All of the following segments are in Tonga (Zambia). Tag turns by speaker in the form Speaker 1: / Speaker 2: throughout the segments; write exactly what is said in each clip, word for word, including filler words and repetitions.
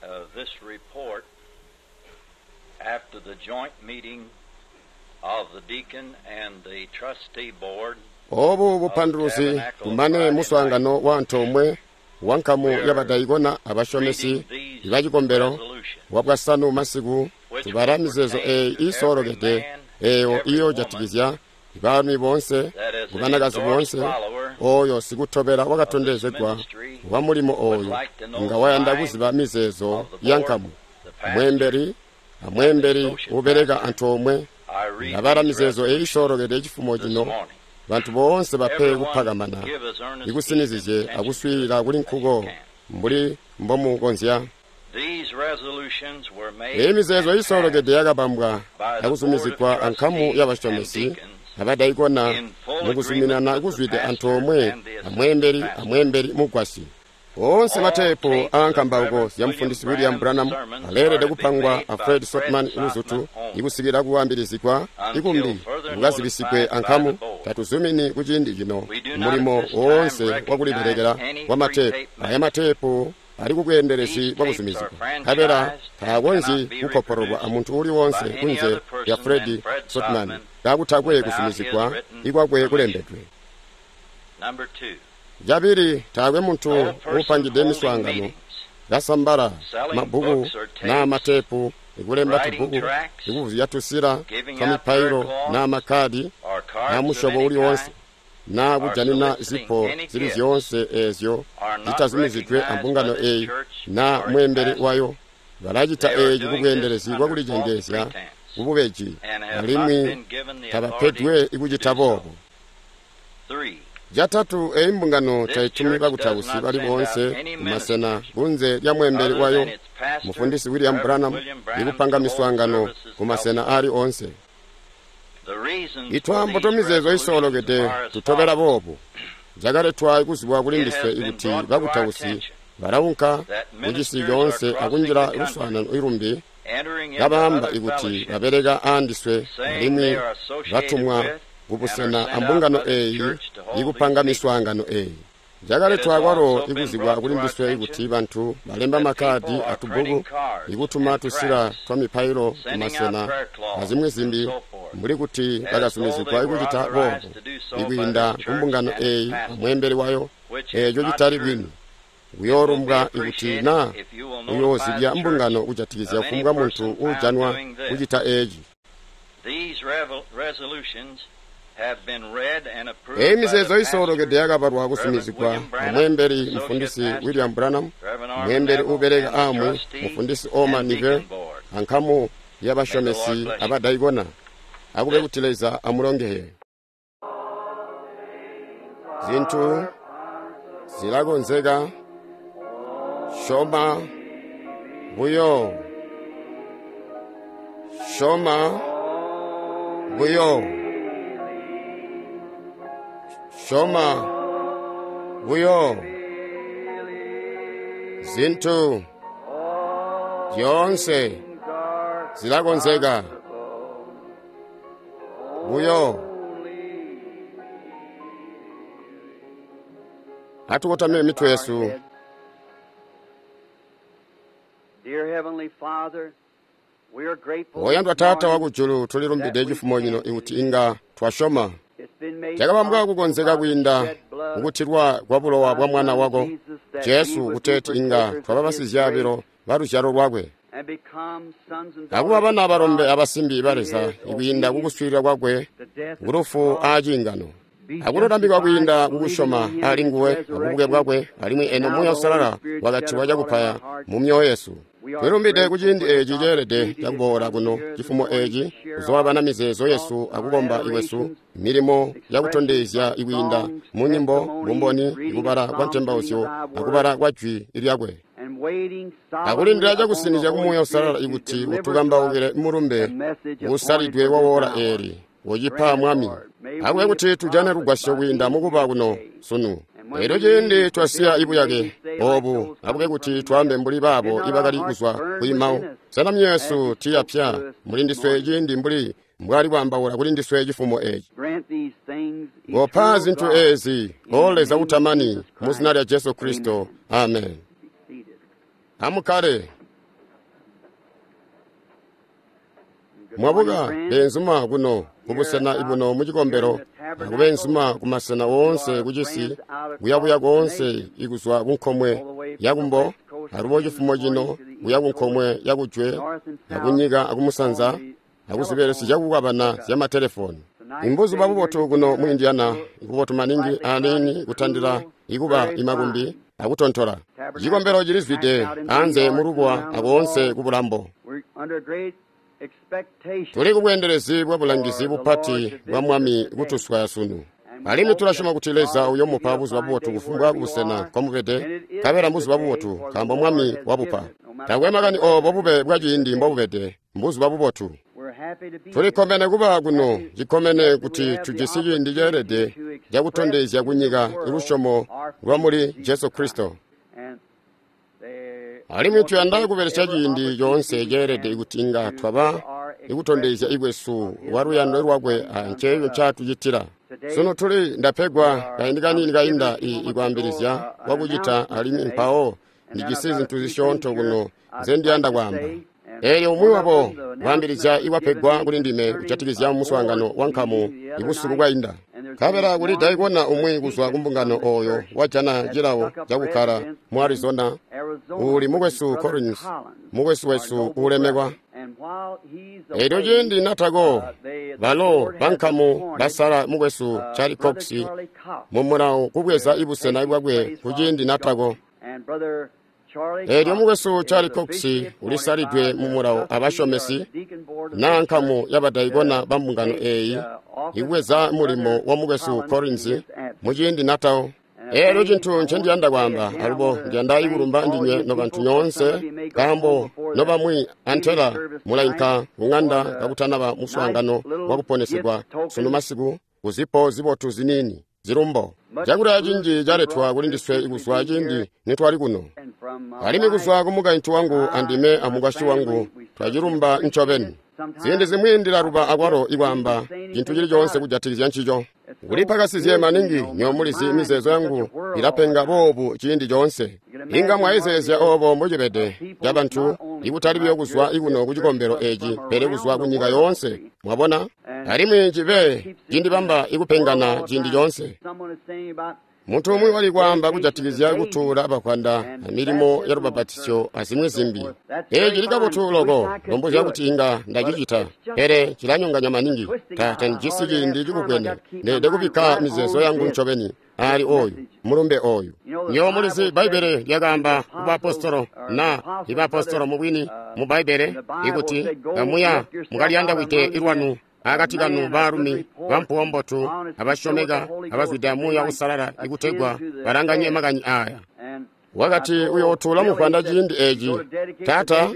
Speaker 1: uh, this report after the joint meeting of the deacon and the trustee board.
Speaker 2: Obu bupanduluzi kumane muswaangano wa antoomwe wa nkamu y'abadayikona abashomesi ibacikombelo wa bwasanu masiku tubala mizeezo eeyi iisoolokede eeyo iyoojatikizya baalumi boonse kubanakazi boonse ooyo sikutobela wakatondezegwa wa mulimo ooyu nga wayanda kuziba mizeezo ya nkamu mweembeli amweembeli ubeleka antoomwe ngabala mizeezo eyi isoolokede cifumo cino bantu boonse bape kupakamana ikusinizizye akuswiilila kuli nkuko mbuli mbomukonzya. Eyi mizeezo isoolokede yakabambwa akuzumizigwa ankamu y'abashomesi abadaikona mukuzuminana kuzwide antoomwe amweembeli amweembeli mugwasyi. Oonse mateepu aankambauko zya mufundisi William Branham aleelede kupangwa a Fred Sotman luzutu ikusikila kuambilizigwa ikumbi kukazibisigwe ankamu. Tatuzumini kuciindi cino mulimo woonse wakulibelekela wa mateepu. Aya mateepu ali kubweendelezi bwakuzumizigwa nkabela taakonzyi kukoporolwa amuntu uuli woonse kunze lya Fred Sotman kakutakwe kuzumizigwa ikwakwe kulembedwe. Cabili, taakwe muntu uupangide miswaangano kasambala mabbuku naa mateepu, ikulemba tubbuku, ikuvuzya tusila twa mipailo naa makkadi naa musyobo uli woonse, naa kujanina zipo zili zyoonse eezyo zitazumizidwe ambungano eeyi naa mweembeli wayo. Balacita eeci kubweendelezi bwakulicengeezya kububeji alimwi tabapedwe ikucita boobo. Catatu, eyi mbungano taitumi bakutausi bali boonse kumasena kunze lya mweembeli wayo mufundisi William Branham ikupanga miswaangano kumasena aali oonse. Itwaambo twamizeezo isoolokede tutobela boobu. Cakaletwa ikuzibwa kuli ndiswe ikuti bakutausi balaunka kucisi coonse akunjila luswaanano ilumbi kabaamba ikuti babeleka aandiswe alimwi batumwa kubusena ambungano eeyi ikupanga miswaangano eeyi. Cakaletwa kwalo ikuzibwa kuli ndiswe ikuti bantu balemba makkadi atubbuku ikutuma tusila twa mipailo kumasena azimwi zimbi mbuli kuti bakazumizigwa ikucita boobo ikwiinda kumbungano eeyi amweembeli wayo, eeco citali bwini. Kuyoolumbwa ikuti naa uyoozibya mbungano kujatikizya kufumbwa muntu uujanwa kucita eeci. Eyi mizeezo isoolokede yakabalwa kuzumizigwa amweembeli mufundisi William Branham, mweembeli uubeleka aamwi mufundisi Orman Nivel, ankamu y'abashomesi abadaikona. Akube kuti Leza amulongeye. Zintu zilakonzeka. Syoma buyo. Syoma buyo. Syoma buyo. Zintu zyoonse zilakonzeka buyo. Atukotamye mitwe yesu. Oyandwa Taata wakujulu, tulilumbide cifumo cino ikuti inga twasyoma. Cakabambwa kukonzeka kwiinda kukutilwa kwa bulowa bwa mwana wako Jesu, kuteeti inga twaba basizyaabilo ba luzyalo lwakwe akuba bana abalombe abasimbi ba Leza ikwiinda kukuswiilila kwakwe kulufu aaciingano, akululambikwa kwiinda kukusyoma ali nguwe abubuke bwakwe, alimwi eno Muuya Uusalala wakatilwa cakupaya mu myoyo yesu. Twilumbide kuciindi eeci ceelede cakuboola kuno cifumo eeci kuzoobana mizeezo yesu akukomba ikwesu milimo yakutondezya ikwiinda mu nyimbo, bumboni, ikubala kwa ntembauzyo akubala kwa jwi lyakwe, akulindila cakusinizya ku Muuya Uusalala ikuti utukambaukile mulumbe usalidwe wa woola eeli ucipa Mwami. Akube kuti tujane lugwasyo kwiinda mukuba kuno sunu. Elyo ciindi twasiya ibuyake obu, akube kuti twaambe mbuli baabo ibakali kuzwa kuimau. Sena myoyo tiyapya muli ndiswe ciindi mbuli mbwali kwaambaula kuli ndiswe cifumo eeci. Kopa zintu eezi, O Leza utamani, mu zina lya Jesu Kristo. Amen. Amukkale. Mwabuka beenzuma kuno kubusena ibuno mucikombelo akubeenzuma kumasena woonse kucisi kuyabuya koonse ikuzwa kunkomwe yakumbo alubo cifumo cino kuya kunkomwe yakujwe akunyika akumusanza akuzibelesyo zyakukwabana zyamatelefoni. Imbuzuba bubotu kuno mu Indiana, ikubotu maningi aniini kutandila ikuba imakumbi akutontola. Cikombelo cilizwide anze mulubwa akoonse kubulambo. Tuli kubweendelezi bwa bulangizi bupati bwa Mwami kutuswaya sunu. Alimwi tulasyoma kuti Leza uyomupa buzuba bubotu kufumbwa kubusena nkomubede, nkabela mbuzuba bubotu nkaambo Mwami wabupa. Takwe makani oobo bube bwa ciindi mbobubede, mbuzuba bubotu. Tulikkomene kuba kuno, cikkomene kuti tujisi ciindi ceelede cakutondezya kunyika lusyomo lwamuli Jesu Kristo. Alimwi tuyanda kubelesya ciindi coonse ceelede kuti inga twaba ikutondezya ikwesu lwa luyando lwakwe anceeco ncaatucitila. Sunu tuli ndapegwa kaindi kaniini kainda ikwaambilizya kwakucita alimwi mpawo ndijisi zintu zisyoonto kuno nzendiyanda kwaamba. Eelyo umwi wabo kwaambilizya ikwapegwa kuli ndime kujatikizya muswaangano wa nkamu ibusiku bwainda. Nkabela kuli daikona umwi kuzwa kumbungano ooyo wajana cilawo cakukkala mu Arizona, uuli mukwesu Collins, mukwesu wesu uulemekwa. Eelyo ciindi natako, balo bankamu basala mukwesu Charlie Cox mumulawo kubweza ibusena bwakwe kuciindi natako. Eelyo mukwesu Charlie Cox ulisalidwe mumulawo abasyomesi naa nkamu yabadaikona bambungano eeyi ikubweza mulimo wa mukwesu Collins muciindi natawo. Eelyo cintu ncendiyanda kwaamba alubo ndiyanda ikulumba ndinywe nobantu nyoonse nkaambo nobamwi antela mulainka kuŋanda kakutanaba muswaangano wakuponesegwa sunu masiku kuzipo zibotu ziniini zilumbo. Cakulya cinji caletwa kuli ndiswe ikuzwa ciindi nitwali kuno. Alimwi kuzwa kumukaintu wangu andime amukwasyi wangu twacilumba ncobeni. Ziindi zimwi ndilaluba akwalo ikwaamba cintu cili coonse kujatikizya ncico. Kulipakasizye maningi nyomulizi mizeezo yangu ilapenga boobu ciindi coonse. Inga mwayezeezya oobo mbocibede cabantu ikutali buyo kuzwa ikuno kucikombelo eci pele kuzwa kunyika yoonse, mwabona? Alimwi cibe cindibamba ikupengana ciindi coonse. Muntu umwi wali kwaamba kujatikizya kutuula bakwanda amilimo ya lubapatisyo azimwi zimbi. Eeci cili kabotu loko, lombozya kuti inga ndacicita, pele cilanyonganya maningi. Ta tandijisi ciindi cikubwene, ndeelede kubikka mizeezo yangu ncobeni ali oyu mulumbe oyu. Nywebo mulizi Bbaibbele lyakaamba kubaapostolo na ibaapostolo mubwini mu Bbaibbele ikuti kamuya mukaliyandawide ilwanu akati kanu baalumi bampuwo mbotu abasyomeka abazwida Muuya Uusalala ikutegwa balanganye makani aaya. Wakati uyootuula muvwanda ciindi eci. Taata,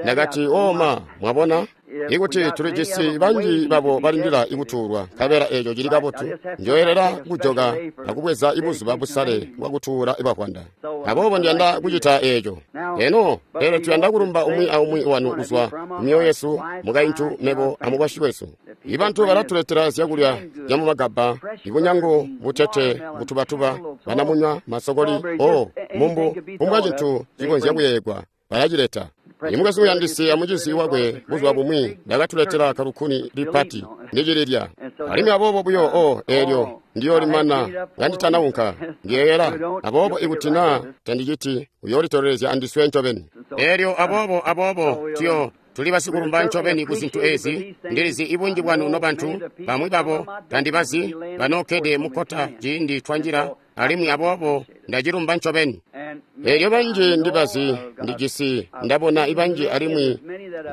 Speaker 2: ndakati oma, mwabona? Ikuti tulijisi banji babo balindila ikutuulwa, nkabela eeco cili kabotu, njoyelela kujoka akubweza ibuzuba busale bwakutuula ibavwanda. Aboobo ndiyanda kucita eeco. Eno, pele tuyanda kulumba umwi aumwi wanu kuzwa kumyoyo yesu, mukaintu, mebo amukwasyi wesu. Ibantu balatuletela zyakulya zyamumagabba, ibunyangu, butete, butubatuba, banamunywa, masokoli, o mumbu, kumbwa cintu cikonzya kuyeeyegwa, balacileta. Imukwesu uyandisi amucizi wakwe buzuba bumwi ndakatuletela kalukuni lipati ndicililya. Alimwi aboobo buyo o eelyo ndiyolimana kanditanaunka ndiyeeyela. Aboobo ikuti naa tandiciti uyoolitolelezya andiswe ncobeni.
Speaker 3: Eelyo aboobo aboobo tuyo tuli basikulumba ncobeni ku zintu ezi. Ndilizi ibunji bwanu nobantu bamwi babo tandibazi banookkede mukkota ciindi twanjila, alimwi aboobo ndacilumba ncobeni.
Speaker 2: Eelyo banji ndibazi ndijisi ndabona ibanji alimwi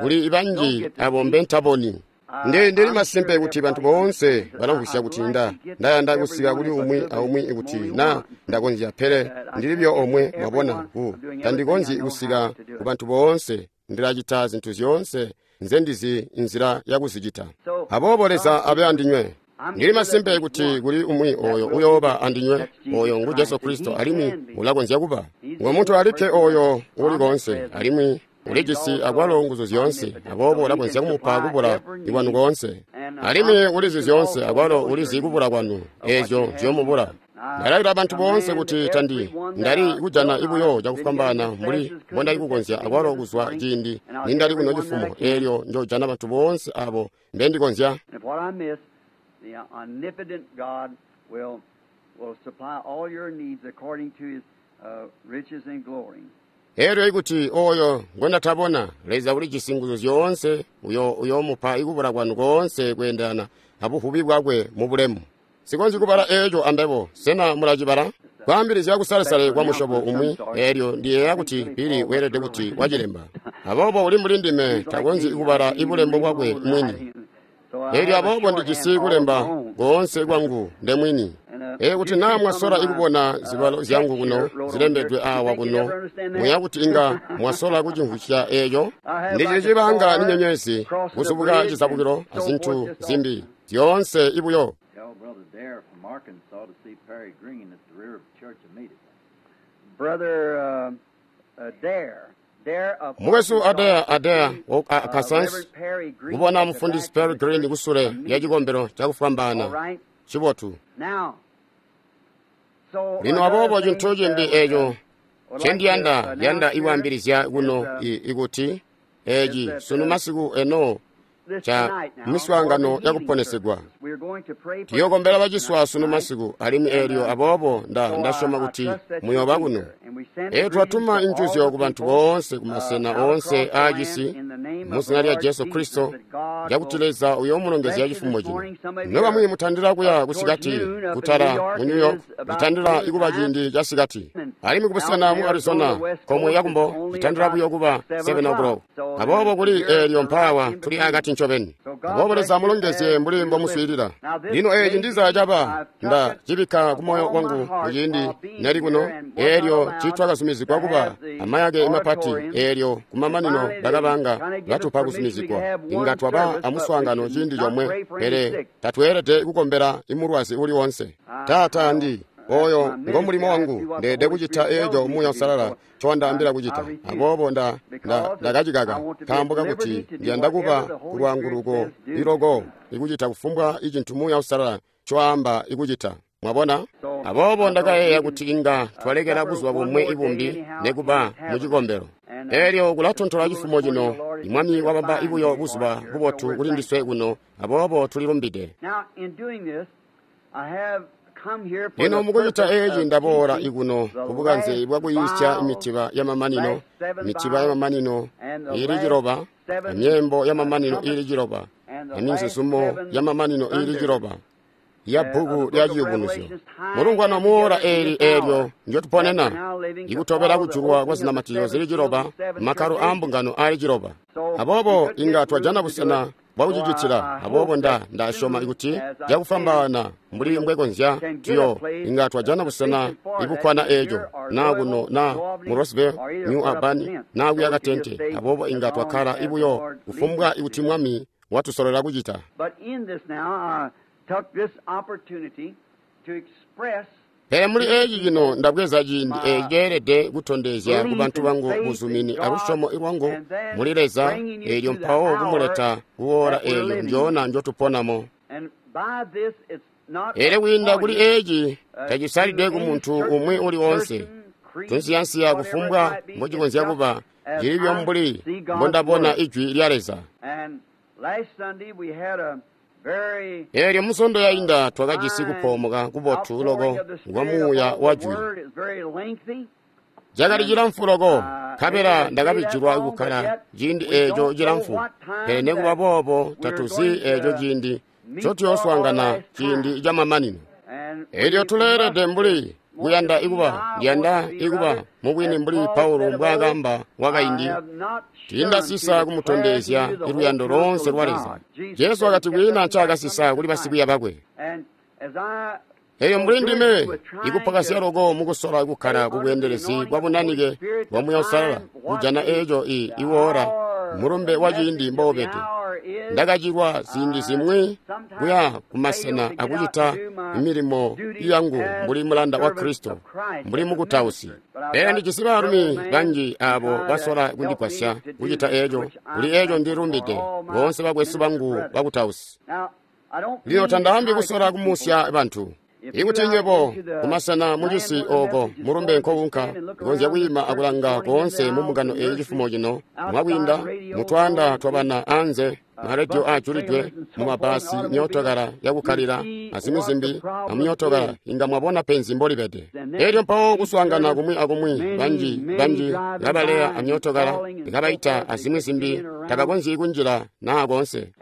Speaker 2: kuli ibanji abo mbentaboni. Ndi ndili masimpe kuti bantu boonse balamvwisya kuti nda ndayanda kusika kuli umwi aumwi ikuti na ndakonzya, pele ndili buyo omwe, mwabona, ku tandikonzyi kusika ku bantu boonse. Ndilacita zintu zyoonse nzendizi nzila yakuzicita. Aboobo Leza abe andinywe. Ndili masimpe kuti kuli umwi oyo uyooba andinywe, oyo ngu Jesu Kristo, alimwi ulakonzya kuba ngo muntu alikke oyo uli koonse, alimwi ulijisi akwalo nguzu zyoonse, aboobo ulakonzya kumupa kubula ikwanu koonse. Alimwi ulizi zyoonse, akwalo ulizi kubula kwanu, eezyo nzyomubula. Ndalailila bantu boonse kuti tandi ndali kujana ibuyo cakufwambaana mbuli mbondali kukonzya akwalo kuzwa ciindi nindali kuno cifumo, eelyo njojana bantu boonse abo mbendikonzya. Eelyo ikuti oyo ngondatabona, Leza ulijisi nguzu zyoonse, uyo uyoomupa ikubula kwanu koonse kweendelana abuvubi bwakwe mu bulemu. Sikonzyi kubala eeco ambebo, sena mulacibala? Kwaambilizya kusalesale kwa musyobo umwi, eelyo ndiyeeya kuti Bili weelede kuti wacilemba. Aboobo uli mbuli ndime, takonzyi kubala ibulembo bwakwe mwini. Eelyo aboobo ndijisi kulemba koonse kwangu ndemwini. Ee kuti naa mwasola ikubona zibalo zyangu kuno zilembedwe awa kuno, muya kuti inga mwasola kucimvwisya eeco. Ndicili cibanga ni nyenyezi, kuzubuka cizabukilo azintu zimbi zyoonse ibuyo. Mukwesu Adair Adair wa Arkansas kubona mufundisi Perry Green kusule lya cikombelo cakufwambaana cibotu. Lino aboobo cintu cimbi eeco ncendiyanda yanda ikwaambilizya kuno ikuti eeci sunu masiku eno ca miswaangano yakuponesegwa. Tuyookombela baciswa sunu masiku, alimwi eelyo aboobo nda ndasyoma kuti muyooba kuno. Eelyo twatuma injuzyo ku bantu boonse ku masena oonse aacisi mu zina lya Jesu Kristo, lyakuti Leza uyoomulongezya cifumo cino. Nobamwi mutandila kuya kusikati kutala mu New York, litandila ikuba ciindi ca sikati, alimwi kubusena mu Arizona komwe yakumbo litandila buyo kuba seven o'clock. Aboobo kuli eelyo mpaawa tuli akati ncobeni. Aboobo Leza amulongezye mbuli mbomuswiilila. Lino eeci ndiza caba nda cibikka kumoyo wangu muciindi nali kuno, eelyo tiitwakazumizigwa kuba amayake mapati, eelyo kumamanino bakabanga batupa kuzumizigwa. Inga twaba amuswaangano ciindi comwe, pele tatweelede kukombela imulwazi uli wonse. Taata ndi oyo ngo mulimo wangu, ndeede kucita eeco Muuya Uusalala ncowandaambila kucita. Aboobo nda ndakacikaka nkaambo kakuti ndiyanda kuba kulwaanguluko iloko ikucita kufumbwa icintu Muuya Uusalala ncowaamba ikucita. Mwabona? Aboobo ndakayeeya kuti inga twalekela buzuba bumwe ibumbi nekuba mu cikombelo. Eelyo kulatontola cifumo cino, Mwami wabamba ibuyo buzuba bubotu kuli ndiswe kuno, aboobo tulilumbide. Lino mukucita eeci ndaboola ikuno kubukanze bwakuyisya mitiba yamamanino, mitiba yamamanino iili ciloba, emyeembo yamamanino iili ciloba, eminzuzumo yamamanino iili ciloba ya bbuku lya Ciyubunuzyo. Mulungwano muora eeli eelyo ndyotuponena, ikutobela kujulwa kwa zinamatizyo zili ciloba, makkalo aambungano aali ciloba. Aboobo inga twajana busena bwakucicitila. Aboobo nda ndasyoma kuti cakufwambaana mbuli mbwekonzya tuyo inga twajana busena ibukkwana eeco, naa kuno naa mu Roseville, New Albany, naa kuya Katente. Aboobo inga twakkala ibuyo kufumbwa ikuti Mwami watusololela kucita. Pele muli eeci cino ndabweza ciindi eeci ceelede kutondezya ku bantu bangu buzumini alusyomo lwangu muli Leza, eelyo mpawo kumuleta kuwoola eelyo ndyona njotuponamo. Eelyo kwiinda kuli eeci tacisalidwe ku muntu umwi uli woonse, tunsiyansiya kufumbwa mbocikonzya kuba, cilibyo mbuli mbondabona ijwi lya Leza. Eelyo musondo yainda twakajisi kupoomoka kubotu loko kwa muuya wa jwi. Cakali cilamfu loko, nkabela ndakabijilwa kukkala ciindi eeco cilamfu. Pele nekuba boobo tatuzi eeco ciindi ncotuyooswaangana ciindi camamanino. Eelyo tuleelede mbuli kuyanda ikuba, ndiyanda ikuba mubwini mbuli Paulo mbwaakamba wakaindi, tiindasisa kumutondezya iluyando loonse lwa Leza. Jesu wakati kwiina ncaakasisa kuli basikwiiya bakwe. Eyo mbuli ndime ikupakasya loko mukusola kukkala kubweendelezi bwa bunanike bwa Muuya Uusalala kujana eeco i iwoola mulumbe wa ciindi mboubede. Ndakacilwa ziindi zimwi kuya kumasena akucita milimo yangu mbuli mulanda wa Kristo, mbuli mukutausi. Pele ndijisi baalumi banji aabo basola kundigwasya kucita eeco. Kuli eeco ndilumbide boonse bakwesu bangu bakutausi. Lino tandaambi kusola kumusya bantu. Ikuti nywebo kumasena mucisi ooko mulumbe nkowunka, ikonzya kwiima akulanga koonse mumbungano eyi cifumo cino, mwakwiinda mutwaanda twabana anze, marediyo ajulidwe, mumabasi, myootokala yakukkalila, azimwi zimbi, amumyootokala, inga mwabona penzi mbolibede. Elyo mpawo kuswaangana kumwi akumwi, banji banji kabaleya amyootokala, kabaita azimwi zimbi, tabakonzyi kunjila naa koonse.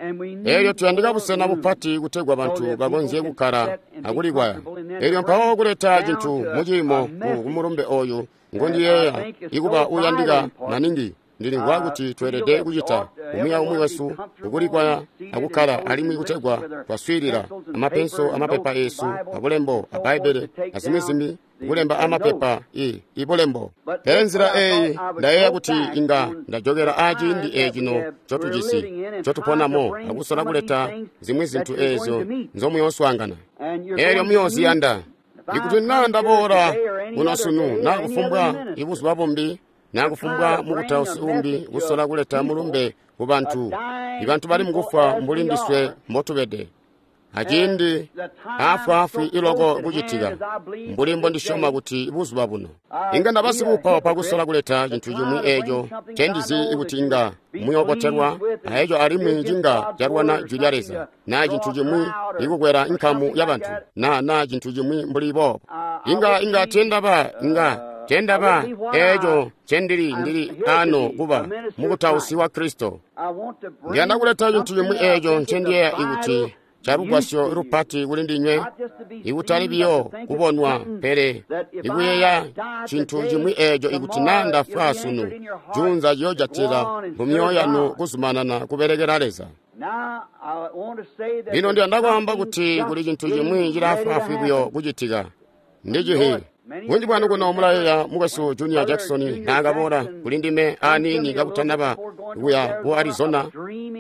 Speaker 2: Elyo tuyandika busena bupati kutegwa bantu bakonzye kukkala akulikwaya. Elyo mpawo kuleta cintu muciimo ku mulumbe oyu ngondiyeeya ikuba uyandika maningi. Ndilimvwa kuti tweelede kucita umwi aumwi wesu ukulikwaya akukkala alimwi kutegwa twaswiilila amapenso amapepa esu abulembo a Bbaibbele azimwi zimbi, kulemba amapepa i ibulembo. Pele nzila eyi ndayeeya kuti inga ndajokela aciindi ecino ncotujisi ncotuponamo akusola kuleta zimwi zintu eezyo nzomuyooswaangana eelyo muyooziyanda. Ikuti naa ndaboola kuno sunu naa kufumbwa ibuzuba bumbi naa kufumbwa mukutausi umbi kusola kuleta mulumbe ku bantu, ibantu bali mukufwa mbuli ndiswe mbotubede, aciindi aafwaafwi iloko kucitika mbuli mbondisyoma kuti buzuba buno inga ndaba sikuupaupa kusola kuleta cintu cimwi eeco ncendizi kuti inga muyoobotelwa aeco alimwi cinga calwana jwi lya Leza, naa cintu cimwi ikukwela nkamu yabantu, naa naa cintu cimwi mbuli boobo. Inga inga tendaba inga tendaba eeco ncendili ndili ano kuba mukutausi wa Kristo. Ndiyanda kuleta cintu cimwi eeco ncendiyeeya ikuti calugwasyo lupati kuli ndinywe, ikutali biyo kubonwa, pele ikuyeeya cintu cimwi eeco ikuti naa ndafwa sunu, juunza ciyoojatila mu myoyo yanu kuzumanana kubelekela Leza. Lino ndiyanda kwaamba kuti kuli cintu cimwi cilaafwaafwi buyo kucitika. Ndicihi bunji bwanu kuno mulayeeya mukwesu Junior Jackson naakaboola kuli ndime aniini kakutanaba kuya ku Arizona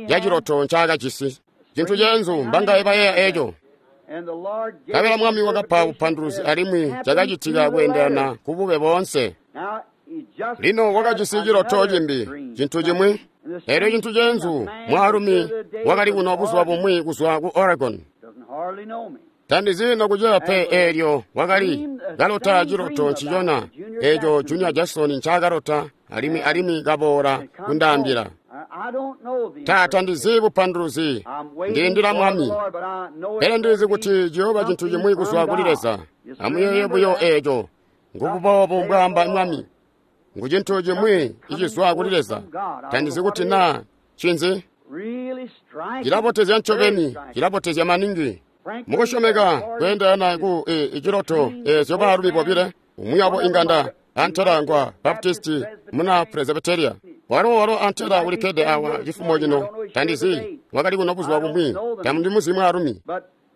Speaker 2: yaciloto ncaakajisi. Cintu ceenzu mbangaye bayeeya eeco. Nkabela Mwami wakapa bupanduluzi alimwi cakacitika kweendelana kubube boonse. Lino wakajisi ciloto cimbi, cintu cimwi. Elyo cintu ceenzu, mwaalumi wakali kuno buzuba bumwi kuzwa ku Oregon. Tandizi nokuceya pe eelyo wakali kalota ciloto ncicona eeco Junior Jackson ncaakalota alimwi alimwi kaboola kundaambila. Taata, ndizi bupanduluzi, ndilindila Mwami, pele ndilizi kuti ciyooba cintu cimwi kuzwa kuli Leza. Amuyeeye buyo eeco, ngububoobu mbwaamba Mwami, ngu cintu cimwi icizwa kuli Leza. Tandizi kuti naa ncinzi. Cilabotezya ncobeni, cilabotezya maningi. Mukusyomeka kweendelana ku iciloto eezyo baalumi bobile, umwi wabo inganda antela ngwa Baptisti muna Presbyteria. Walo walo antela ulikkede awa cifumo cino, tandizi wakali kuno buzuba bumwi, tamundimuzi mwaalumi.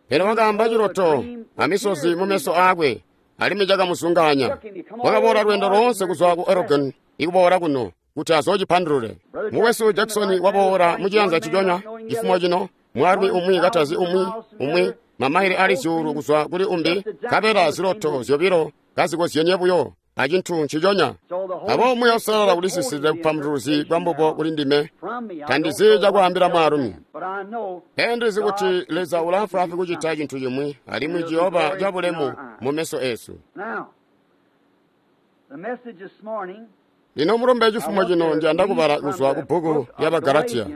Speaker 2: Pele wakaamba ciloto amisozi mumeso aakwe, alimwi cakamuzungaanya. Wakaboola lweendo loonse kuzwa ku Oregon ikuboola kuno kuti azoocipandulule. Mukwesu Jackson waboola muciyanza ciconya cifumo cino, mwaalumi umwi katazi umwi umwi mamaile ali zyuulu kuzwa kuli umbi, nkabela ziloto zyobilo kazikozyenye buyo acintu nciconya. Aboobo Muuya Uusalala ulisiside bupanduluzi bwambubo kuli ndime. Tandizi cakwaambila mwaalumi, pele ndizi kuti Leza ulaafwaafwi kucita cintu cimwi, alimwi ciyooba cabulemu mumeso eesu. Lino mulumbe cifumo cino ndiyanda kubala kuzwa ku bbuku lya Bagalatiya.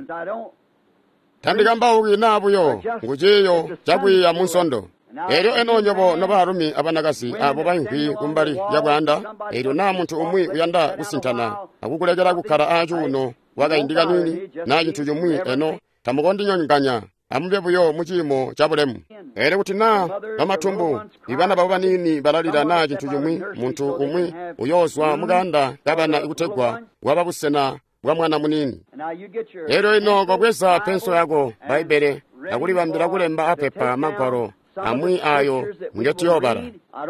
Speaker 2: Tandikambauki naa buyo ngu ciiyo cakwiiya mu Nsondo. Elyo eno nywebo nobaalumi abanakazi abo baimvwi kumbali lya bwaanda, elyo naa muntu umwi uyanda kusintana akukulekela kukkala aacuuno kwakaindi kaniini naa cintu cimwi, eno tamukondinyonganya, amube buyo mu ciimo cabulemu. Elyo kuti naa bamatumbu ibana babo baniini balalila naa cintu cimwi, muntu umwi uyoozwa mukaanda kabana ikutegwa bwaba busena bwa mwana muniini. Elyo ino kobweza penso yako Bbaibbele akulibambila kulemba apepa magwalo amwi ayo ngetiyobala.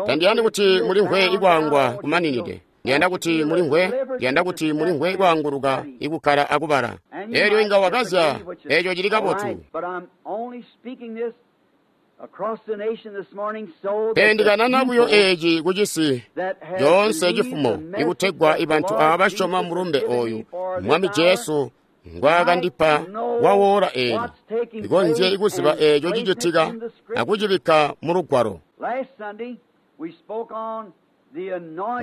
Speaker 2: Tandiyandi kuti mulimvwe ikwaangwa kumaninide. Ndiyanda kuti mulimvwe, ndiyanda kuti mulimvwe ikwaanguluka ikukkala akubala. Elyo inga wakazya, eeco cili kabotu. Pele ndikanana buyo eeci kucisi coonse cifumo ikutegwa ibantu aaba basyoma mulumbe oyu Mwami Jesu ngwaakandipa wawoola eeli, ikonzye ikuziba eeco cicitika akucibikka mu Lugwalo.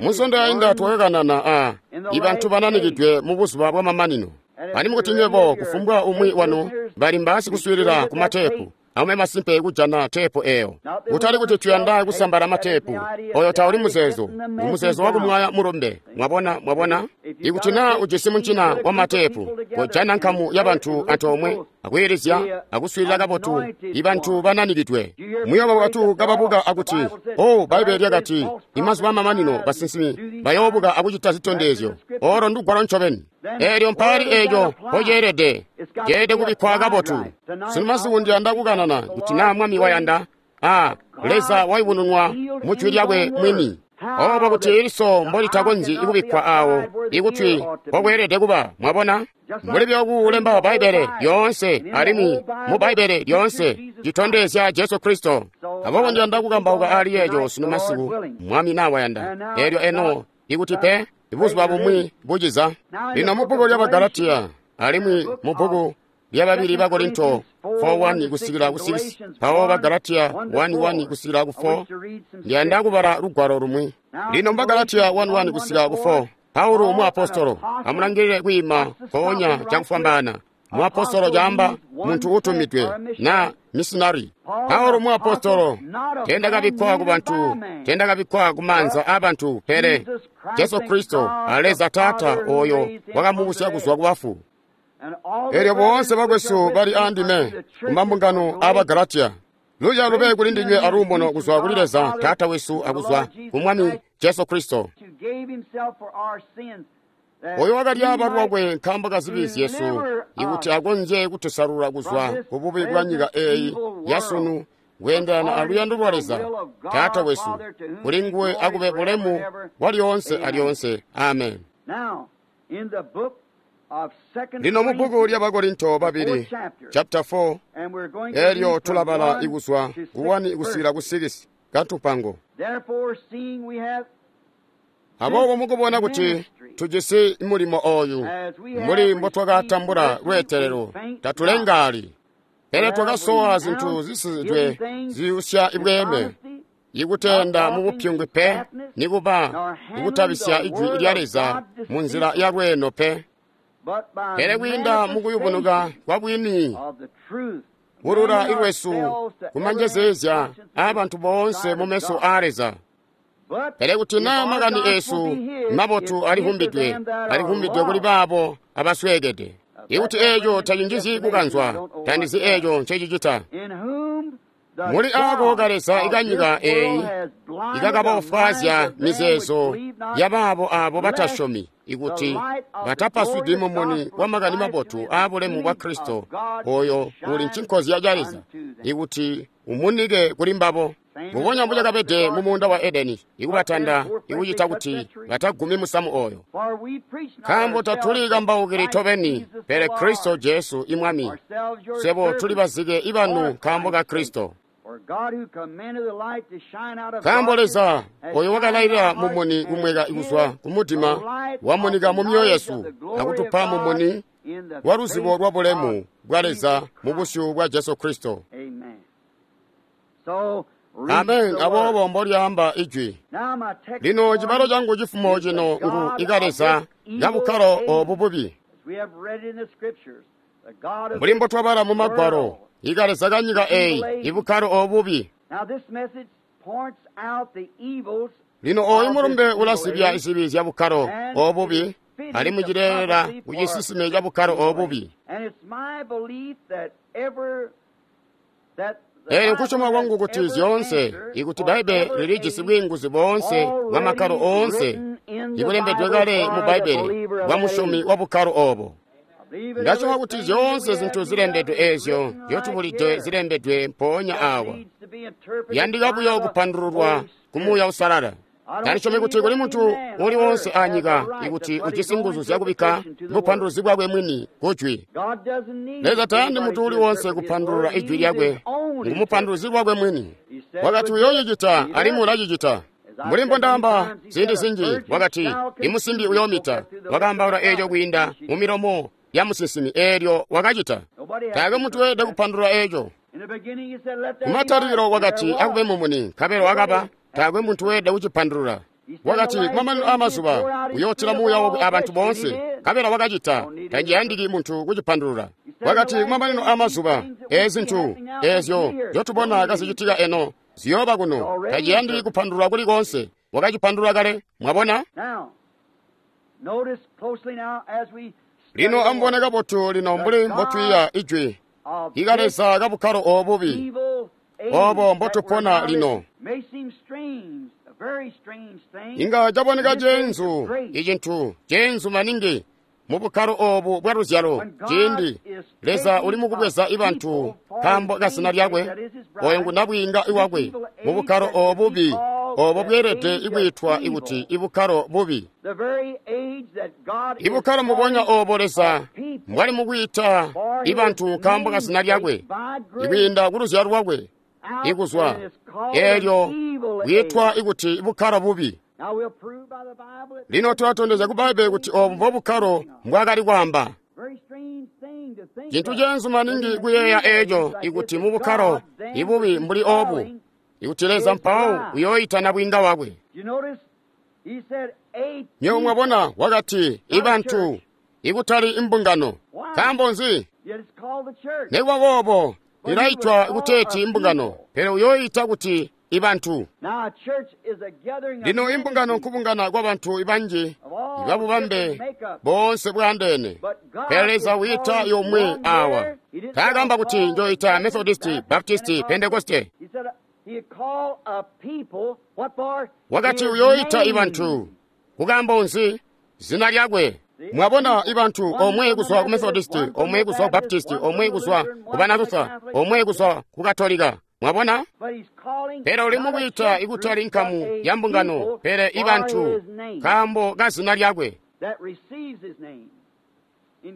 Speaker 2: Munsondo yainda twakakanana a ibantu bananikidwe mu buzuba bwamamanino. Alimwi kuti nywebo kufumbwa umwi wanu bali mbasikuswiilila ku mateepu, amube masimpe kujana teepu eyo. Kutali kuti tuyanda kusambala mateepu, oyo tauli muzeezo, ngu muzeezo wakumwaya mulumbe. Mwabona, mwabona? Ikuti naa ujisi muncina wa mateepu, kojana nkamu ya bantu antoomwe, akwiilizya, akuswiilila kabotu, ibantu bananikidwe. Muyooba batu kababuka akuti, oh, Bbaibbele lyakati, imazuba amamanino basinsimi bayoobuka akucita zitondezyo. Olo ndugwalo ncobeni. Eelyo mpaali eeco mpoceelede, ceelede kubikkwa kabotu. Sunu masiku ndiyanda kukanana kuti naa Mwami wayanda, a Leza wayubununwa mu jwi lyakwe mwini. Obo kuti iliso mbolitakonzyi kubikkwa awo ikutwi mpokweelede kuba, mwabona? Mbuli byokulemba Bbaibbele lyoonse alimwi mu Bbaibbele lyoonse citondezya Jesu Kristo. Aboobo ndiyanda kukambauka ali eeco sunu masiku, Mwami naa wayanda. Eelyo eno ikuti pe buzuba bumwi buciza. Lino mu bbuku lya Bagalatiya alimwi mu bbuku lyababili ba Korinto four one kusikila ku six, mpawo Bagalatiya one one kusikila ku four, ndiyanda kubala lugwalo lumwi. Lino mu Bagalatiya one one kusikila ku four, Paulo muapostolo amulangilile kwiima mpoonya cakufwambaana. Muapostolo caamba muntu utumidwe na misinari. Paulo muapostolo teendakabikkwa ku bantu, teendakabikkwa ku maanza aabantu, pele Jesu Kristo a Leza Taata oyo wakamubusya kuzwa ku bafu. Eelyo boonse bakwesu bali aandime ku mambungano aa Bagalatiya. Luya lube kuli ndinywe aluumuno kuzwa kuli Leza Taata wesu akuzwa ku Mwami Jesu Kristo, oyo wakalyaaba lwakwe nkaambo ka zibi zyesu, ikuti akonzye kutusalula kuzwa ku bubi bwa nyika eeyi yasunu kweendelana aluyando lwa Leza Taata wesu. Kuli nguwe akube bulemu bwa lyoonse alyoonse. Amen. Lino mu bbuku lya Bakorinto babili chapter four, eelyo tulabala ikuzwa ku one kusikila ku six katupango. Aboobo mukubona kuti tujisi mulimo oyu, mbuli mbotwakatambula lweetelelo, tatulengaali, pele twakasowa zintu zisisidwe ziyusya ibweeme, ikutenda mubupyungwi pe, nikuba ikutabisya ijwi lya Leza mu nzila ya lweeno pe, pele kwiinda mukuyubunuka kwa bwini bulula ilwesu kumanjezeezya aabantu boonse mu meso aa Leza. Pele kuti naa makani eesu mabotu alivumbidwe, alivumbidwe kuli baabo abasweekede. Ikuti eeco tacinjizyi kukanzwa, tandizi eeco ncecicita. Muli aako kaleza ikanyika eeyi ikakabofwaazya mizeezo yabaabo aabo batasyomi, ikuti batapaswidi mumuni wa makani mabotu aabulemu bwa Kristo, oyo uli ncinkozya ca Leza, ikuti umunike kuli mbabo. Mbubonya mbucakabede mu muunda wa Edeni, ikubatanda ikucita kuti batagumi musamu oyo. Nkaambo tatuli kambaukili tobeni, pele Kristo Jesu imwami. Swebo tuli bazike ibanu nkaambo ka Kristo. Nkaambo Leza oyo wakalailila mumuni kumweka kuzwa kumudima wamunika mu myoyo yesu akutupa mumuni wa luzibo lwa bulemu bwa Leza mu busyu bwa Jesu Kristo. Amen. Aboobo mbolyaamba ijwi. Lino cibalo changu chifumo chino ngu ikaleza kabukkalo obu bubi. Mbuli mbotwabala mu magwalo, ikaleza kanyika eyi ibukkalo obubi. Lino oyu mulumbe ulasibya izibi zya bukkalo obubi, alimwi cileelela kucisisime ca bukkalo obubi. Eelyo nkusyoma kwangu kuti zyoonse, ikuti Bbaibbele lilijisi bwiinguzi boonse bwa makkalo oonse ibulembedwe kale mu Bbaibbele bwa musyomi wa bukkalo obo. Ndasyoma kuti zyoonse zintu zilembedwe eezyo nzyotubulide zilembedwe mpoonya awa, yandika buyo kupandululwa ku Muuya Uusalala. Tandisyomi kuti kuli muntu uli wonse anyika ikuti ujisi nguzu zyakubikka bupanduluzi bwakwe mwini kujwi. Leza tayandi muntu uli wonse kupandulula ijwi lyakwe, ngumupanduluzi lwakwe mwini. Wakati uyoocicita alimwi ulacicita. Mbuli mbondaamba ziindi zinji, wakati imusimbi uyoomita. Wakaambaula eeco kwiinda mu milomo ya musinsimi, eelyo wakacita. Taakwe muntu weelede kupandulula eeco. Kumatalikilo wakati akube mumuni, nkabela wakaba. Taakwe muntu weelede kucipandulula. Wakati kumamanino aamazuba uyootila muuya wakwe abantu boonse, nkabela wakacita. Taciyandiki muntu kucipandulula. Wakati kumamanino aamazuba eezi zintu eezyo nzyotubona kazicitika eno ziyooba kuno. Taciyandiki kupandulula kuli koonse. Wakacipandulula kale. Mwabona? Lino amubone kabotu lino mbuli mbotwiiya ijwi ikaleza kabukkalo obubi obo mbotupona lino. Inga caboneka ceenzu, icintu ceenzu maningi mu bukkalo obu bwa luzyalo, ciindi Leza uli mukubweza ibantu nkaambo kazina lyakwe, oyo ngu nabwiinga iwakwe mu bukkalo obubi obo bweelede ikwiitwa ikuti ibukkalo bubi. Ibukkalo mbubonya obo Leza mbwali mukwiita ibantu nkaambo kazina lyakwe, ikwiinda ku luzyalo lwakwe, ikuzwa eelyo bwiitwa ikuti ibukkalo bubi. Lino tulatondezya ku Bbaibbele kuti obu mbobukkalo mbwaakali kwaamba. Cintu ceenzu maningi kuyeeya eeco ikuti mu bukkalo ibubi mbuli obu, ikuti Leza mpawo uyooyita nabwiinga wakwe. Nywebo mwabona, wakati ibantu, ikutali imbungano. Nkaambo nzi? Nikuba boobo ilaitwa kuteeti imbungano, pele uyooyita kuti ibantu. Lino imbungano nkubungana kwabantu ibanji ibabubambe boonse bwaandeene, pele Leza wiita yomwe awa. Taakamba kuti njoyita Methodisti, Baptisti, Pentekoste. Wakati uyooyita ibantu. Kukaambo nzi? Zina lyakwe. Mwabona, ibantu omwe kuzwa ku Methodisti, omwe kuzwa ku Baptisti, omwe kuzwa ku Banalutha, omwe kuzwa ku Katolika. Mwabona? Pele uli mukwiita ikutali nkamu ya mbungano, pele ibantu nkaambo ka zina lyakwe.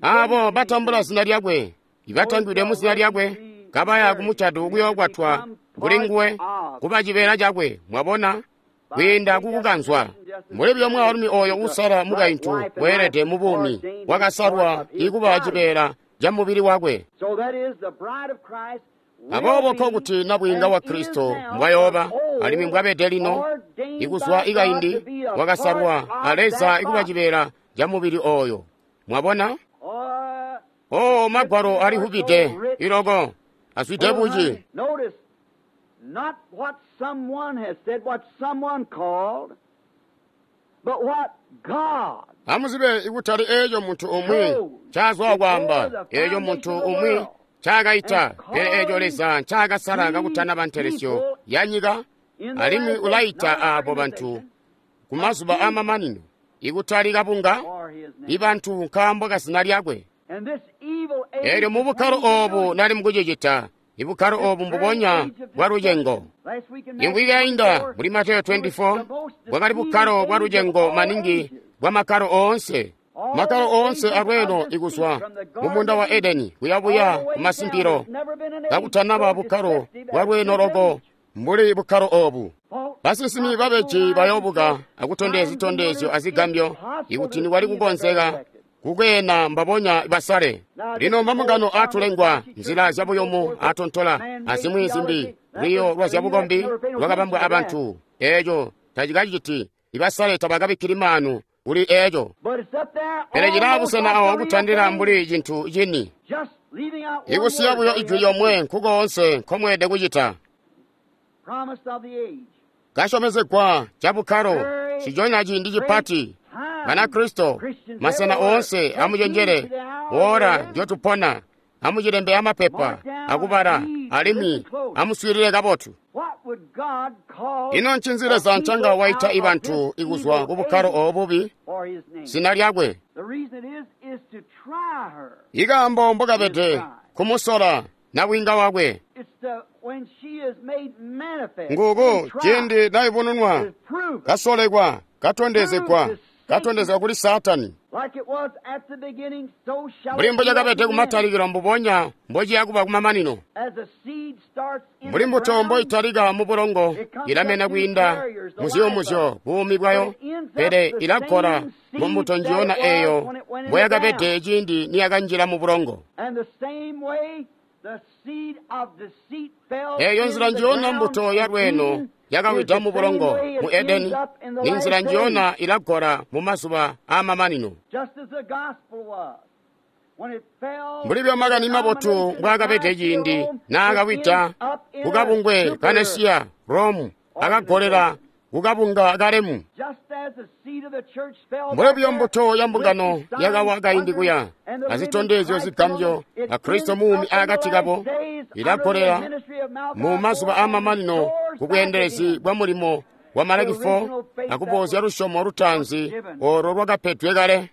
Speaker 2: Abo batambula zina lyakwe, ibatangwidwe mu zina lyakwe, kabaya kumucado kuyookwatwa kuli nguwe, kuba cibeela cakwe. Mwabona? Kwiinda kukukanzwa. Mbuli buyo mwaalumi oyo uusala mukaintu weelede mu buumi, wakasalwa ikuba cibeela ca mubili wakwe. Aboobo nkokuti nabwiinga wa Kristo mbwayooba, alimwi mbwabede lino, ikuzwa ikaindi wakasalwa a Leza ikuba cibeela ca mubili oyo. Mwabona? Oh, magwalo alihubide iloko azwide buci.
Speaker 4: Not what someone has said, what someone called, but what God.
Speaker 2: Amuzibe ikutali eeco muntu umwi ncaazwa kwaamba, eeco muntu umwi ncaakaita, pele eeco Leza ncaakasala kakutanaba ntelesyo ya nyika, alimwi ulaita aabo bantu ku mazuba aamamanino, ikutali kabunga, ibantu nkaambo kazina lyakwe. Eelyo mu bukkalo oobu nali mukucicita, ibukkalo oobu mbubonya bwa lucengo. Imvwiki yainda muli Mateyo makumi abili ane bwakali bukkalo bwa lucengo maningi bwa makkalo oonse. Makkalo oonse alweeno ikuzwa mu munda wa Edeni kuyabuya ku masimpilo, kakutanaba bukkalo bwa lweeno loko mbuli bukkalo oobu. Basinsimi babeji bayoobuka akutondezya zitondezyo azigambyo ikuti nikwali kukonzeka kukweena mbabonya basale. Lino mambungano aatulengwa, nzila zyabuyumu aatontola, azimwi zimbi, lwiyo lwa zyabukombi lwakabambwa abantu. Eeco tacikaciti, ibasale tabakabikkili maanu kuli eeco. Pele cilaa busena awo kutandila mbuli cintu cini. Ikusiya buyo ijwi lyomwe nkukoonse nkomweelede kucita. Kasyomezegwa cabukkalo, nciconya ciindi cipati. Banakristo, masena oonse amucenjele, wora ndyotupona, amucilembe amapepa, akubala, alimwi amuswiilile kabotu. Ino ncinzi Leza ncanga waita ibantu ikuzwa ku bukkalo obubi? Zina lyakwe. Ikaambo mbokabede kumusola nabwiinga wakwe. Nguku ciindi naibununwa, kasolekwa, katondezegwa, katondezegwa kuli Saatani. Mbuli mbocakabede kumatalikilo mbubonya mbociya kuba kumamanino. Mbuli mbuto mboitalika mu bulongo, ilamena kwiinda muziyumuzyo buumi bwayo, pele ilakola mu mbuto njiyona eeyo mboyakabede ciindi niyakanjila mu bulongo.
Speaker 3: Eeyo nzila njiyona mbuto ya lweeno yakawida mu bulongo mu Edeni, ni nzila njiyona ilagola mu mazuba aamamanino. Mbuli bya makani mabotu mbwaakabede ciindi naakawida kukabungwe ka Nesiya Rome akagolera kukabunga kalemu. Mbuli buyo mbuto ya mbungano yakawa kaindi kuya azitondezyo zigambyo a Kristo muumi akati kabo ilagolera mu mazuba aamamanino ku bweendelezi bwa mulimo wa Malaki four akubozya lusyomo lutaanzi olo lwakapedwe kale.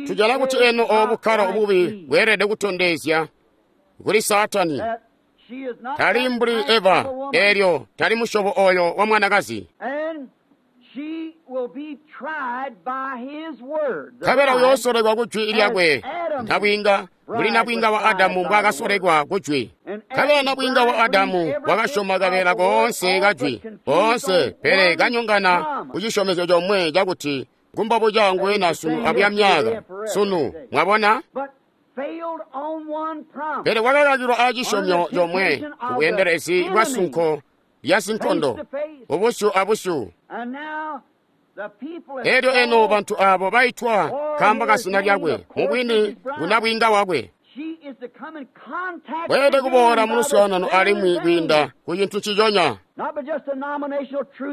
Speaker 3: Tujana kuti eno obukkalo obubi bweelede kutondezya kuli Saatani tali mbuli Eva, eelyo tali musyobo oyo wa mwanakazi. Nkabela uyoosolekwa ku jwi lyakwe nabwiinga mbuli nabwiinga wa Adamu mbwaakasolekwa ku jwi. Nkabela nabwiinga wa Adamu wakasyoma kabeela koonse ka jwi koonse, pele kanyongana ku cisyomezyo comwe cakuti ngumbobu cangu sunu abuya myaka sunu. Mwabona? Pele wakakakilwa acisyomyo comwe ku bweendelezi bwa sunko lya sinkondo ubusyu abusyu. Elyo eno bantu abo baitwa kamba kasina lyakwe mubwini ngunabwiinga wakwe. Bweelede kuboola mu luswaanano alimwi kwiinda ku cintu nciconya,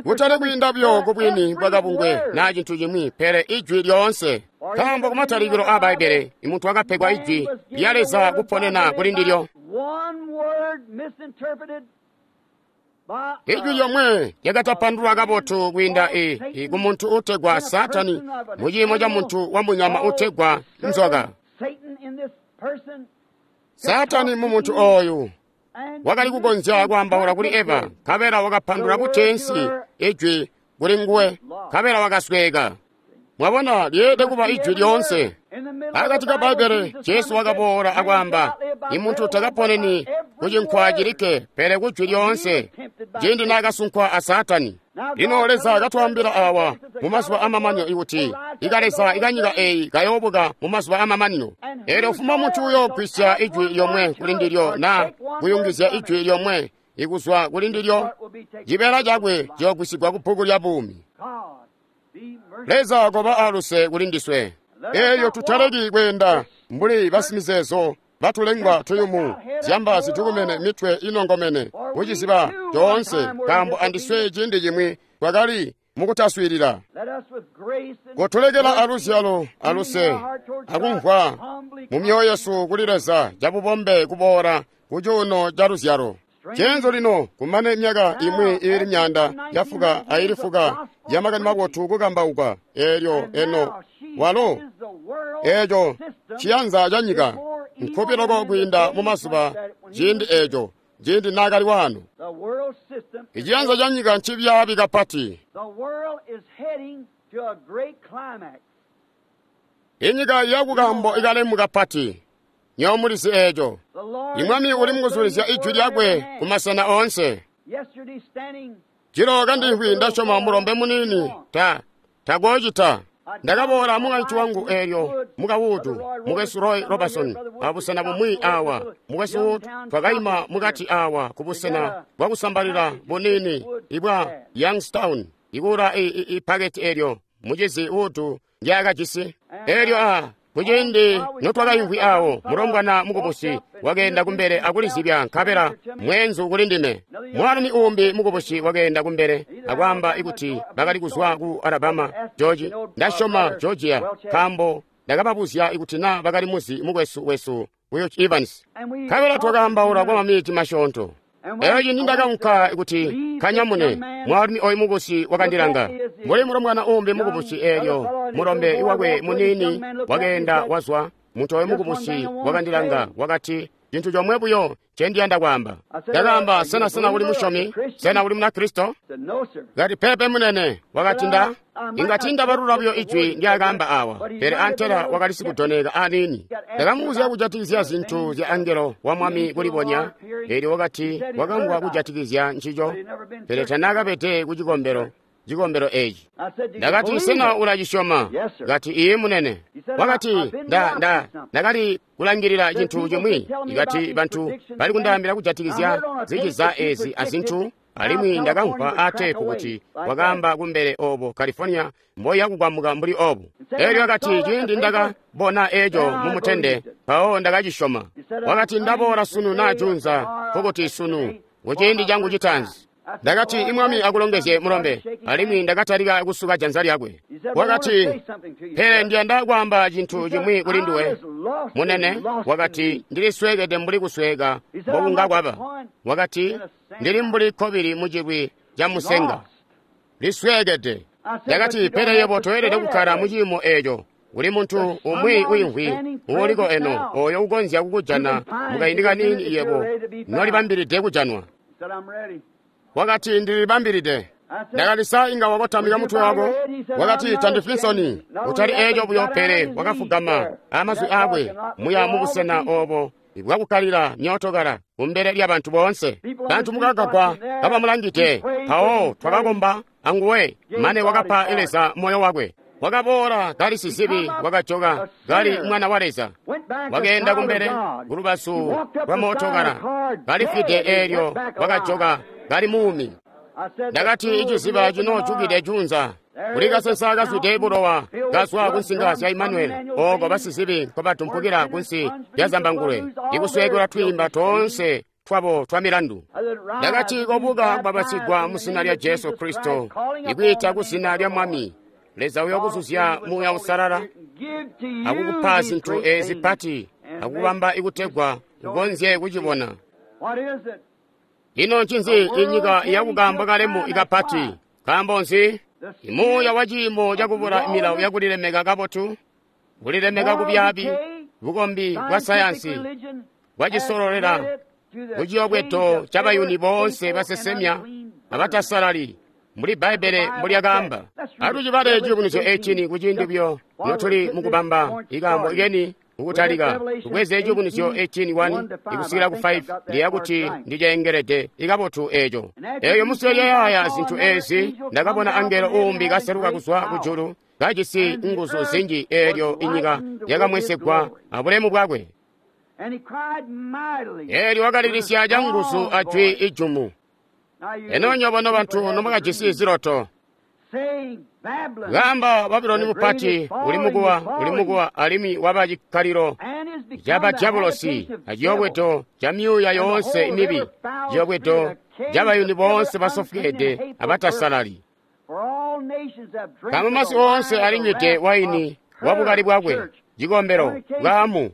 Speaker 3: kutali kwiinda buyo ku bwini bwa kabungwe naa cintu cimwi, pele ijwi lyoonse. Nkaambo kumatalikilo aa Bbaibbele imuntu wakapegwa ijwi lya Leza kuponena kuli ndilyo. Ijwi lyomwe lyakatapandulwa kabotu kwiinda i, i ku muntu utegwa Saatani mu ciimo ca muntu wa munyama utegwa nzoka. Saatani mu muntu oyu wakali kukonzya kwaambaula kuli Eva, nkabela wakapandula kuteensi ijwi kuli nguwe, nkabela wakasweeka. Mwabona, lyeelede kuba ijwi lyoonse. Akati ka Bbaibbele, Jesu wakaboola akwaamba, imuntu takaponeni ku cinkwa cilikke, pele ku jwi lyoonse, ciindi naakasunkwa a Saatani. Lino Leza katwaambila awa mu mazuba amamanino ikuti ikaleza ikanyika eyi kayoobuka mu mazuba amamanino. Eelyo ufuma muntu uyoogwisya ijwi lyomwe kuli ndilyo naa kuyungizya ijwi lyomwe ikuzwa kuli ndilyo, cibeela cakwe ciyoogwisigwa ku bbuku lya buumi. Leza koba aluse kuli ndiswe. Eelyo tutaleki kweenda mbuli basimizeezo batulengwa tuyumu, zyamba zitukumene mitwe inongomene kuciziba coonse, nkaambo andiswe ciindi cimwi twakali mukutaswiilila. Kotulekela aluzyalo aluse akumvwa mu myoyo yesu kuli Leza cabubombe kuboola ku cuuno ca luzyalo. Cenzo lino kumane myaka imwi iili myaanda yafuka aili fuka ya makani mabotu kukambauka, eelyo eno walo eeco ciyanza ca nyika nkubi loko kwiinda mu mazuba ciindi eeco ciindi naakali waano. Iciyanza ca nyika ncibyaabi kapati. Inyika yakukambo ikalemu kapati. Nyowe mulizi eeco. Imwami uli mukuzulizya ijwi lyakwe ku masena oonse. Jilo kandimvwi ndasyoma mulombe muniini ta takoocita. Ndakaboola mukaintu wangu eelyo muka Wood, mukwesu Roy Robertson, abusena bumwi awa. Mukwesu Wood twakaima mukati awa ku busena bwakusambalila buniini ibwa Youngstown, ikuula ipaketi eelyo mucizi Wood ndyaakajisi. Eelyo a kuciindi notwakaimvwi awo, mulombwana mukubusi wakeenda kumbele akulizibya, nkabela mweenzu kuli ndime. Mwaalumi uumbi mukubusi wakeenda kumbele akwaamba ikuti bakali kuzwa ku Alabama, George, ndasyoma Georgia, nkaambo ndakababuzya ikuti naa bakali muzi mukwesu wesu Will Evans. Nkabela twakaambaula kwa maminiti masyoonto. Eyo ciindi ndakaunka kuti kanyamune, mwaalumi oyu mukubusi wakandilanga. Mbuli mulombwana uumbi mukubusi eelyo mulombe wakwe muniini wakeenda wazwa, muntu oyu mukubusi wakandilanga wakati, cintu comwe buyo ncendiyanda kwaamba. Ndakaamba, sena sena uli musyomi? Sena uli Munakristo? Kati peepe munene. Wakati nda inga tiindabalula buyo ijwi ndyaakaamba awa, pele antela wakali sikudoneka aniini. Ndakamubuzya kujatikizya zintu zya angelo wa mwami kulibonya, eelyo wakati wakamvwa kujatikizya ncico, pele tanaakabede ku cikombelo cikombelo eci. Ndakati, sena ulacisyoma? Kati, iye munene. Wakati, nda nda ndakali kulangilila cintu cimwi. Ikati bantu bali kundaambila kujatikizya ziciza ezi azintu, alimwi ndakamvwa aateepu kuti wakaamba kumbele obo California mboya kukwamuka mbuli obu. Elyo akati, ciindi ndakabona eco mumutende, mpawo ndakacisyoma. Wakati, ndaboola sunu naa junza, nkokuti sunu kuciindi changu chitaanzi. Ndakati, imwami akulongezye mulombe, alimwi ndakatalika kusuka janza lyakwe. Wakati, pele ndiyanda kwaamba cintu chimwi kuli nduwe munene. Wakati, ndilisweekede mbuli kusweeka mbokunga kwaba. Wakati, ndili mbuli kkobili mucilwi ca musenga, lisweekede. Ndakati, pele yebo toyelede kukkala muciimo eeco. Kuli muntu umwi uimvwi uuliko eno oyo ukonzya kukujana mukaindi kaniini yebo nolibambilide kujanwa. Wakati, ndilibambilide. Ndakati, sa inga wakotamika mutwe wako? Wakati, tandifwi nsoni. Utali eeco buyo, pele wakafugama amazwi aakwe muya mubusena obo bwakukkalila myootokala kumbele lyabantu boonse. Bantu mukagagwa kabamulangide. Mpawo twakakomba anguwe mane wakapa Leza moyo wakwe. Wakaboola kali sizibi, wakajoka kali mwana wa Leza. Wakeenda kumbele kulubazu lwa mootokala kalifwide, eelyo wakajoka kali muumi. Ndakati, iciziba cinoocukide junza kuli kasensa kazwide bulowa kazwa kunsinga zya Imanueli, ooko basizibi nkobatumpukila kunsi lya zambangulwe, ikusweekelwa twiimba toonse twabo twa milandu. Ndakati, kobuka kubabasigwa mu zina lya Jesu Kristo, ikwiita ku zina lya Mwami Leza uyokuzuzya Muuya Usalala akukupa zintu ezi pati akubamba ikutegwa ukonzye kucibona. Ino ncinzi inyika yakukambwa kalemu ikapati? Nkaambo nzi? Imuuya wa ciimo cakubula milawo yakulilemeka kabotu, kulilemeka kubyaabi, bukombi bwa sayansi bwacisololela kuciyobweto cabayuni boonse basesemya abatasalali, mbuli Bbaibbele mbulyakaamba. Atucibale ciyubunuzyo ecini kuciindi buyo notuli mukubamba ikaambo ikeni kukutalika. Tubweze ciyubunuzyo eighteen one ikusikila ku five, ndiya kuti ndiceengelede ikabotu eeco. Eeyo musiyeyaya zintu ezi, ndakabona angelo uumbi kaseluka kuzwa kujulu kajisi nguzu zinji, eelyo inyika yakamwesegwa abulemu bwakwe. Eelyo wakalilisya canguzu ajwi ijumu. Eno nywebo nobantu nomwakajisi ziloto, kaamba Babuloni mupati uli mukuwa, uli mukuwa, alimwi waba cikkalilo cabadyabulosi aciyobwedo ca myuuya yoonse mibi, ciyobwedo cabayuni boonse basofweede abatasalali. Nkaambo masi oonse alinywide waini wabukali bwakwe, cikombelo, bwaamu.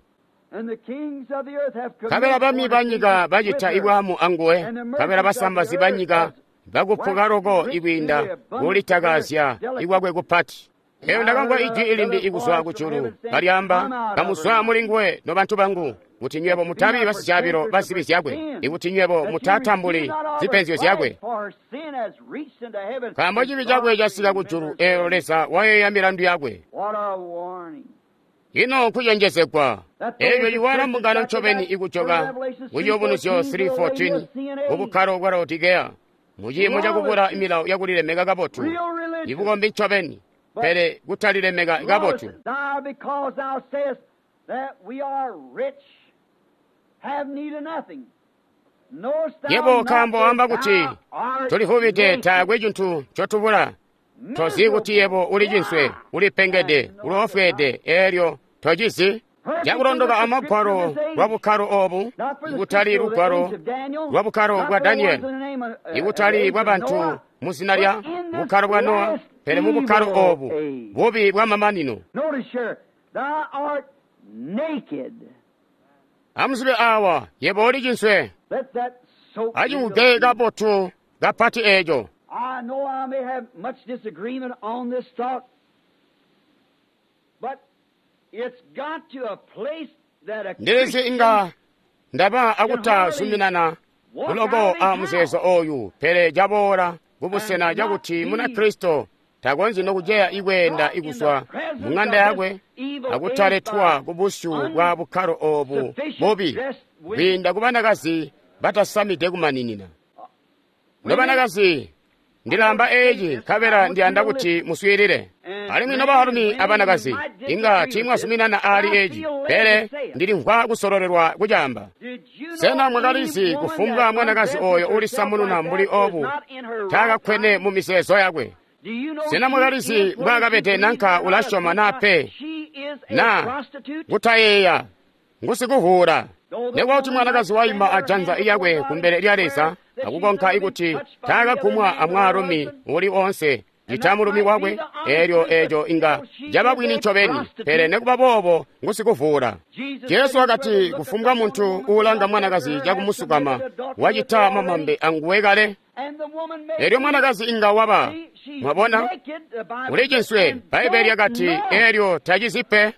Speaker 3: Nkabela bami banyika bacita ibwaamu anguwe, nkabela basambazi banyika bakupuka loko ikwiinda kulitakazya ikwakwe kupati. Eyo ndakamvwa ijwi ilimbi ikuzwa kujulu kalyaamba, kamuzwa mulinguwe nobantu bangu, kuti nywebo mutabi basicaabilo ba zibi zyakwe, ikuti nywebo mutatambuli zipenzyo zyakwe. Nkaambo cibi cakwe casika kujulu, eyo Leza wayeeya milandu yakwe. Ino nkucenjezegwa. Eeyo iwala mbungano ncobeni ikujoka ku Ciyubunuzyo three fourteen kubukkalo bwa Laodikeya, muciimo cakubula milawo yakulilemeka kabotu, ibukombi ncobeni, pele kutalilemeka kabotu. Yebo nkaambo wamba kuti tulivubide, taakwe cintu ncotubula. Tozi kuti yebo uli cinswe, ulipengede, uloofweede, eelyo tocizi. Cakulondoka amagwalo lwa bukkalo obu, ikutali lugwalo lwa bukkalo bwa Danieli, ikutali bwa bantu mu zina lya bukkalo bwa Nowa, pele mu bukkalo obu bubi bwa mamanino. Amuzibe awa, yebo uli cinswe. Acikuge kabotu kapati eeco.
Speaker 4: I know I may have much disagreement on this thought, but it's got to a place that a
Speaker 3: Ndilizi inga ndaba akutazuminana kuloko a muzeezo oyu, pele caboola kubusena cakuti Munakristo takonzyi nokuceya ikweenda ikuzwa mung'anda yakwe akutaletwa kubusyu bwa bukkalo obu bubi kwiinda ku banakazi batasamide kumaninina. Nobanakazi Ndilaamba eeci nkabela ndiyanda kuti muswiilile. Alimwi nobaalumi abanakazi, inga tiimwazuminana aali eeci, pele ndilimvwa kusololelwa kucaamba. Sena mwakalizi kufumbwa mwanakazi oyo ulisamununa mbuli obu taakakkwene mu mizeezo yakwe? Sena mwakalizi mbwaakabede nanka ulasyoma naa pe, na kutayeeya ngusikuvuula? Nekuba kuti mwanakazi waima ajanza lyakwe kumbele lya Leza akukonka ikuti taakagumwa amwaalumi uli oonse cita mulumi wakwe, eelyo eeco inga caba bwini ncobeni, pele nekuba boobo ngusikuvuula. Jesu wakati kufumbwa muntu uulanga mwanakazi cakumusukama wacita mamambe anguwe kale. Eelyo mwanakazi inga waba, mwabona, uli cinswe, Bbaibbele lyakati eelyo tacizi pe.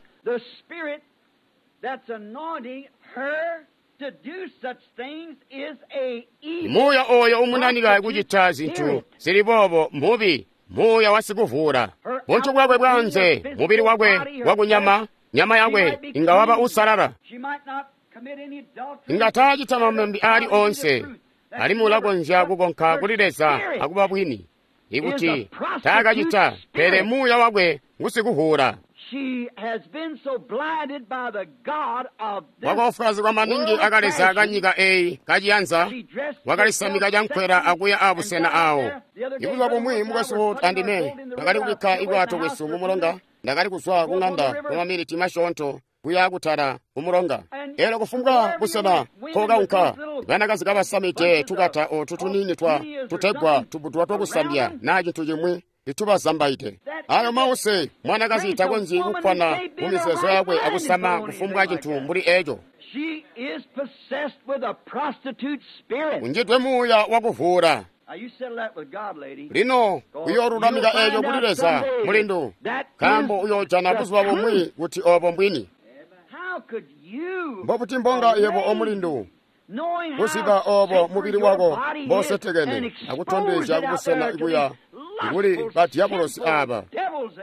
Speaker 3: Muuya oyo umunanika kucita zintu zili boobo mubi, muuya wasikuvuula. Buntu bwakwe bwanze, mubili wakwe wakunyama, nyama yakwe inga waba usalala. Inga taacita mamambi aali onse, alimwi ulakonzya kukonka kuli Leza akuba bwini ikuti taakacita, pele muuya wakwe ngusikuvuula. Wakoofwaazigwa maningi akaleza kanyika eyi kaciyanza, wakalisamika cankwela akuya abusena awo. Ibuzuba bumwi mukwesu andime twakali kubikka ibwato bwesu mumulonga. Ndakali kuzwa kung'anda kwamamiliti masyoonto kuya kutala kumulonga. Eelyo kufumbwa busena nkokaunka, banakazi kabasamide tukata otu tuniini twa tutegwa tubudwa twakusambya naa cintu cimwi itubazambaide. Ayo mause, mwanakazi takonzyi kukkwana mu mizeezo yakwe akusama kufumbwa cintu mbuli eco. Unjidwe muuya wakuvuula. Lino uyoolulamika eeco kuli Leza, mulindu, nkaambo uyoojana buzuba bumwi kuti obo mbwini. Mbobuti mbonga yebo omulindu kuziba obo mubili wako mbosetekene akutondezya kubusena kuya kuli badyabulosi aba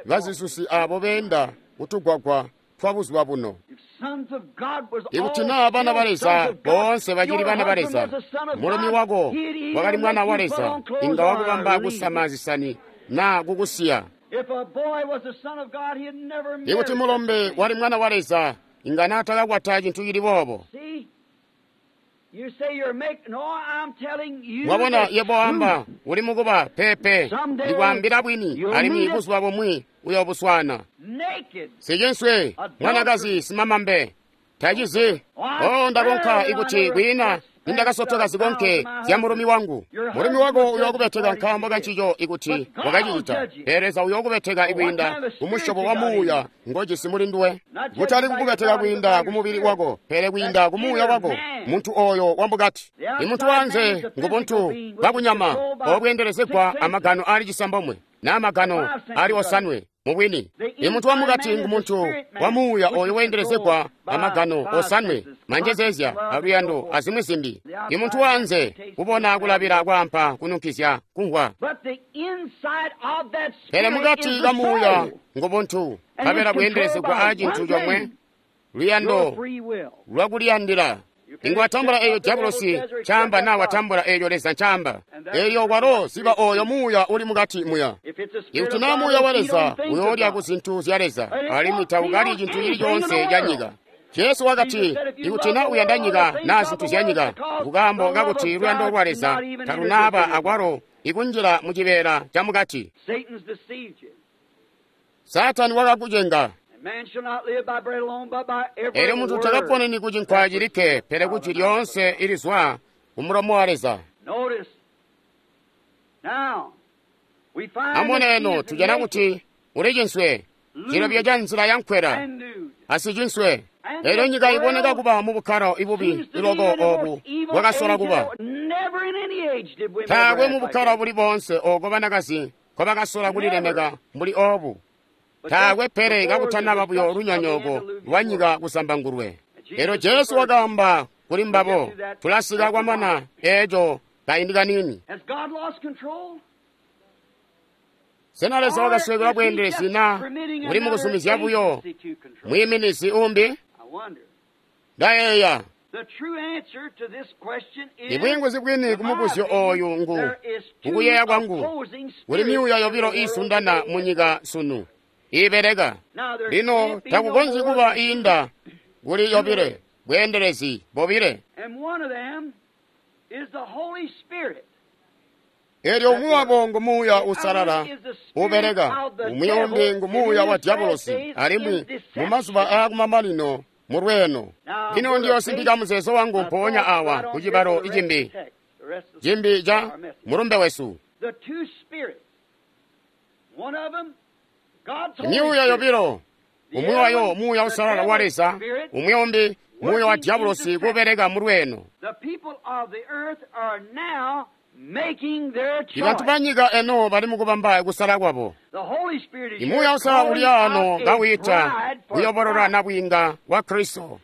Speaker 3: bazisusi abo beenda kutugwagwa twa buzuba buno. Ikuti naa bana ba Leza boonse bacili bana ba Leza, mulumi wako wakali mwana wa Leza, inga wakubamba kusama zisani naa kukusiya. Ikuti mulombe wali mwana wa Leza, inga naatakakwata cintu cili boobo. Mwabona, yebo wamba uli mukuba pepe, ndikwaambila bwini, alimwi buzuba bumwi uyobuswana. Sicinswe mwanakazi simamambe tacizi. Oh, ndakonka ikuti kwiina nindakasotoka zikonke zya mulumi wangu. Mulumi wako uyookubeteka nkaambo kancico ikuti wakacicita, pele Leza uyookubeteka ikwiinda kumusyobo wa muuya ngojisi muli nduwe, kutali kukubeteka kwiinda kumubili wako, pele kwiinda kumuuya wako, muntu oyo wamukati. Imuntu wanze ngubuntu bwakunyama obweendelezegwa amagano ali cisambomwe na magano ali osanwe. Mubwini, imuntu wamukati ngumuntu wa muuya oyo weendelezegwa amagano osanwe, manjezezya aluyando azimwi zimbi. Imuntu wanze kubona kulabila kwaampa kununkizya kumvwa, pele mukati ka muuya ngubuntu nkabela bweendelezegwa a cintu comwe, luyando lwakuliyandila. Inga watambula eeyo diabulosi ncaamba naa watambula eeyo Leza ncaamba. Eeyo walo ziba oyo muuya uli mukati muya. Ikuti naa muuya wa Leza uyoolya ku zintu zya Leza, alimwi taukalyi cintu cili coonse ca nyika. Jesu wakati, ikuti naa uyanda nyika naa zintu zya nyika, nkukaambo kakuti luyando lwa Leza talunaaba akwalo ikunjila mu cibeela ca mukati. Saatani wakakucenga. Elyo muntu takaponeni ku cinkwa cilikke, pele ku jwi lyoonse ilizwa kumulomo wa Leza. Amubone eno tujana kuti uli cinswe, cilobyo ca nzila ya nkwela, asicinswe. Elyo nyika iboneka kuba mu bukkalo ibubi iloko obu bwakasola kuba. Taakwe mu bukkalo buli boonse oko banakazi nkobakasola kulilemeka mbuli obu. Taakwe pele kakutanaba buyo lunyonyooko lwa nyika kusambangulwe. Elyo Jesu wakaamba kuli mbabo, tulasika kwamana eeco kaindi kaniini. Sena Leza wakasweekelwa bweendelezi na uli mukuzumizya buyo mwiiminizi umbi? Ndayeeya. Ibwiinguzi bwini kumubuzyo ooyu ngu, mukuyeeya kwangu, kuli myuuya yobilo iisundana munyika sunu, iibeleka. Lino takukonzyi kuba iinda kuli yobile, bweendelezi bobile. Eelyo umwi wabo ngu Muuya Uusalala ubeleka, umwi umbi ngu muuya wa diabolosi, alimwi mumazuba aakumamanino mulweeno. Lino ndiyoosimbika muzeezo wangu mpoonya awa ku cibalo cimbi cimbi ca mulumbe wesu. Myuuya yobilo, umwi wayo Muuya Uusalala wa Leza, umwi umbi muuya wa diabolosi kubeleka mulweeno. Ibantu banyika eno bali mukubamba kusala kwabo. Imuuya Uusalala uli ano kawiita kuyobolola nabwiinga wa Kristo.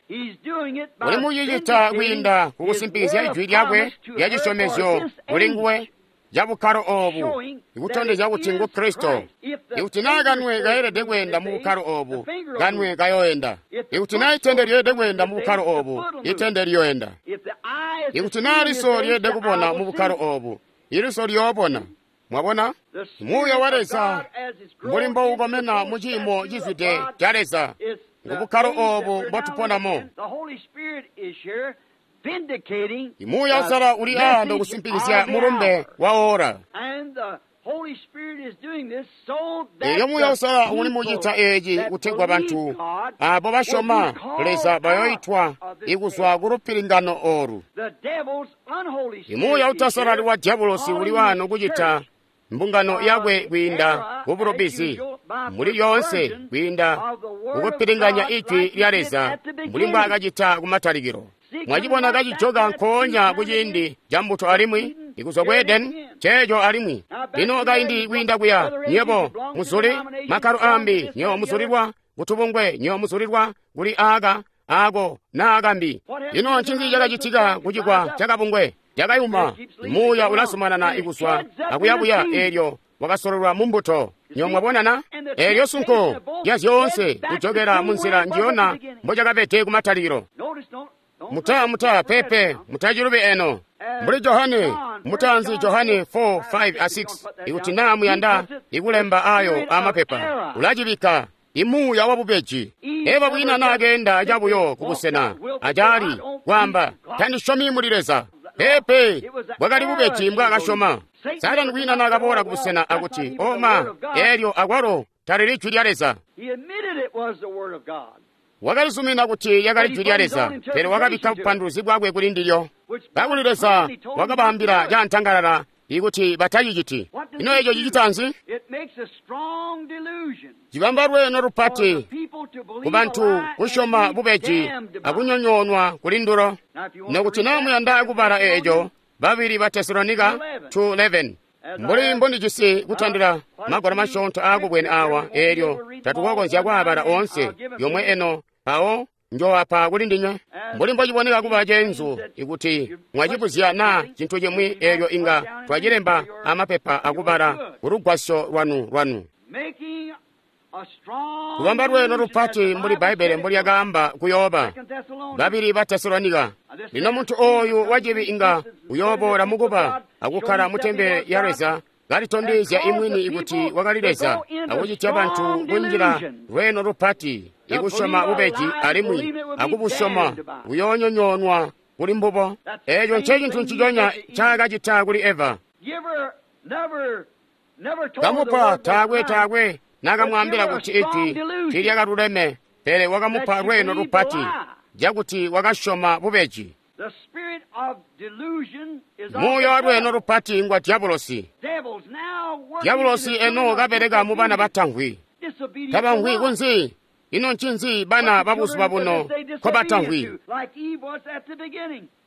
Speaker 3: Uli mucicita kwiinda kukusimpikizya ijwi lyakwe lya cisyomezyo kuli nguwe cabukkalo oobu, ikutondezya kuti ngu Kristo. Ikuti naa kanwe kayelede kweenda mu bukkalo oobu, kanwe kayoenda. Ikuti naa itende lyeelede kweenda mu bukkalo oobu, itende liyoenda. Ikuti naa liso lyeelede kubona mu bukkalo oobu, iliso liyoobona. Mwabona? Muuya wa Leza mbuli mboukomena mu ciimo cizwide ca Leza, ngu bukkalo oobu mbotuponamo. Imuuya Uusalala uli aano kusimpikizya mulumbe wa ora. Eelyo Muuya Uusalala uli mucita eeci kutegwa bantu aabo basyoma Leza bayoitwa ikuzwa ku lupilingano oolu. Imuuya utasalali wa diabolosi uli waano kucita mbungano yakwe kwiinda kubulubizi muli lyoonse kwiinda kukupilinganya ijwi lya Leza mbuli mbwaakacita kumatalikilo. Mwacibona kacijoka nkoonya kuciindi ca mbuto alimwi ikuzwa ku Edeni ceeco alimwi lino kaindi kwiinda kuya nywebo muzuli makkalo aambi, nywebo muzulilwa kutubungwe, nywebo muzulilwa kuli aaka aako naa kambi. Lino ncinzi cakacitika kucikwa cakabungwe? Cakayuma. Muuya ulazumanana ikuzwa akuyabuya, eelyo wakasololwa mu mbuto. Nywebo mwabonana? Eelyo sunko lya zyoonse kujokela munzila njiyona mbocakabede kumatalikilo. Muta muta pepe mutacilubi eno. Mbuli Johane mutaanzi, Johane four, five a six, ikuti naa muyanda ikulemba ayo amapepa, ulacibikka imuuya wa bubeji. Eva bwina naakeenda cabuyo kubusena acaali kwaamba, tandisyomi muli Leza. Pepe bwakali bubeji mbwaakasyoma. Saatani bwina naakaboola kubusena akuti, oma, eelyo akwalo talili jwi lya Leza. Wakalizumina kuti lyakali jwi lya Leza, pele wakabikka bupanduluzi bwakwe kuli ndilyo. Kakuli Leza wakabaambila cantangalala ikuti bataciciti. Ino eco cicita nzi? Cibamba lweeno lupati kubantu kusyoma bubeji akunyonyoonwa kuli ndulo. Nokuti naa muyanda kubala eeco, babili ba Tesalonika two eleven. Mbuli mbondijisi kutandila magwalo masyoonto aakubwene awa, eelyo tatukokonzya kwaabala oonse yomwe eno, mpawo njoowapa kuli ndinywe. Mbuli mbociboneka kuba ceenzu ikuti mwacibuzya naa cintu cimwi, eelyo inga twacilemba amapepa akubala kulugwasyo lwanu lwanu. Kubamba lweeno lupati mbuli Bbaibbele mbolyakaamba kuyooba. Babili ba Tesalonika. Lino muntu ooyu wacibi inga uyooboola mukuba akukkala mutempele ya Leza kalitondezya imwini ikuti wakali Leza, akucitya bantu kunjila lweeno lupati ikusyoma bubeji alimwi akubusyoma kuyoonyonyoonwa kuli mbubo. Eeco ncecintu nciconya ncaakacita kuli Eva. Kamupa taakwe taakwe naakamwaambila kuti ijwi tiilyakaluleme, pele wakamupa lweeno lupati cakuti wakasyoma bubeji. Muuya wa lweeno lupati ngwa diabolosi. Diabolosi eno kabeleka mu bana batamvwi. Tabamvwi kunzi? Ino ncinzi bana babuzuba buno nkobatamvwi?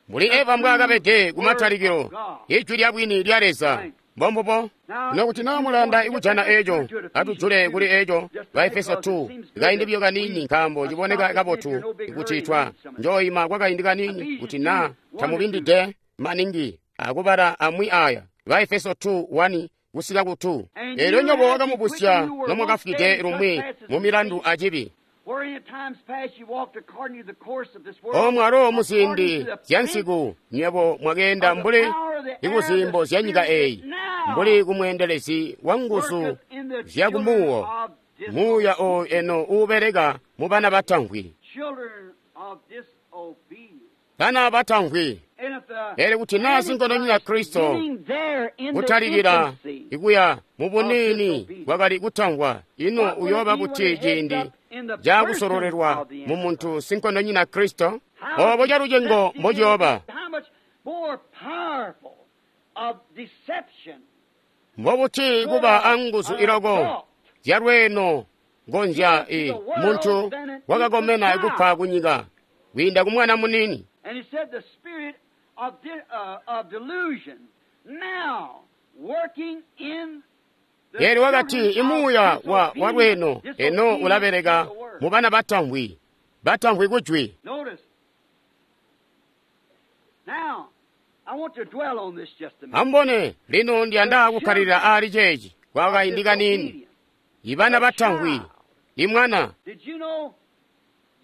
Speaker 3: Mbuli Eva mbwaakabede kumatalikilo, ijwi lya bwini lya Leza. Mbombubo. Nokuti naa mulanda ikujana eeco, atujule kuli eeco Baefeso two kaindi buyo kaniini, nkaambo ciboneka kabotu kuti twa njooima kwakaindi kaniini kuti naa tamubindide maningi akubala amwi aya. Baefeso two one kusika ku two. Eelyo nyobo wakamubusya nomwakafwide lumwi mu milandu acibi. Omwalo muziindi zyansiku nywebo mwakeenda mbuli ikuzimbo zya nyika eyi, mbuli kumweendelezi wa nguzu zyakumuwo, muuya oyu eno uubeleka mu bana batamvwi. Bana batamvwi. Elyo kuti naa sinkondonyina Kristo kutalikila ikuya mu buniini bwakali kutamvwa, ino uyooba buti ciindi cakusololelwa mu muntu sinkondonyina Kristo? Obo calucengo mbociyooba. Mbobuti kuba anguzu iloko zyalweeno ngonzya i muntu wakakomena kupa kunyika kwiinda ku mwana muniini.
Speaker 4: And he said the spirit of, de- uh, of delusion now working in the
Speaker 3: Elyo wakati
Speaker 4: children of
Speaker 3: imuuya wa walweeno
Speaker 4: disobedience,
Speaker 3: eno ulabeleka
Speaker 4: disobedience to the word.
Speaker 3: mu bana batamvwi, batamvwi kujwi.
Speaker 4: Notice. Now, I want to dwell on this just a minute.
Speaker 3: Ambone lino ndiyanda kukkalira ali ceeci kwa kaindi kaniini. Ibana batamvwi, imwana.
Speaker 4: Did you know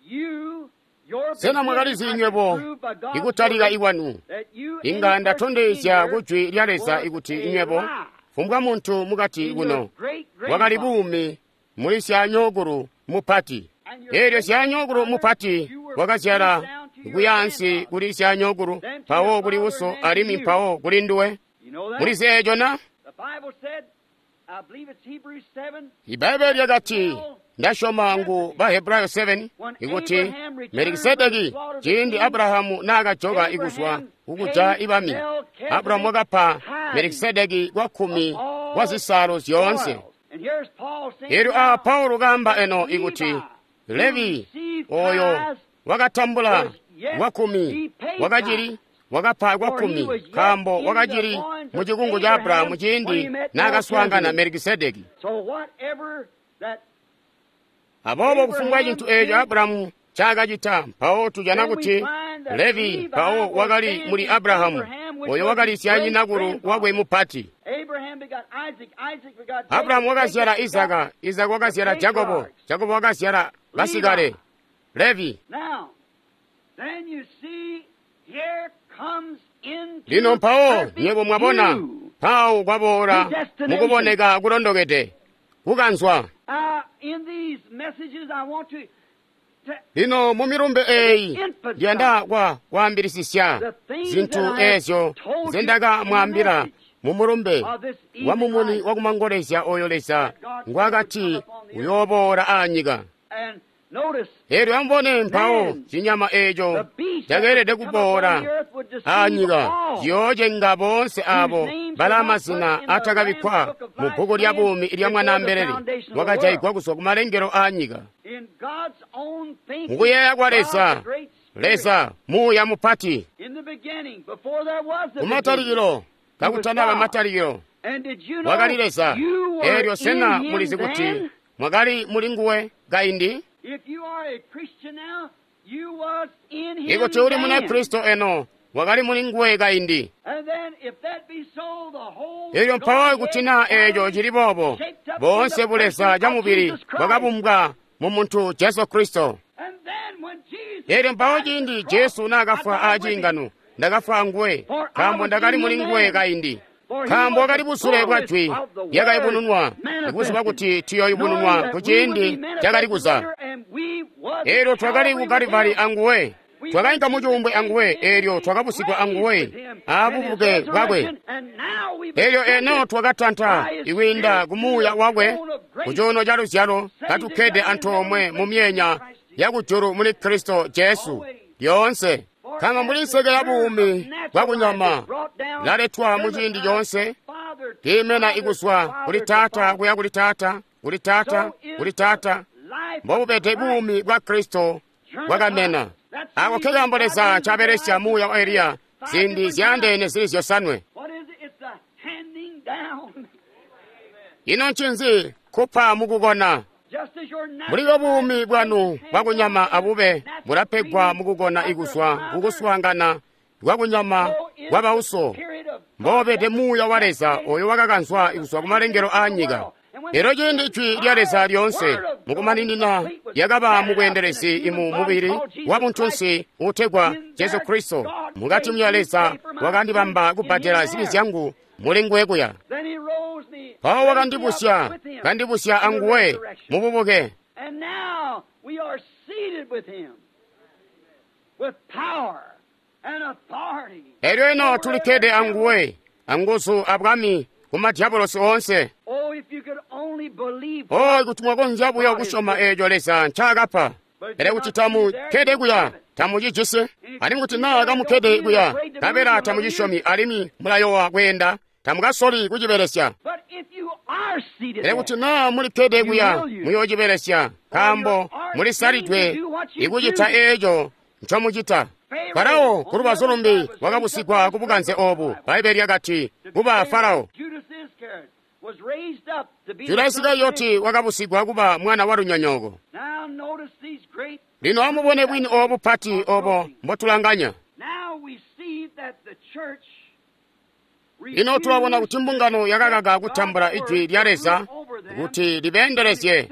Speaker 4: you, your
Speaker 3: Sena mwakalizi
Speaker 4: beginning,
Speaker 3: nywebo
Speaker 4: I can prove by God's
Speaker 3: ikutalika
Speaker 4: word
Speaker 3: ikwanu
Speaker 4: that you,
Speaker 3: inga
Speaker 4: any person
Speaker 3: ndatondezya
Speaker 4: in here,
Speaker 3: kujwi lya Leza
Speaker 4: was
Speaker 3: ikuti
Speaker 4: a
Speaker 3: nywebo
Speaker 4: lie.
Speaker 3: fumbwa muntu mukati
Speaker 4: In
Speaker 3: kuno
Speaker 4: your great
Speaker 3: wakali
Speaker 4: grandfather.
Speaker 3: buumi muli syanyokulu mupati.
Speaker 4: And your
Speaker 3: Elyo
Speaker 4: great
Speaker 3: syanyokulu mupati
Speaker 4: grandfather, you were
Speaker 3: wakazyala
Speaker 4: passed down to your
Speaker 3: kuyaansi
Speaker 4: grandfather.
Speaker 3: kuli syanyokulu,
Speaker 4: Then to
Speaker 3: mpawo
Speaker 4: your
Speaker 3: kuli
Speaker 4: father,
Speaker 3: uso
Speaker 4: and then to
Speaker 3: alimwi
Speaker 4: you.
Speaker 3: mpawo kuli nduwe.
Speaker 4: You know that?
Speaker 3: Muli zeeco na?
Speaker 4: The Bible said, I believe it's Hebrews seven,
Speaker 3: Ibaibulo lyakati ndasyoma ngu Bahebrayo seven ikuti Melikisedeki ciindi Abrahamu naakajoka ikuzwa kukuja ibami, Abrahamu wakapa Melikisedeki kwa kkumi kwa zisaalo zyoonse.
Speaker 4: spoils. And here's Paul saying
Speaker 3: Elyo a
Speaker 4: now,
Speaker 3: Paulo kaamba eno ikuti Levi oyo wakatambula kwa kkumi wakacili wakapa kwa kkumi nkaambo wakacili mu cikungu ca Abrahamu ciindi naakaswaangana Melikisedeki.
Speaker 4: So whatever that
Speaker 3: Aboobo kufumbwa cintu eeco Abrahamu ncaakacita, mpawo tujana kuti Levi mpawo wakali muli Abrahamu, oyo wakali syanyinakulu wakwe mupati.
Speaker 4: Abraham begot Isaac, Isaac begot Jacob,
Speaker 3: Abrahamu wakazyala
Speaker 4: Jacob begot-
Speaker 3: Isaka, Isaka wakazyala Jakobo, Jakobo wakazyala basikale Levi.
Speaker 4: Now, then you see, here comes into
Speaker 3: Lino mpawo
Speaker 4: perfect
Speaker 3: nywebo mwabona
Speaker 4: view.
Speaker 3: mpawo kwaboola mukuboneka kulondokede kukanzwa.
Speaker 4: Uh, in these messages, I want to, to
Speaker 3: Lino mu milumbe eeyi ndiyanda kwa kwaambilisisya zinthu eezyo nzendakamwaambila mu mulumbe wa mumuni wakumangolezya oyo Leza ngwakati uyooboola aanyika.
Speaker 4: and notice
Speaker 3: Elyo amubone mpawo cinyama eeco
Speaker 4: the beast that
Speaker 3: cakeelede
Speaker 4: would come upon
Speaker 3: kuboola
Speaker 4: the earth would deceive
Speaker 3: aanyika
Speaker 4: all.
Speaker 3: ciyoocenga boonse abo bala mazina atakabikkwa mu bbuku lya buumi lya Mwanaambelele wakajaigwa kuzwa ku malengelo aanyika.
Speaker 4: In God's own thinking,
Speaker 3: Mukuyeeya kwa
Speaker 4: God,
Speaker 3: Leza,
Speaker 4: the great Spirit,
Speaker 3: Leza muuya mupati
Speaker 4: in the beginning, before there was a beginning.
Speaker 3: kumatalikilo kakutanaba matalikilo
Speaker 4: And did you know
Speaker 3: wakali Leza.
Speaker 4: you were
Speaker 3: Elyo sena
Speaker 4: in him
Speaker 3: mulizi kuti
Speaker 4: then?
Speaker 3: mwakali muli nguwe kaindi?
Speaker 4: If you are a Christian now, you was in him
Speaker 3: Ikuti uli
Speaker 4: then.
Speaker 3: Munakristo eno wakali muli nguwe kaindi.
Speaker 4: And then if that be so, the whole
Speaker 3: Elyo mpawo
Speaker 4: Godhead
Speaker 3: kuti naa eeco cili boobo,
Speaker 4: shaped up in
Speaker 3: boonse
Speaker 4: the
Speaker 3: buleza
Speaker 4: person
Speaker 3: ca
Speaker 4: of
Speaker 3: mubili
Speaker 4: Jesus Christ.
Speaker 3: bwakabumbwa mu muntu Jesu Kristo.
Speaker 4: And then when Jesus
Speaker 3: Elyo mpawo
Speaker 4: died on the
Speaker 3: ciindi
Speaker 4: cross,
Speaker 3: Jesu naakafwa
Speaker 4: I died with him.
Speaker 3: aciingano, ndakafwa anguwe,
Speaker 4: For I
Speaker 3: nkaambo
Speaker 4: was
Speaker 3: ndakali
Speaker 4: in
Speaker 3: muli
Speaker 4: him
Speaker 3: nguwe
Speaker 4: then.
Speaker 3: kaindi.
Speaker 4: For he
Speaker 3: Nkaambo
Speaker 4: was
Speaker 3: wakali
Speaker 4: the
Speaker 3: busule bwa
Speaker 4: fullness
Speaker 3: jwi
Speaker 4: of the
Speaker 3: lyakayubununwa,
Speaker 4: word
Speaker 3: ikuziba
Speaker 4: manifested,
Speaker 3: kuti tuyooyubununwa
Speaker 4: knowing that
Speaker 3: ku
Speaker 4: we would
Speaker 3: ciindi
Speaker 4: be
Speaker 3: cakali
Speaker 4: manifested
Speaker 3: kuza.
Speaker 4: later, and we was
Speaker 3: Elyo
Speaker 4: at
Speaker 3: twakali
Speaker 4: Calvary
Speaker 3: ku
Speaker 4: with
Speaker 3: Kalivari
Speaker 4: him.
Speaker 3: anguwe,
Speaker 4: We
Speaker 3: twakainka
Speaker 4: went
Speaker 3: mu
Speaker 4: to the
Speaker 3: cuumbwe anguwe,
Speaker 4: grave
Speaker 3: elyo twakabusigwa anguwe
Speaker 4: with him and his
Speaker 3: aabubuke bwakwe.
Speaker 4: resurrection, and now we've
Speaker 3: Elyo eno
Speaker 4: ascended
Speaker 3: twakatanta
Speaker 4: by his
Speaker 3: ikwiinda
Speaker 4: Spirit
Speaker 3: ku
Speaker 4: to
Speaker 3: muuya
Speaker 4: the
Speaker 3: wakwe
Speaker 4: throne of grace,
Speaker 3: ku cuuno ca luzyalo katukkede antoomwe mu myenya yakujulu muli Kristo Jesu lyoonse. Kanga mbuli nseke ya buumi bwakunyama laletwa mu ciindi coonse, kiimena ikuzwa kuli taata kuya kuli taata, kuli taata, kuli taata, mbobubede buumi bwa Kristo bwakamena. Ako ke kaambo Leza ncabelesya muuya wa Eliya ziindi zyaandeene zili zyosanwe.
Speaker 4: What is it? It's the handing down.
Speaker 3: Ino ncinzi kupa mukukona?
Speaker 4: Just as your
Speaker 3: Mbuli buumi bwanu bwakunyama abube bulapegwa mukukona ikuzwa kukuswaangana kwakunyama kwa bauso, mbobede muuya wa Leza oyo wakakanzwa ikuzwa ku malengelo aanyika. Elyo ciindi Jwi lya Leza lyoonse mukumaninina lyakaba mubweendelezi imu mubili wa buntunsi uutegwa Jesu Kristo, mukati mya Leza wakandibamba kubbadela zibi zyangu muli nguwe kuya. Mpawo wakandibusya, kandibusya anguwe mububuke. Elyo eno tulikkede anguwe, anguzu abwami ku madyabolosi oonse. Oh, kuti mwakonzya buyo kusyoma eeco Leza ncaakapa. Pele kuti tamukkede kuya, tamucijisi. Alimwi kuti naa kamukkede kuya, nkabela tamucisyomi alimwi mulayowa kweenda, tamukasoli kucibelesya. Pele kuti naa mulikkede kuya, muyoocibelesya, nkaambo mulisalidwe ikucita eeco ncomucita. Farao ku lubazu lumbi wakabusigwa ku bukanze oobu. Bbaibbele lyakati kuba Farao. Juda Isikarioti wakabusigwa kuba mwana wa lunyonyooko. Lino amubone bwini oobu bupati obo mbotulanganya. Lino tulabona kuti mbungano yakakaka kutambula ijwi lya Leza kuti libeendelezye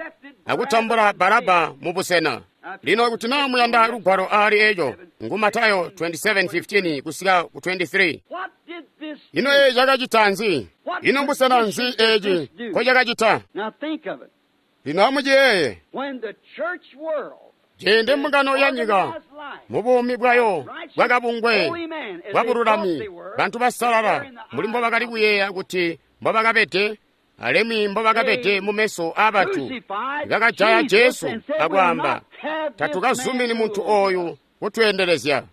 Speaker 3: akutambula Baraba mubusena. Lino kuti naa muyanda lugwalo aali eeco, ngu Matayo twenty-seven fifteen kusika ku twenty-three. Ino eeci cakacita nzi? Ino mbusena nzi eeci nkocakacita? Lino amuciyeeye. Ciindi mbungano ya nyika mubuumi bwayo bwakabungwe bwabululami, bantu basalala mbuli mbobakali kuyeeya kuti mbobakabede alimwi mbobakabede mumeso aabantu, bakajaya Jesu akwaamba, tatukazumini muntu ooyu kutweendelezya.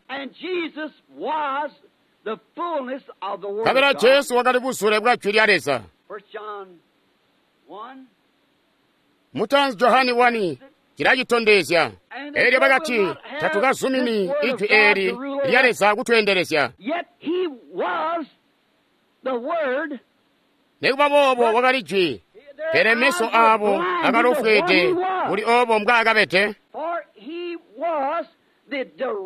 Speaker 3: Nkabela Jesu wakali buzule bwa Jwi lya Leza. Mutaanzi Johane one cilacitondezya. Eelyo bakati, tatukazumini ijwi eeli lya Leza kutweendelezya. Nikuba boobo wakali jwi, pele meso aabo akalofweede kuli oobo mbwaakabede.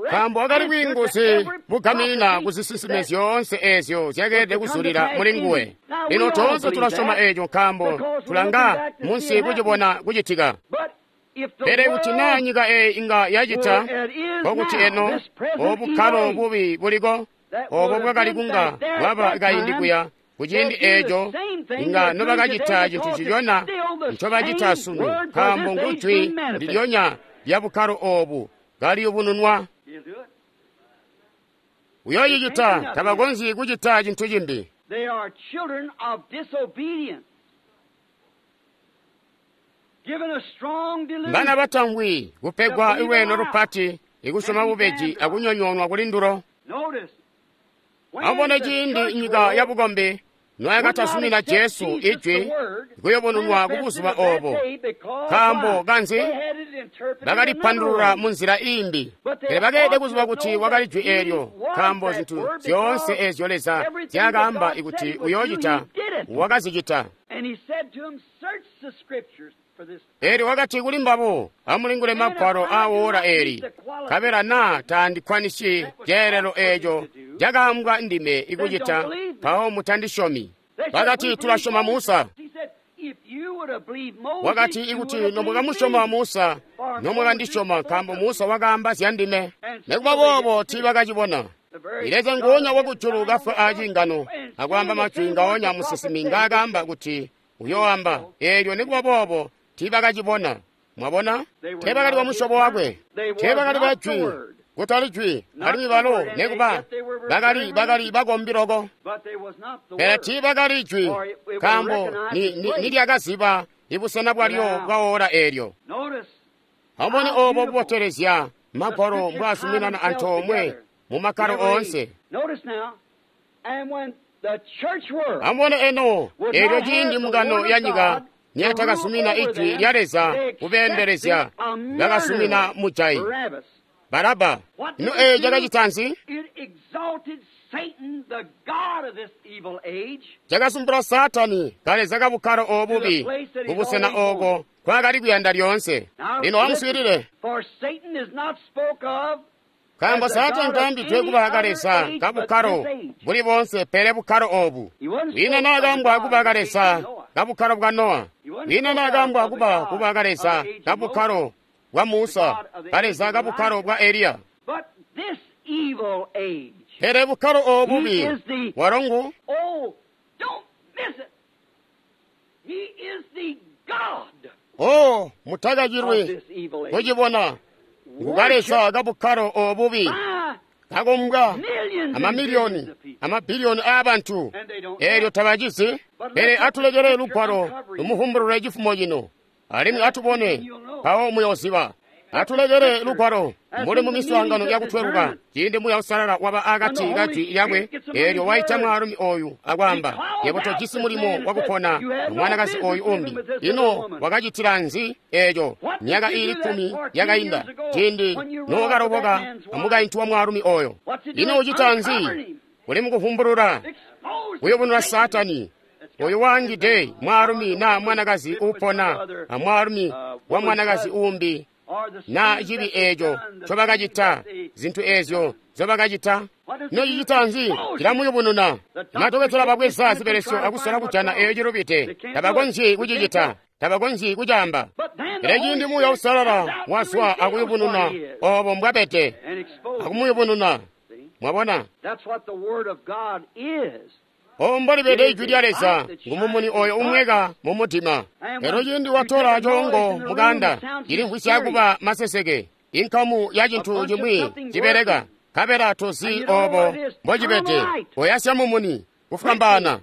Speaker 3: Nkaambo wakali bwiinguzi bugaminina kuzisinsime zyoonse eezyo zyakeelede kuzulila muli nguwe. Lino toonse tulasyoma eeco nkaambo tulanga munsi kucibona kucitika. Pele kuti naa nyika eeyi inga yacita, nkokuti eno obukkalo bubi buliko, obo bwakali kunga bwaba kaindi kuya kuciindi eeco, inga nobakacita cintu ncicona ncobacita sunu, nkaambo ngujwi ndilyonya lya bukkalo oobu kaliyubununwa. Uyoocicita, tabakonzyi kucita cintu cimbi. Bana batamvwi kupegwa lweeno lupati ikusyoma bubeji akunyonyoonwa kuli ndulo. Amubone ciindi nyika yabukombi noyakatazumina Jesu ijwi kuyubununwa kubuzuba oobo. Nkaambo kanzi? Bakalipandulula munzila iimbi. Pele bakeelede kuziba kuti wakali jwi eelyo, nkaambo zintu zyoonse eezyo Leza nzyaakaamba kuti uyoocita, wakazicita. Eelyo wakati kuli mbabo, amulingule magwalo aawola eeli, nkabela naa taandikwanisyi ceelelo eeco cakaambwa ndime ikucita, mpawo mutandisyomi. Bakati, tulasyoma Musa. Wakati, ikuti nomwakamusyoma Musa, nomwakandisyoma, nkaambo Musa wakaamba zya ndime. Nikuba boobo tiibakacibona. Leza nguonya wakujulu kafwa aciingano akwaamba majwi ngaonya musinsimi ngaakaamba kuti uyooamba, eelyo nikuba boobo tiibakacibona. Mwabona? Teebakali bamusyobo wakwe, teebakali ba jwi, kutali jwi, alimwi balo nikuba bakali bakali bakombi loko, pele tiibakali jwi, nkaambo nilyakaziba ibusena bwalyo bwaola eelyo. Amubone oobo bubotelezya magwalo mbwaazuminana antoomwe mumakkalo oonse. Amubone eno eelyo ciindi mbungano ya nyika niyatakazumina ijwi lya Leza kubeendelezya, bakazumina mujayi Baraba. Ino eeyo cakacita nzi? Cakasumpula Saatani kaleza kabukkalo oobubi kubusena ooko nkwaakali kuyanda lyoonse. Lino amuswiilile. Nkaambo Saatani taambidwe kuba kaleza kabukkalo buli boonse pele bukkalo obu. Kwiina naakaambwa kuba kaleza kabukkalo bwa Nowa. Kwiina naakaambwa kuba kuba kaleza kabukkalo bwa Musa, kaleza kabukkalo bwa Eliya. Pele bukkalo obu bubi walo ngu Oh, mutakacilwe kucibona ngukaleza kabukkalo obubi kakombwa amamiliyoni amabiliyoni aabantu eelyo tabacizi. Pele atulekele lugwalo lumuvumbulule cifumo cino, alimwi atubone mpawo muyooziba. Atulekele lugwalo mbuli mu miswaangano yakutweluka, ciindi Muuya Uusalala waba akati ka jwi lyakwe, eelyo waita mwaalumi oyu akwaamba, yebo tojisi mulimo wakupona mwanakazi oyu umbi. Ino wakacitila nzi eeco myaka iili kkumi yakainda, ciindi nookaloboka amukaintu wa mwaalumi oyo? Ino ucita nzi? Uli mukuvumbulula, kuyubunula Saatani oyu waangide mwaalumi naa mwanakazi uupona amwaalumi wa mwanakazi umbi, na cibi eeco ncobakacita, zintu eezyo nzyobakacita. Ino cicita nzi? Cilamuyubununa. Madokotela babweza zibelesyo akusola kujana eeyo cilubide. Tabakonzyi kucicita, tabakonzyi kucaamba. Pele ciindi Muuya Uusalala wazwa akuyubununa oobo mbwabede, akumuyubununa, mwabona obo mbolibede ijwi lya Leza, ngumumuni oyo umweka mumutima. Lero ciindi watola coongo mukanda, cilimvwisya kuba maseseke, inkamu ya cintu cimwi cibeleka, nkabela tozi obo mbocibede. Oyasya mumuni kufwambaana.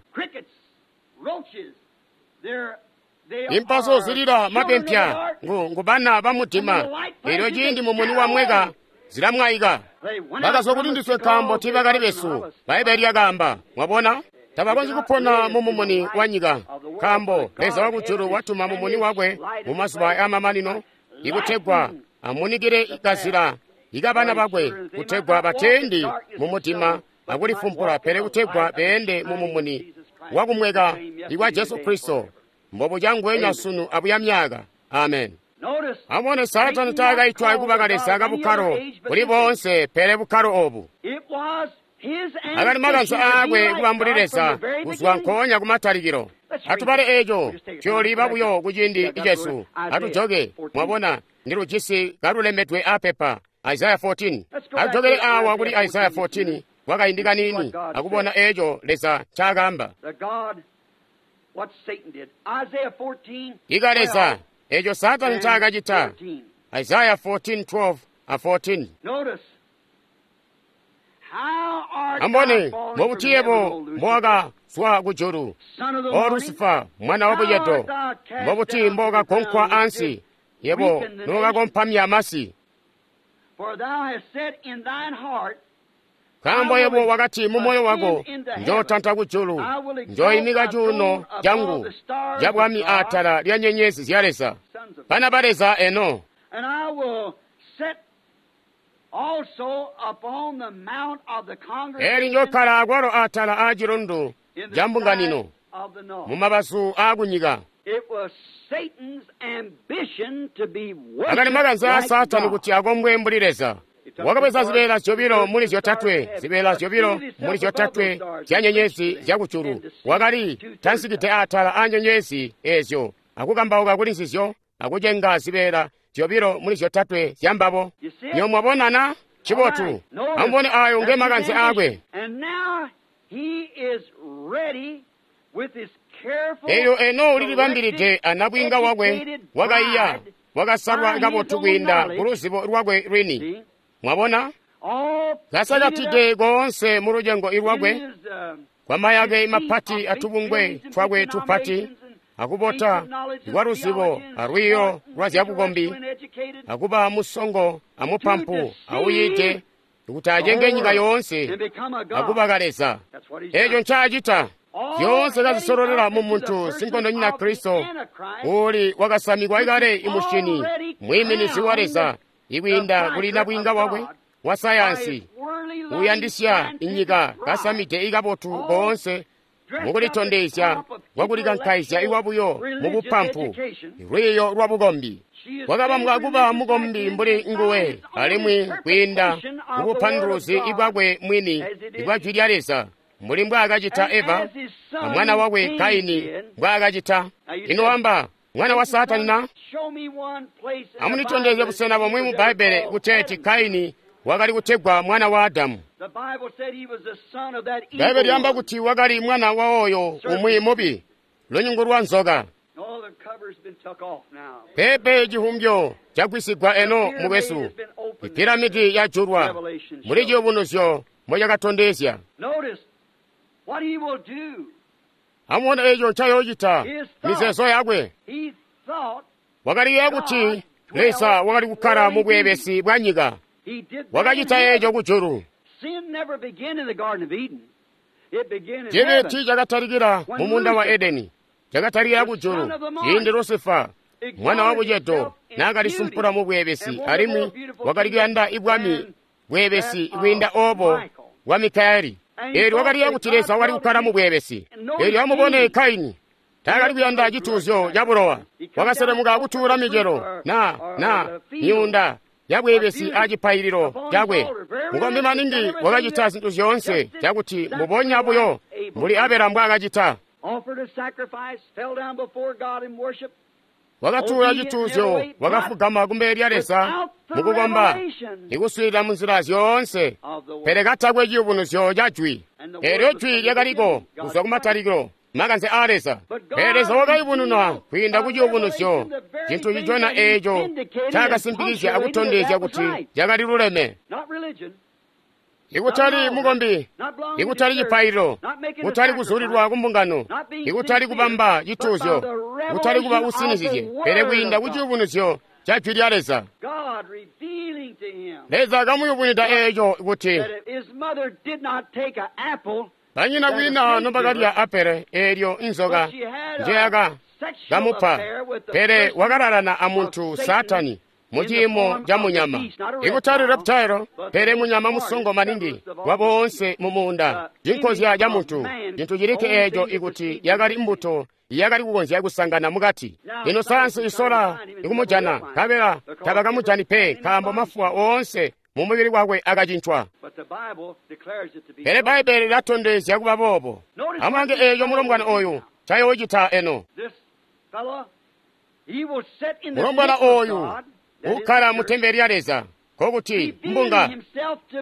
Speaker 3: Impaso zilila mapempya ngu ngubana ba mudima. Elyo ciindi mumuni wamweka zilamwaika. Bakazwa kuti ndiswe nkaambo tiibakali besu, Bbaibele lyakaamba. Mwabona? Tabakonzyi kupona mu mumuni wa nyika, nkaambo Leza wakujulu watuma mumuni wakwe mu mazuba amamanino ikutegwa amunikile kazila ikabana bakwe, kutegwa bateendi mu mudima akulifumpula, pele kutegwa beende mu mumuni wakumweka ikwa Jesu Kristo, mbobuca ngwenya sunu abuya myaka. Amen. Amubone, Saatani taakaitwa kuba kaleza kabukkalo buli boonse pele bukkalo obu. Akali makanze aakwe kuba mbuli Leza kuzwa nkoonya kumatalikilo. Atubale eeco tuyooliba buyo kuciindi cesu. Atujoke, mwabona, ndilujisi kalulembedwe apepa. Isaya fourteen. Atujokele awa kuli Isaya fourteen kwakaindi kaniini akubona eeco Leza ncaakaamba. Ika Leza eeco Saatani ncaakacita. Isaya fourteen twelve a fourteen. Ambone mbobuti yebo mbowakazwa kujulu, O Lusifa, mwana wa bucedo, mbobuti mbowakagonkwa ansi, yebo nowakakompamya masi. Nkaambo yebo wakati mu moyo wako, njootanta kujulu, njooimika cuuno cangu cabwami atala lya nyenyezi zya Leza, bana ba Leza eno. Eli njokkala akwalo atala aacilundu ca mbunganino mu mabazu aakunyika. Akali makanze aa Saatani kuti akombwe mbuli Leza. Wakabweza zibeela zyobilo muli zyotatwe, zibeela zyobilo muli zyotatwe zya nyenyezi zyakujulu. Wakali tansikide atala aa nyenyezi eezyo akukambauka kuli nzizyo akucenga zibeela zyobilo muli zyotatwe zyambabo. Nyo mwabonana? Cibotu. Amubone ayo nge makanze aakwe. Elyo eno ulilibambilide anabwiinga wakwe wakaiya, wakasalwa kabotu kwiinda kuluzibo lwakwe lwini. Mwabona? Kasakatide koonse mu lucengo lwakwe, kwa mayake mapati atubungwe twakwe tupati, akubota kwa luzibo alwiiyo lwa zyabukombi, akuba musongo amupampu awuyiide, kuti acenge nyika yoonse akuba kaleza. Eeco ncaacita. Zyoonse kazisololela mu muntu sinkondonyina Kristo, uli wakasamikwa kale imushini, mwiiminizi wa Leza, ikwiinda kuli nabwiinga wakwe wa sayansi, uyandisya inyika kasamide ikabotu koonse Mukulitondezya kwakulikankaizya ikwabuyo mubupampu, lwiiyo lwabukombi. Wakabambwa kuba mukombi mbuli nguwe, alimwi kwiinda mubupanduluzi bwakwe mwini ibwa Jwi lya Leza, mbuli mbwaakacita Eva a mwana wakwe Kaini mbwaakacita. Ino wamba mwana wa Saatani na? Amunditondezye busena bomwe mu Bbaibbele kuteeti Kaini wakali kutegwa mwana wa Adamu. Bbaibbele lyaamba kuti wakali mwana wa oyo umwi mubi, lunyungu lwa nzoka. Pepe cihumbyo cagwisigwa eno mukwesu. Ipiramidi yajulwa muli ciyubunuzyo mocakatondezya. Amubone eco ncayoocita mizeezo yakwe. Wakaliyeeya kuti Leza wakali kukkala mu bweebesi bwa nyika. Wakacita eco kujulu. Cibi tiicakatalikila mu muunda wa Edeni, cakatalikila kujulu ciindi Lusifa mwana wa bucedo naakalisumpula mu bweebesi, alimwi wakali kuyanda ibwami bweebesi kwiinda obo bwa Mikayeli. Eelyo wakaliyeeya kuti Leza wakali kukkala mu bweebesi. Eelyo amubone Kaini taakali kuyanda cituuzyo ca bulowa. Wakaselemuka kutuula micelo na na myuunda yabweebesi a cipaililo cakwe. Mukombi maningi wakacita zintu zyoonse cakuti mbubonya buyo mbuli Abela mbwaakacita. Wakatuula cituuzyo, wakafugama kumbele lya Leza mukukomba, ikuswiilila munzila zyoonse, pele katakwe ciyubunuzyo ca Jwi. Eelyo Jwi lyakaliko kuzwa kumatalikilo, makanze aa Leza. Pele Leza wakayubununwa kwiinda ku ciyubunuzyo, cintu cicona eeco cakasimpikizya akutondezya kuti cakali luleme. Ikutali mukombi, ikutali cipaililo, kutali kuzulilwa kumbungano, ikutali kubamba cituuzyo, kutali kuba usinizizye, pele kwiinda ku ciyubunuzyo ca Jwi lya Leza. Leza kamuyubunwida eeco kuti banyina kwiina nobakalya apele eelyo inzoka njeyaka kamupa, pele wakalalana amuntu Saatani muciimo ca munyama, ikutali reptile, pele munyama musongo maningi wa boonse mu muunda, cinkozya ca muntu, cintu cilikke eeco ikuti yakali mbuto yakali kukonzya kusangana mukati. Lino sayansi isola ikumujana, nkabela tabakamujani pe, nkaambo mafuwa oonse mu mubili wakwe akacincwa. Pele Bbaibbele lilatondezya kuba boobo. Amulange eeco mulombwana oyu ncayoocita eno. Mulombwana oyu ukkala mu tempele lya Leza, nkokuti mbunga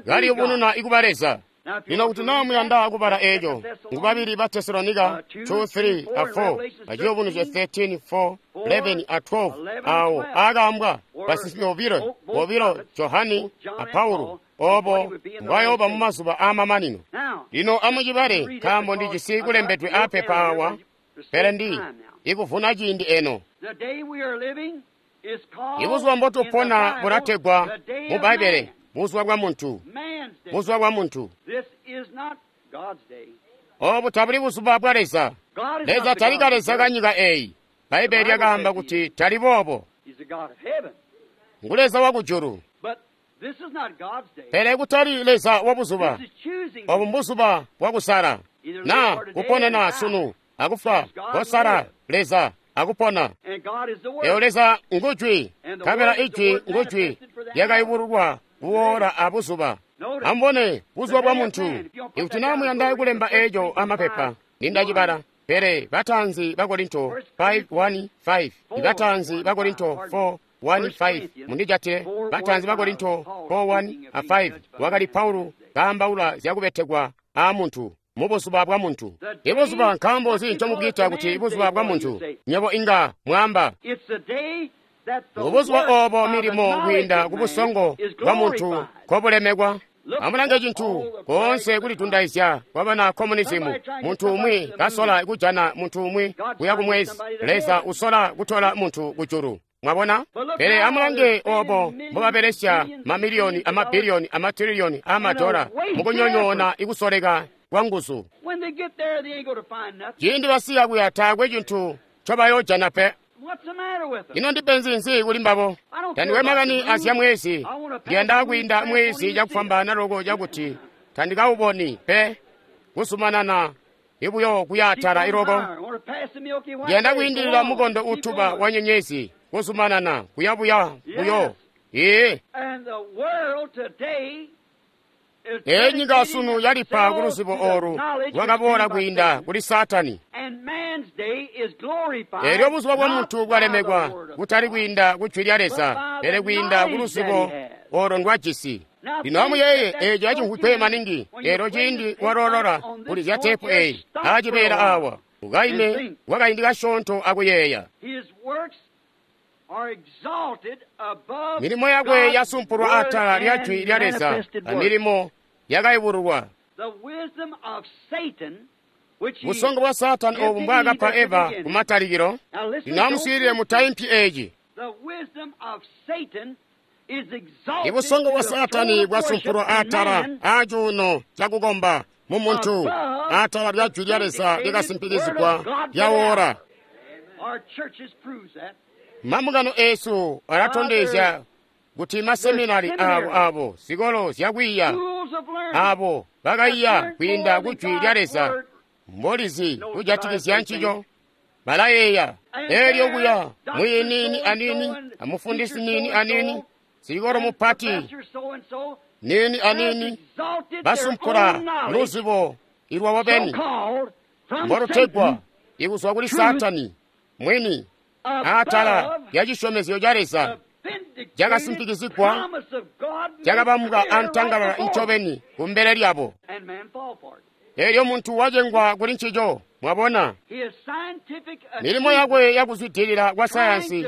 Speaker 3: kaliyubununa ikuba Leza. Lino kuti naa muyanda kubala eeco, ngu babili ba Tesalonika two, three a four, aciyubunuzyo thirteen, four, eleven a twelve, awo aakaambwa basinsimi bobilo, bobilo Johani a Paulo, obo mbwayooba mu mazuba aamamanino. Lino amucibale, nkaambo ndijisi kulembedwe aapepa awa, pele ndi ikuvuna ciindi eno. Ibuzuba mbotupona bulategwa mu Bbaibbele buzuba bwa muntu, buzuba bwa muntu. Obu tabuli buzuba bwa Leza. Leza tali kaleza kanyika eeyi. Bbaibbele lyakaamba kuti tali boobo. Ngu Leza wa kujulu. Pele kutali Leza wa buzuba. Obu mbuzuba bwa kusala. Na kuponena sunu akufa kosala Leza akupona. Eyo Leza ngujwi, nkabela ijwi ngujwi lyakayubululwa kuwoola abuzuba. Amubone buzuba bwa muntu. Ikuti naa muyanda kulemba eeco amapepa, nindacibala. Pele bataanzi ba Korinto five one five, ibataanzi ba Korinto four one five, mundijatile. Bataanzi ba Korinto four one a five, wakali Paulo kaambaula zyakubetekwa aamuntu mubuzuba bwa muntu. Ibuzuba nkaambo nzi ncomubwiita kuti buzuba bwa muntu? Nywebo inga mwaamba ngubuzuba oobo milimo kwiinda kubusongo bwa muntu nkobulemekwa. Amulange cintu koonse kulitundaizya kwa bana komunizimu. Muntu umwi kasola kujana muntu umwi kuya kumwezi, Leza usola kutola muntu kujulu. Mwabona? Pele amulange obo mbobabelesya mamiliyoni amabiliyoni amatiliyoni aamadola mukunyonyoona ikusoleka kwa nguzu. Ciindi basiya kuya taakwe cintu ncobayoojana pe. Ino ndipenzi nzi kuli mbabo? Tandikwe makani azya mwezi. Ndiyanda kwiinda mwezi cakufwambaana loko cakuti tandikawuboni pe kuzumanana Ibuyo kuyaatala iloko. Ndiyanda kwiindilila mukondo utuba wa nyenyezi, kuzumanana kuyabuya buyo. Ee. Ee nyika sunu yalipa ku luzibo olu lwakaboola kwiinda kuli Saatani. Eelyo buzuba bwa muntu bwalemekwa kutali kwiinda ku jwi lya Leza, pele kwiinda ku luzibo olo ndwajisi. Lino amuyeeye eeco acimvwikwe maningi, eelyo ciindi waloolola kuli zya teepu eyi acibeela awa, ukaime kwakaindi kasyoonto akuyeeya. Milimo yakwe yasumpulwa atala lya jwi lya Leza, amilimo yakayubululwa. Busongo bwa Saatani obu mbwaakapa Eva kumatalikilo. Lino amuswiilile mutaimpi eeci. Ibusongo bwa Saatani bwasumpulwa atala aacuuno cakukomba mumuntu, atala lya jwi lya Leza lyakasimpikizigwa lyawoora. Mambungano eesu alatondezya kuti maseminari abo abo zikolo zyakwiiya abo bakaiya kwiinda ku jwi lya Leza mbolizi kujatikizya ncico balayeeya. Eelyo kuya mwiiyi niini aniini amufundisi niini aniini sikolo mupati niini aniini basumpula luzibo ilwabo beni mbolutegwa ikuzwa kuli Saatani mwini atala lya cisyomezyo ca Leza cakasimpikizigwa cakabambwa antangalala ncobeni kumbele lyabo. Eelyo muntu wacengwa kuli ncico, mwabona. Milimo yakwe yakuzwidilila kwa sayansi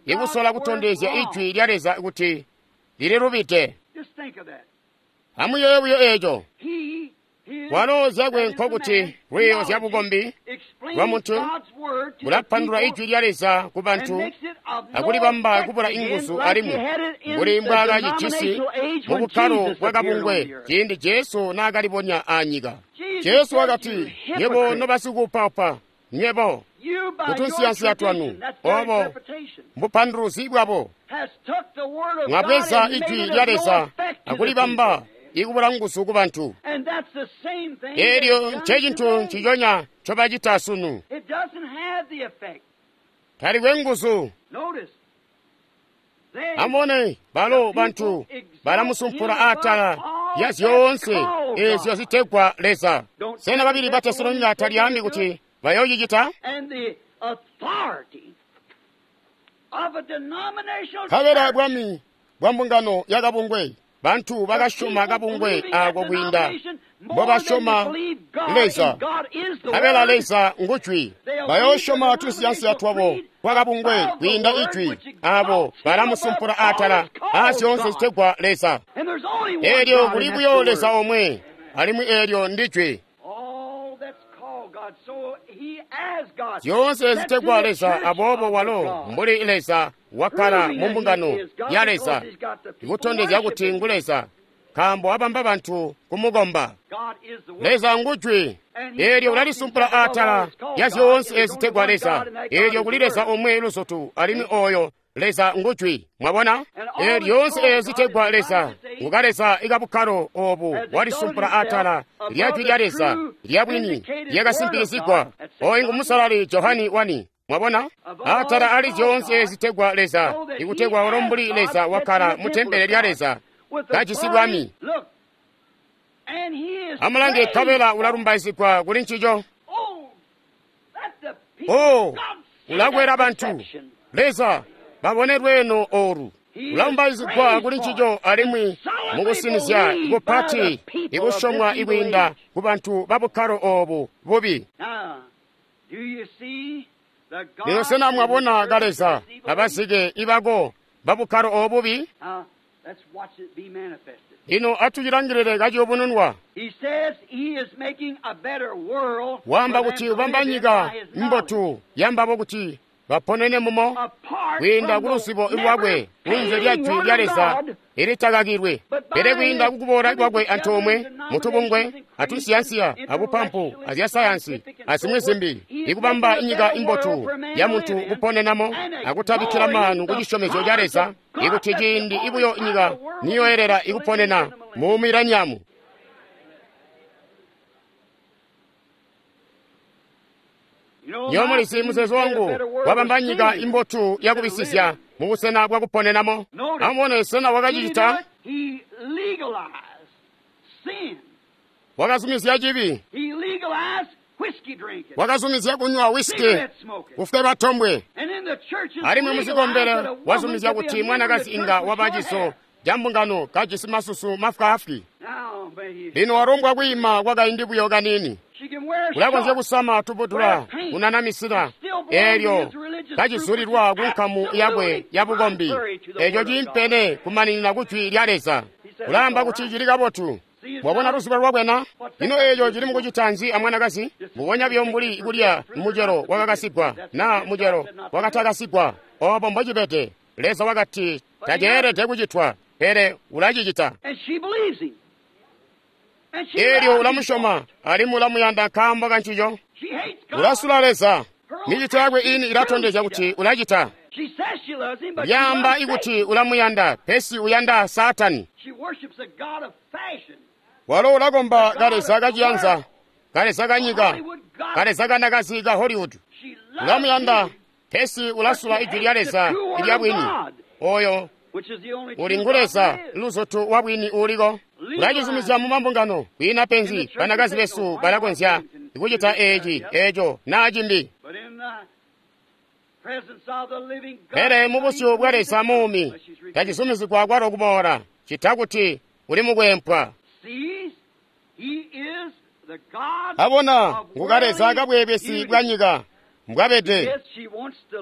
Speaker 3: ikusola kutondezya ijwi lya Leza kuti lililubide. Amuyeeye buyo eeco. Walo zyakwe nkokuti lwiiyo zya bukombi bwa muntu bulapandulula ijwi lya Leza ku bantu akulibamba kubula inguzu alimwi mbuli mbwaakacijisi mu bukkalo bwa kabungwe ciindi Jesu naakalibonya aanyika. Jesu wakati, nywebo nobasikuupaupa, nywebo kutunsiyansiya twanu, obo mbupanduluzi bwabo, mwabweza ijwi lya Leza akulibamba ikubula nguzu ku bantu. Eelyo ncecintu nciconya ncobacita sunu. Talikwe nguzu. Amubone, balo bantu balamusumpula atala ya zyoonse eezyo zitegwa Leza. Sena babili ba Tesalonika talyaambi kuti bayoocicita? Nkabela bwami bwa mbungano yakabungwe, bantu bakasyoma kabungwe ako kwiinda mbobasyoma Leza. Nkabela Leza ngujwi. Bayoosyoma tunsiyansiya twabo twa kabungwe kwiinda ijwi. Abo balamusumpula atala aazyoonse zitegwa Leza. Eelyo kuli buyo Leza omwe, alimwi eelyo ndijwi. Zyoonse zitegwa Leza, aboobo walo mbuli Leza wakkala mu mbungano ya Leza, ikutondezya kuti ngu Leza, nkaambo abamba bantu kumukomba. Leza ngujwi. Eelyo ulalisumpula atala ya zyoonse zitegwa Leza. Eelyo kuli Leza omwe luzutu, alimwi oyo Leza ngujwi. Mwabona? Eelyo lyoonse zitegwa Leza nguka Leza ikabukkalo obu walisumpula atala lya jwi lya Leza lya bwini lyakasimpikizigwa. Oyu ngu Musalali Johani wani. Mwabona? Atala ali zyoonse zitegwa Leza, ikutegwa walo mbuli Leza wakkala mu tempele lya Leza kajisi bwami. Amulange, nkabela ulalumbaizigwa kuli ncico. Oh, ulakwela bantu. Leza babone lweeno olu. Ulalumbaizigwa kuli ncico alimwi mukusinizya kupati ikusyomwa ikwiinda ku bantu babukkalo obu bubi. Lino sena mwabona ka Leza abazike ibako babukkalo obubi? Lino atucilangilile kaciyubununwa. Waamba kuti ubamba nyika mbotu yambabo kuti baponene mumo kwiinda ku luzibo lwakwe kunze lya jwi lya Leza ilitakakilwe, pele kwiinda kukuboola kwakwe antoomwe mutubungwe atunsiyansiya abupampu azya sayansi azimwi zimbi, ikubamba nyika imbotu ya muntu kuponenamo akutabikkila maanu ku cisyomezyo ca Leza, ikuti ciindi ibuyo nyika niyoyelela ikuponena mu mileniamu. Nywebo mulizi muzeezo wangu wabamba nyika imbotu yakubisizya mubusena bwakuponenamo. Amubone, sena wakacicita? Wakazumizya cibi. Wakazumizya kunywa wiski, kufweba tombwe. Alimwi muzikombelo wazumizya kuti mwanakazi inga waba ciso ca mbungano kajisi masusu mafwaafwi. Lino walombwa kwiima kwakaindi buyo kaniini. Ulakonzya kusama tubudula kunanamisila eelyo kacizulilwa ku nkamu yakwe ya bukombi, eeco ciimpene kumaninina ku jwi lya Leza. Ulaamba kuti cili kabotu. Mwabona luzibo lwakwe na? Ino eeco cili mukucita nzi amwanakazi? Mbubonya buyo mbuli kulya mucelo wakakasigwa naa mucelo wakatakasigwa. Oobo mbocibede. Leza wakati taceelede kucitwa, pele ulacicita. Eelyo ulamusyoma alimwi ulamuyanda nkaambo kancico. Ulasula Leza. Micito yakwe ini ilatondezya kuti ulacita. Lyaamba ikuti ulamuyanda, pesi uyanda Saatani. Walo ulakomba kaleza kaciyanza, kaleza kanyika, kaleza kanakazi ka Hollywood. Ulamuyanda, pesi ulasula ijwi lya Leza ilya bwini. Oyo uli ngu Leza luzotu wa bwini uuliko. Ulacizumizya mu mambungano kwiina penzi. Banakazi besu balakonzya kucita eeci, eeco naa cimbi. Pele mubusyu bwa Leza muumi tacizumizigwa kwalo kuboola, cita kuti uli mukwempwa. Abona ngu kaleza kabweebesi bwa nyika mbwabede.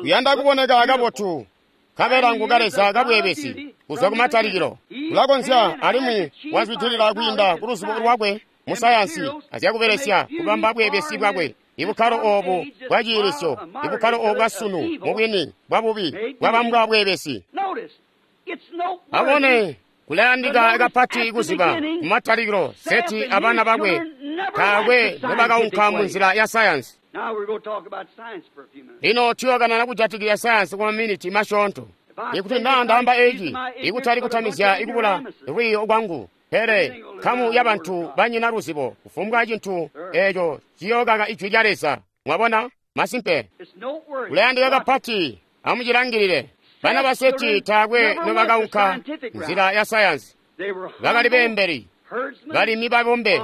Speaker 3: Uyanda kuboneka kabotu, nkabela ngu kaleza kabweebesi kuzwa kumatalikilo. Ulakonzya alimwi wazwidilila kwiinda ku luzibo lwakwe mu sayansi azyakubelesya kubamba bweebesi bwakwe. Ibukkalo oobu bwaciilisyo, ibukkalo oobu bwasunu mubwini bwabubi bwabambwa bweebesi. Abone, kulayandika kapati kuziba kumatalikilo Seti abana bakwe taakwe nobakaunka munzila ya sayansi. Lino tuyokanana kujatikizya sayansi kwa maminiti masyoonto. Ikuti naa ndaamba eeci, ikutali kutamizya ikubula lwiiyo kwangu, pele nkamu ya bantu banyina luzibo kufumbwa cintu eeco ciyookaka ijwi lya Leza. Mwabona? Masimpe. Kulayandika kapati, amucilangilile. Bana ba Seti taakwe nobakaunka nzila ya sayansi. Bakali beembeli, balimi babombe,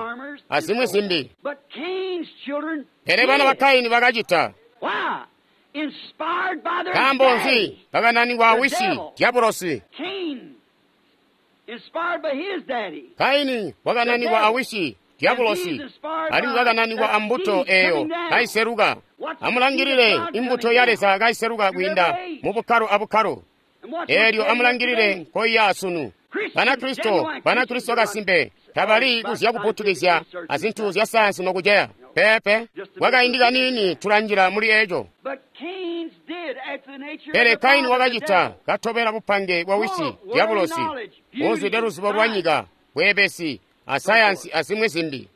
Speaker 3: azimwi zimbi. Pele bana ba Kaini bakacita. Nkaambo nzi? Bakananikwa wisi Diabolosi. Kaini wakananikwa awisi Diabolosi, alimwi wakananikwa ambuto eeyo kaiseluka. Amulangilile imbuto ya Leza kaiseluka kwiinda mu bukkalo abukkalo. Eelyo amulangilile nkoiya sunu. Banakristo, Banakristo kasimpe tabali kuzya kuputukizya azintu zya sayansi nokuceya. Peepe, kwakaindi kaniini tulanjila muli eeco. Pele Kaini wakacita katobela bupange bwa wisi Diabolosi, buzwide luzibo lwa nyika, bweebesi, asayansi azimwi zimbi.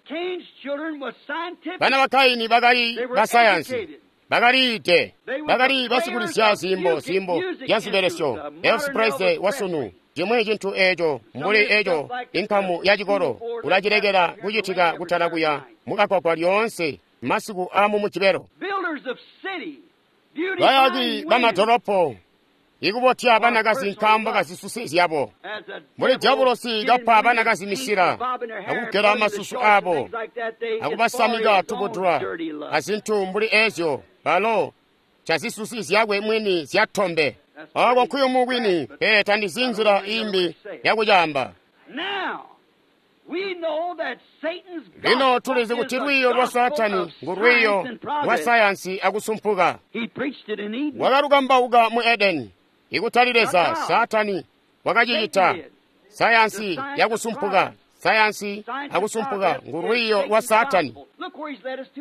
Speaker 3: Bana ba Kaini bakali basayansi, bakaliide, bakali basikulizya ziimbo ziimbo zya zibelesyo. Elvis Presley wasunu, cimwi cintu eeco mbuli eeco inkamu ya cikolo ulacilekela kucitika kutala kuya mukakwakwa lyoonse masiku aamu mujibelo. Bayaki bamadolopo ikubotya banakazi nkaambo kazisusi zyabo. Mbuli Diabolosi kapa banakazi misila akugela masusu aabo akubasamika tubudula azintu mbuli eezyo, balo cazisusi zyakwe mwini zyatombe. Ooko nkuyumu kwini, pele tandizi nzila imbi yakucaamba. Lino tulizi kuti lwiiyo lwa Saatani ngu lwiiyo lwa sayansi akusumpuka. Wakalukambauka mu Edeni, ikutali Leza. Saatani wakacicita. Sayansi yakusumpuka, sayansi akusumpuka ngu lwiiyo lwa Saatani.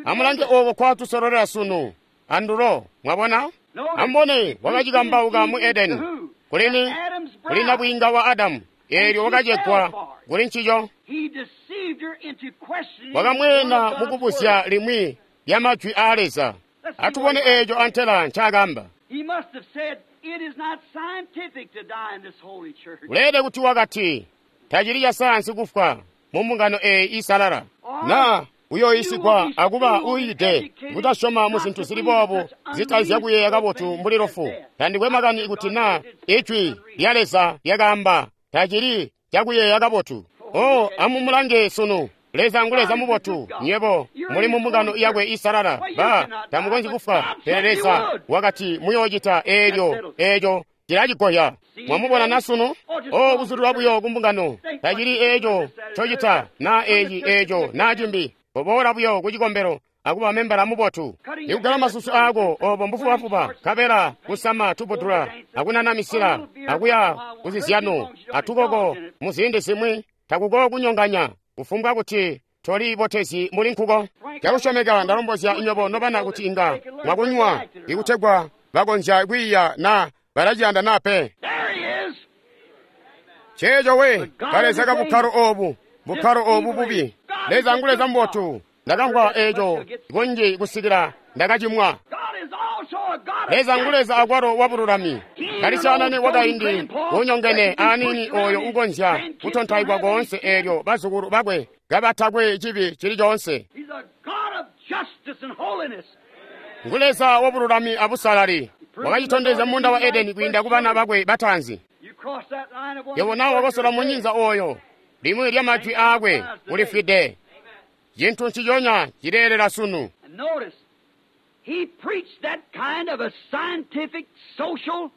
Speaker 3: Amulange ooko kwatusololela sunu andulo, mwabona? Amubone, wakacikambauka mu Edeni. Kulini? Kuli nabwiinga wa Adamu. Eelyo wakacegwa kuli ncico. Wakamweena mukubuzya limwi lya majwi aa Leza. Atubone eeco antela ncaakamba. Uleelede kuti wakati, tacili ca sayansi kufwa mu mbungano eeyi iisalala. Naa Uyoyisigwa akuba uyiide kutasyoma mu zintu zili boobu zitazya kuyeeya kabotu mbuli lufu. Tandikwe makani kuti naa Ijwi lya Leza lyakaamba tacili cakuyeeya kabotu. Oh, amumulange sunu. Leza ngu Leza mubotu, nywebo muli mu mbungano yakwe isalala. Ba tamukonzyi kufwa, pele Leza wakati muyoocita eelyo eeco cilacigoya. Mwamubona na sunu? Oh, kuzulilwa buyo ku mbungano tacili eeco ncocita naa eeci eeco naa cimbi. Koboola buyo ku cikombelo akuba membala mubotu. Ikugala masusu aako obo mbufubafuba, nkabela kusama tubudula akunana misila akuya kuzizyano atukoko mu ziindi zimwi takuko kunyonganya kufumbwa kuti toli botezi muli nkuko. Cakusyomeka ndalombozya nywebo nobana kuti inga mwakunywa ikutegwa bakonzya kwiiya naa balaciyanda naa pe.
Speaker 4: There he is.
Speaker 3: Ceeco we kaleza ka bukkalo obu, bukkalo obu bubi. Leza ngu Leza mubotu. Ndakamvwa eeco kunji kusikila ndakacimwa.
Speaker 4: God is also a God of
Speaker 3: Leza ngu Leza akwalo wa bululami. Kalisyaanane wakaindi unyongene aniini oyo ukonzya kutontaikwa koonse eelyo bazukulu bakwe kabatakwe cibi cili coonse.
Speaker 4: He's a God of justice and holiness.
Speaker 3: Ngu Leza wa bululami abusalali. Wakacitondezya munda wa Edeni kwiinda ku bana bakwe bataanzi.
Speaker 4: You cross that line of one
Speaker 3: Yebo nawe wakosola munyinza oyo limwi lya majwi aakwe ulifwide. Cintu nciconya cileelela sunu.
Speaker 4: And notice, he preached that kind of a scientific, social,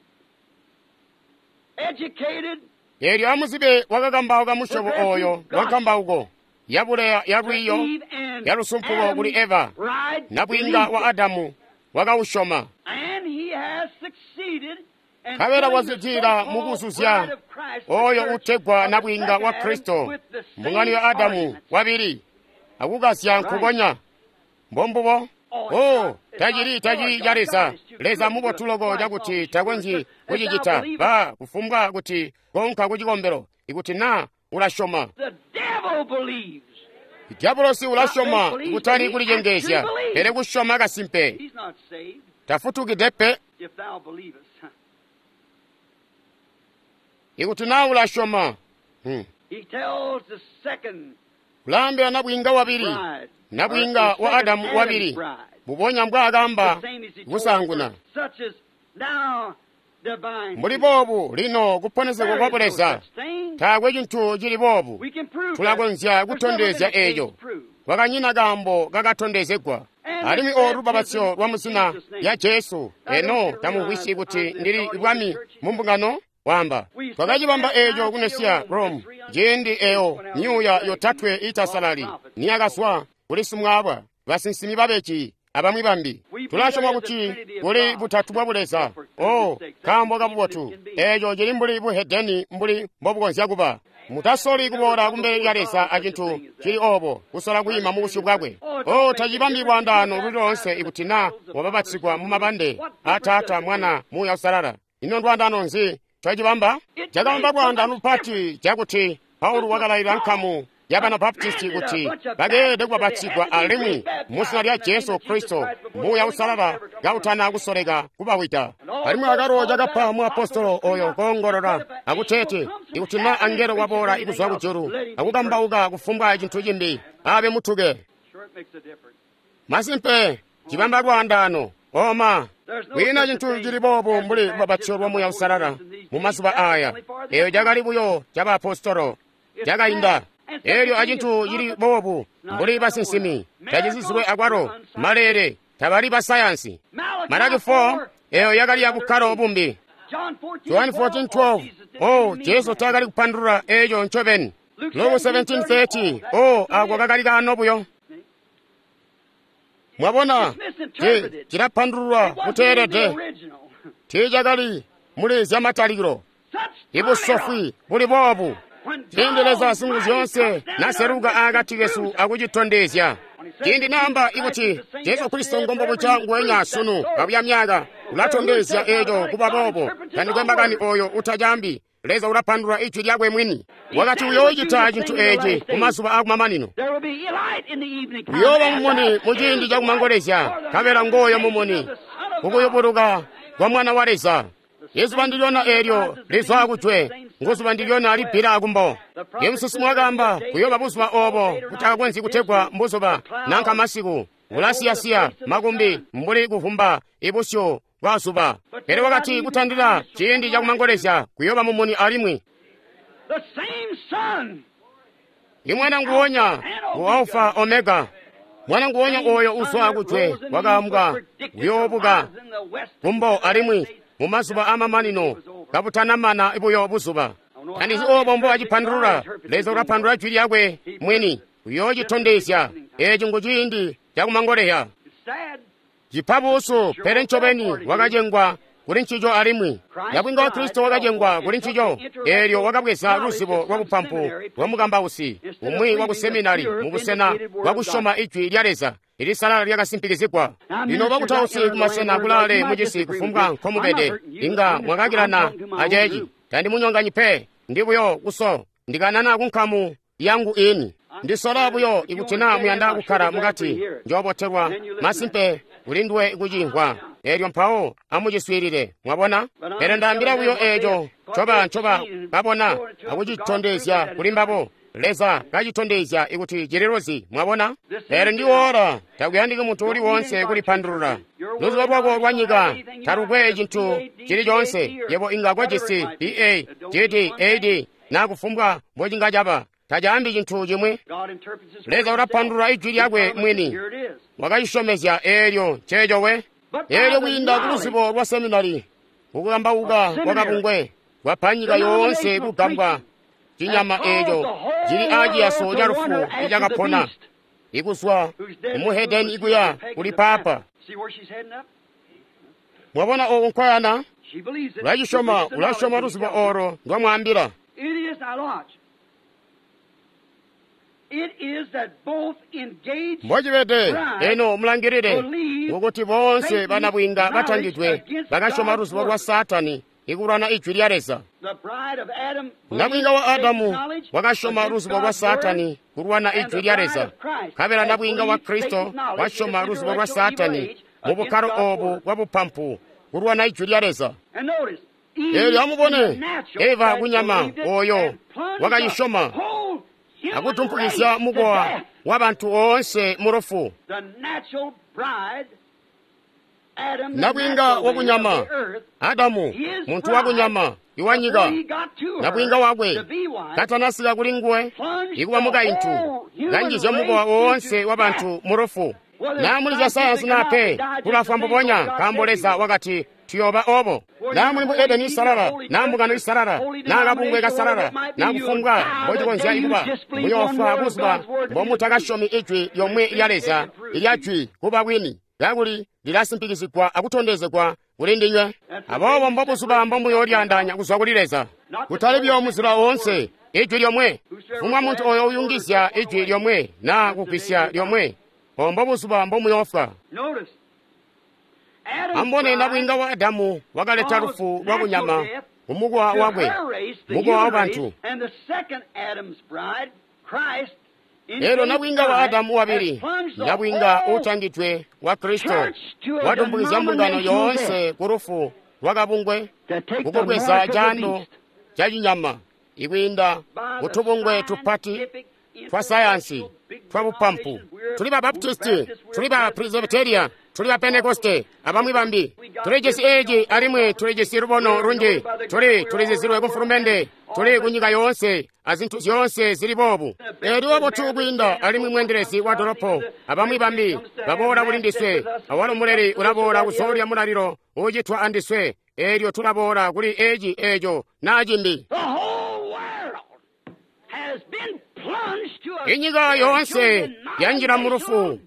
Speaker 4: educated,
Speaker 3: Eelyo amuzibe wakakambauka musyobo oyo wakambauko yabuleya ya
Speaker 4: to
Speaker 3: lwiiyo
Speaker 4: Eve and
Speaker 3: ya lusumpuko kuli Eva
Speaker 4: Adam's bride
Speaker 3: nabwiinga wa
Speaker 4: believed it.
Speaker 3: Adamu wakausyoma.
Speaker 4: And he has succeeded in
Speaker 3: Nkabela
Speaker 4: filling the
Speaker 3: wazwidilila
Speaker 4: so-called
Speaker 3: mukuzuzya
Speaker 4: bride of Christ, the
Speaker 3: oyo
Speaker 4: church
Speaker 3: utegwa
Speaker 4: of the
Speaker 3: nabwiinga wa
Speaker 4: second Adam,
Speaker 3: Kristo
Speaker 4: with the same
Speaker 3: mbungano ya Adamu
Speaker 4: arguments.
Speaker 3: wabili akukasya nkukonya. Mbombubo. Oh, tacili tacili ca Leza. Leza mubotu loko cakuti takonzyi kucicita. Ba kufumbwa kuti konka ku cikombelo ikuti naa ulasyoma.
Speaker 4: The devil believes.
Speaker 3: Diabolosi ulasyoma kutali kulicengeezya, pele kusyoma kasimpe.
Speaker 4: He's not saved
Speaker 3: Tafutukide pe
Speaker 4: if thou believest.
Speaker 3: ikuti naa ulasyoma. Hmm.
Speaker 4: He tells the second
Speaker 3: Kulaambila nabwiinga wabili,
Speaker 4: bride,
Speaker 3: nabwiinga
Speaker 4: or the
Speaker 3: wa
Speaker 4: second
Speaker 3: Adamu
Speaker 4: Adam's
Speaker 3: wabili,
Speaker 4: bride,
Speaker 3: mbubonya mbwaakamba
Speaker 4: the same as he told the
Speaker 3: kusaanguna.
Speaker 4: first, such as now divine.
Speaker 3: Mbuli boobu lino kuponesegwa
Speaker 4: There
Speaker 3: kwa
Speaker 4: is no
Speaker 3: buleza
Speaker 4: such thing.
Speaker 3: taakwe cintu cili boobu.
Speaker 4: We can prove that.
Speaker 3: Tulakonzya
Speaker 4: There's never been
Speaker 3: kutondezya
Speaker 4: a case
Speaker 3: eeco.
Speaker 4: proved.
Speaker 3: Kwakanyina kaambo kakatondezegwa. Alimwi olu lubapatizyo lwa muzina lya Jesu eno tamumvwisyi kuti ndili bwami mu mbungano wamba. Twakacibamba eeco ku Nesiya Rome ciindi eyo myuuya yotatwe itasalali niyakazwa kuli simwaaba basinsimi babeji abamwi bambi. Tulasyoma kuti kuli butatu bwa buleza. Oh, kaambo kabubotu. Eeco cili mbuli buhedeni mbuli mbobukonzya kuba. Mutasoli kuboola kumbele lya Leza acintu cili obo kusola kwiima mu busyu bwakwe. Oh, tacibambi lwaandaano luli loonse ikuti naa wabapatizigwa mu mabande a Taata, Mwana, Muuya Uusalala. Ino ndwaandaano nzi cacibamba? Cakabamba lwaandaano lupati cakuti Paulo wakalayilila nkamu ya Banabaptisti kuti bakeelede kubapatizigwa alimwi mu zina lya Jesu Kristo Muuya Uusalala kautana kusoleka kubawida. Alimwi akalo cakapa muapostolo oyo koongolola akuteeti ikuti naa angelo waboola ikuzwa kujulu akukambauka kufumbwa cintu cimbi abe mutuke.
Speaker 4: Sure, it makes a difference.
Speaker 3: Masimpe cibamba lwaandaano oma
Speaker 4: There's no
Speaker 3: kwiina
Speaker 4: such a
Speaker 3: cintu
Speaker 4: thing
Speaker 3: cili boobu
Speaker 4: as
Speaker 3: mbuli
Speaker 4: the
Speaker 3: lubapatizyo lwa
Speaker 4: baptism
Speaker 3: Muuya
Speaker 4: of the Holy
Speaker 3: Uusalala
Speaker 4: Ghost in these
Speaker 3: mu
Speaker 4: days.
Speaker 3: mazuba
Speaker 4: That's
Speaker 3: aaya.
Speaker 4: only for the
Speaker 3: Eyo cakali buyo cabaapostolo cakainda. Eelyo acintu cili boobu mbuli basinsimi tacizizilwe akwalo maleele tabali basayansi. Malaki four eyo yakali ya bukkalo bumbi.
Speaker 4: John fourteen,
Speaker 3: Yohane fourteen twelve oh Jesu taakali kupandulula eeco ncobeni. Luke seventeen thirty oh ako kakali kaano buyo. Mwabona ci cilapandululwa
Speaker 4: It wasn't even the
Speaker 3: kuteelede
Speaker 4: original.
Speaker 3: tiicakali muli zyamatalikilo.
Speaker 4: Such
Speaker 3: Ibusofwi buli boobu
Speaker 4: When
Speaker 3: ciindi Leza
Speaker 4: God
Speaker 3: Singuzyoonse
Speaker 4: Almighty comes down
Speaker 3: naseluka
Speaker 4: to earth
Speaker 3: akati kesu
Speaker 4: and
Speaker 3: akucitondezya. Ciindi naamba ikuti Jesu Kristo ngombobuca nguwenya sunu kabuya myaka ulatondezya eeco kuba boobo. Tandikwe makani oyo utacaambi. Leza ulapandulula ijwi lyakwe mwini. Wakati uyoocita cintu eeci ku mazuba akumamanino.
Speaker 4: There will be light in the evening time.
Speaker 3: Uyooba mumuni mu ciindi cakumangolezya, nkabela ngooyo mumuni kukuyubuluka kwa Mwana wa Leza.
Speaker 4: The
Speaker 3: Izuba ndilyona eelyo lizwa kujwe, nguzuba ndilyona libbila kumbo. Imusinsimi wakaamba kuyooba buzuba oobo butakakonzyi kutegwa mbuzuba nanka masiku, bulasiyasiya makumbi mbuli kuvumba ibusyu bwa zuba. Pele wakati kutandila ciindi cakumangolezya kuyooba mumuni alimwi.
Speaker 4: The same sun
Speaker 3: Imwana nguwonya ngu Alpha Omega. Mwana nguwonya oyo uzwa kujwe wakaambwa kuyoobuka kumbo alimwi mumazuba amamanino kabutanamana buyo buzuba. Tandizi oobo mbo acipandulula. Leza ulapandulula jwi lyakwe mwini uyoocitondezya. Eeci ngu ciindi cakumangoleya.
Speaker 4: It's sad.
Speaker 3: Cipa buusu, pele ncobeni wakacengwa kuli ncico alimwi. Nabwiinga wa Kristo wakacengwa kuli ncico, eelyo wakabweza luzibo lwa bupampu bwa mukambausi umwi wa kuseminari mubusena bwa kusyoma ijwi lya Leza ilisalala lyakasimpikizigwa. Lino bakutausi kumasena kulaale mucisi kufumbwa nkomubede, inga mwakakilana aceeci. Tandimunyonganyi pe, ndi buyo kuso ndikanana kunkamu yangu ini. Ndisola buyo ikuti naa muyanda kukkala mukati, njoobotelwa masimpe kulinduwe kucimvwa. Eelyo mpawo amuciswiilile, mwabona? Pele ndaambila buyo eeco ncoba ncoba babona akucitondezya kuli mbabo. Leza kacitondezya ikuti cililuzi, mwabona? Pele ndi ora, takuyandiki muntu uli wonse kulipandulula. Luzubo lwako lwa nyika talukwe cintu cili coonse. Yebo inga kojisi B A, G D, A D, na kufumbwa mbocinga caba. Tacaambi cintu cimwi.
Speaker 4: God interprets his
Speaker 3: Leza
Speaker 4: word himself.
Speaker 3: ulapandulula ijwi lyakwe mwini.
Speaker 4: Here it is.
Speaker 3: Wakacisyomezya eelyo nceeco we. Eelyo kwiinda ku luzibo lwa seminari, kukambauka kwa kabungwe, kwapa nyika yoonse kugambwa cinyama eeco cili aaciyaso ca lufu icakapona, ikuzwa kumuhedeni ikuya kuli papa.
Speaker 4: See where she's heading up?
Speaker 3: Mwabona oku nkoyana?
Speaker 4: She believes it.
Speaker 3: Ulacisyoma,
Speaker 4: She believes the
Speaker 3: ulasyoma
Speaker 4: knowledge
Speaker 3: luzibo
Speaker 4: that he tells her.
Speaker 3: olo ndwamwaambila.
Speaker 4: It is, now watch. It is that both engaged
Speaker 3: Mbocibede, eno mulangilile, ngokuti boonse banabwinga batangidwe bakasyoma luzibo lwa Saatani ikulwana ijwi lya Leza.
Speaker 4: the bride of Adam
Speaker 3: Nabwinga wa
Speaker 4: believed
Speaker 3: Adamu
Speaker 4: Satan's knowledge
Speaker 3: wakasyoma
Speaker 4: against
Speaker 3: luzibo lwa
Speaker 4: God's word,
Speaker 3: Saatani kulwana
Speaker 4: and
Speaker 3: ijwi
Speaker 4: the
Speaker 3: lya
Speaker 4: bride
Speaker 3: Leza.
Speaker 4: of Christ
Speaker 3: Nkabela
Speaker 4: has
Speaker 3: nabwinga wa
Speaker 4: believed
Speaker 3: Kristo
Speaker 4: Satan's knowledge
Speaker 3: wasyoma
Speaker 4: in this
Speaker 3: luzibo lwa
Speaker 4: intellectual evil
Speaker 3: Saatani
Speaker 4: age
Speaker 3: mu bukkalo
Speaker 4: against God's
Speaker 3: obu
Speaker 4: word.
Speaker 3: bwa bupampu kulwana ijwi lya Leza.
Speaker 4: And notice, Eve
Speaker 3: Eelyo amubone,
Speaker 4: in the natural
Speaker 3: Eva
Speaker 4: that
Speaker 3: kunyama
Speaker 4: believed it
Speaker 3: oyo
Speaker 4: and plunged the
Speaker 3: wakayisyoma
Speaker 4: whole human
Speaker 3: akutumpukizya
Speaker 4: race to
Speaker 3: mukowa
Speaker 4: death.
Speaker 3: wa bantu oonse mu lufu.
Speaker 4: The natural bride, Adam, the
Speaker 3: Nabwinga
Speaker 4: natural
Speaker 3: wa
Speaker 4: man
Speaker 3: kunyama,
Speaker 4: of the earth,
Speaker 3: Adamu
Speaker 4: his
Speaker 3: muntu wa
Speaker 4: bride,
Speaker 3: kunyama iwanyika,
Speaker 4: before he got to her,
Speaker 3: nabwinga wakwe
Speaker 4: to be wife,
Speaker 3: katanasika kuli nguwe
Speaker 4: plunged
Speaker 3: ikuba
Speaker 4: the
Speaker 3: mukaintu
Speaker 4: whole human
Speaker 3: kanjizya mukowa
Speaker 4: race
Speaker 3: woonse
Speaker 4: into
Speaker 3: wa bantu mu lufu.
Speaker 4: Whether
Speaker 3: Naa muli zya sayansi naa pe, tulafwa mbubonya nkaambo Leza wakati tuyooba obo. Naa muli mu Edeni isalala, naa mbungano isalala, naa kabungwe kasalala, naa kufumbwa mbocikonzya ikuba, muyoofwa buzuba mbomutakasyomi ijwi lyomwe lya Leza ilya jwi kuba bwini, kakuli lilasimpikizigwa akutondezegwa kuli ndinywe. Aboobo mbobuzuba mbomuyoolyaandaanya kuzwa kuli Leza. Kutali buyo muzila woonse, ijwi lyomwe. Fumbwa muntu oyo uyungizya ijwi lyomwe naa kugwisya lyomwe, obo mbobuzuba mbomuyoofwa.
Speaker 4: Notice, Adam's
Speaker 3: Ambone
Speaker 4: bride
Speaker 3: nabwinga wa Adamu wakaleta
Speaker 4: caused
Speaker 3: lufu lwa
Speaker 4: natural
Speaker 3: kunyama
Speaker 4: death
Speaker 3: kumukowa
Speaker 4: to
Speaker 3: wakwe,
Speaker 4: her race, the
Speaker 3: mukowa wa
Speaker 4: human
Speaker 3: bantu.
Speaker 4: race, and the second Adam's bride, Christ,
Speaker 3: Eelyo
Speaker 4: engaged
Speaker 3: nabwinga wa
Speaker 4: bride,
Speaker 3: Adamu wabili,
Speaker 4: has plunged the
Speaker 3: nabwinga
Speaker 4: whole
Speaker 3: utangidwe wa Kristo,
Speaker 4: church to a
Speaker 3: watumbukizya mbungano
Speaker 4: denominational
Speaker 3: yoonse ku lufu lwa kabungwe,
Speaker 4: to take the
Speaker 3: kukubweza
Speaker 4: mark of the
Speaker 3: caando
Speaker 4: beast
Speaker 3: ca cinyama ikwiinda
Speaker 4: by the
Speaker 3: kutubungwe tupati
Speaker 4: scientific,
Speaker 3: twa sayansi
Speaker 4: intellectual, big
Speaker 3: twa bupampu.
Speaker 4: denominations. We're
Speaker 3: Tuli ba Baptisti,
Speaker 4: Baptists,
Speaker 3: tuli
Speaker 4: we're
Speaker 3: ba Presbyteria, tuli ba Pentekoste, abamwi bambi. Tulijisi eeci alimwi tulijisi lubono lunji. Tuli tulizizilwe ku mfulumende, tuli ku nyika yoonse azintu zyoonse zili boobu. Eelyo obotu kwiinda alimwi mweendelezi wa dolopo abamwi bambi baboola kuli ndiswe, awalo muleli ulaboola kuzoolya mulalilo uucitwa andiswe. Eelyo tulaboola kuli eeci eeco naa cimbi.
Speaker 4: The whole world has been plunged to a
Speaker 3: Inyika yoonse yanjila mu lufu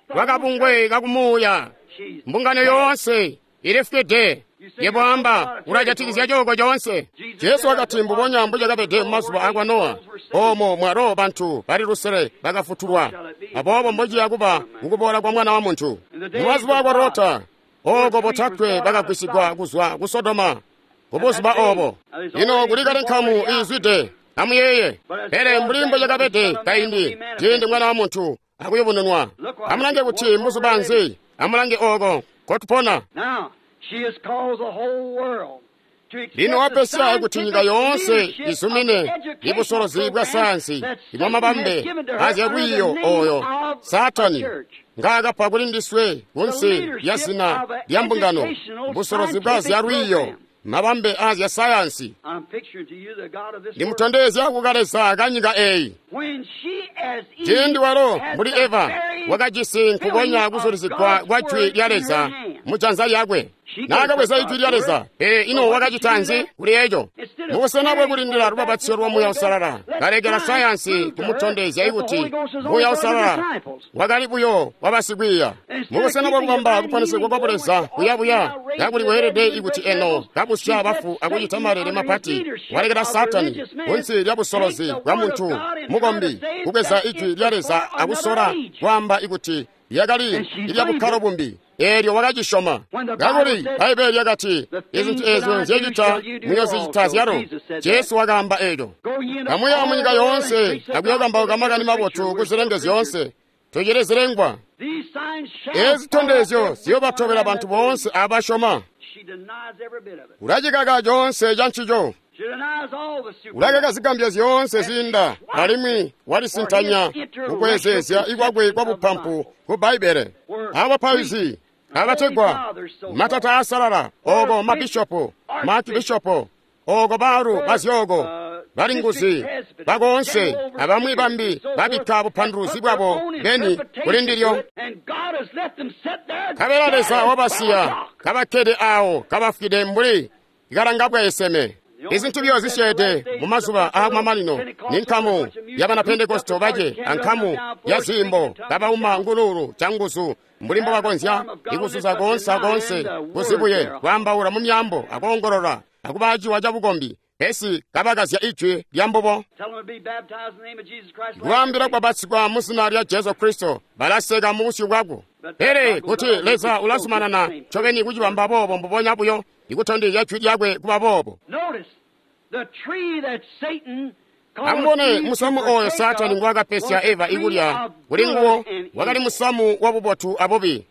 Speaker 3: lwa kabungwe kakumuuya.
Speaker 4: She's
Speaker 3: Mbungano yoonse ilifwide. Yebo amba ulajatikizya cooko coonse. Jesu wakati mbubonya mbucakabede mumazuba akwa Nowa, oomo mwalo bantu bali lusele bakafutulwa. Aboobo mbociya kuba kukuboola kwa Mwana wa Muntu. Mumazuba akwa Lota, ooko botatwe bakagwisigwa kuzwa ku Sodoma. Kubuzuba oobo. Ino kuli kale nkamu iizwide. Amuyeeye. Pele mbuli mbucakabede kaindi, ciindi Mwana wa Muntu akuyubununwa. Amulange kuti mbuzuba nzi, amulange ooko nkotupona.
Speaker 4: Now, she has caused the whole world
Speaker 3: Lino wapesya kuti nyika yoonse izumine ibusolozi bwa sayansi ibwa mabambe azyalwiiyo oyo Saatani ngaakapa kuli ndiswe kunsi lya zina lya mbungano, busolozi bwa zyalwiiyo, mabambe azya sayansi. Ndimutondezya kukaleza kanyika eyi. Ciindi walo mbuli Eva wakajisi nkukonya kuzulizigwa kwa jwi lya Leza mu janza lyakwe, naakabweza ijwi lya Leza, pele ino wakacita nzi kuli eco? Mubusena bwakulindila lubapatizyo lwa Muuya Uusalala, kalekela sayansi kumutondezya ikuti Muuya Uusalala wakali buyo wabasikwiiya. Mubusena bwakubamba kuponesegwa kwa Buleza kuyabuya, kakuli weelede ikuti eno kabusya bafu akucita malele mapati, walekela Saatani kunsi lya busolozi bwa muntu mukombi kubweza ijwi lya Leza akusola kwaamba ikuti lyakali ilya bukkalo bumbi. Eelyo wakacisyoma. Kakuli Bbaibbele lyakati, izintu eezyo nzyecita muyozicita zyalo. Jesu wakaamba eeco. Kamuya munyika yoonse akuyokambauka makani mabotu kuzilenge zyoonse. Tucili zilengwa. Eezi zitondezyo ziyobatobela bantu boonse abasyoma. Ulacikaka coonse ca ncico. Ulakaka zigambyo zyoonse ziinda, alimwi walisintanya kukwezeezya ikwakwe kwa bupampu ku Bbaibbele. Abapaizi abategwa matata asalala, oko mabishopo, maakibishopo, oko baalu bazyooko, balinguzi bakoonse abamwi bambi babikka bupanduluzi bwabo beni kuli ndilyo. Kabela Leza wabasiya kabakkede awo kabafwide mbuli ikalanga bwaeseme. Izintu byo zisyeede mu mazuba aakumamanino ni nkamu ya Banapentekosto bace ankamu ya ziimbo kabauma ngululu canguzu mbuli mbobakonzya ikuzuza koonse akoonse kuzibuye kwaambaula mu myaambo akoongolola akuba aciwa cabukombi, pesi kabakazya ijwi lya mbubo. Kubaambila kwabatsikwa mu zina lya Jesu Kristo, balaseka mu busyu bwako. Pele kuti Leza ulazumanana ncobeni kucibamba boobo mbubonya buyo, ikutondezya jwi lyakwe kuba boobo. Amubone musamu oyo Saatani ngwaakapesya Eva ikulya kuli nguwo wakali musamu wabubotu abubi.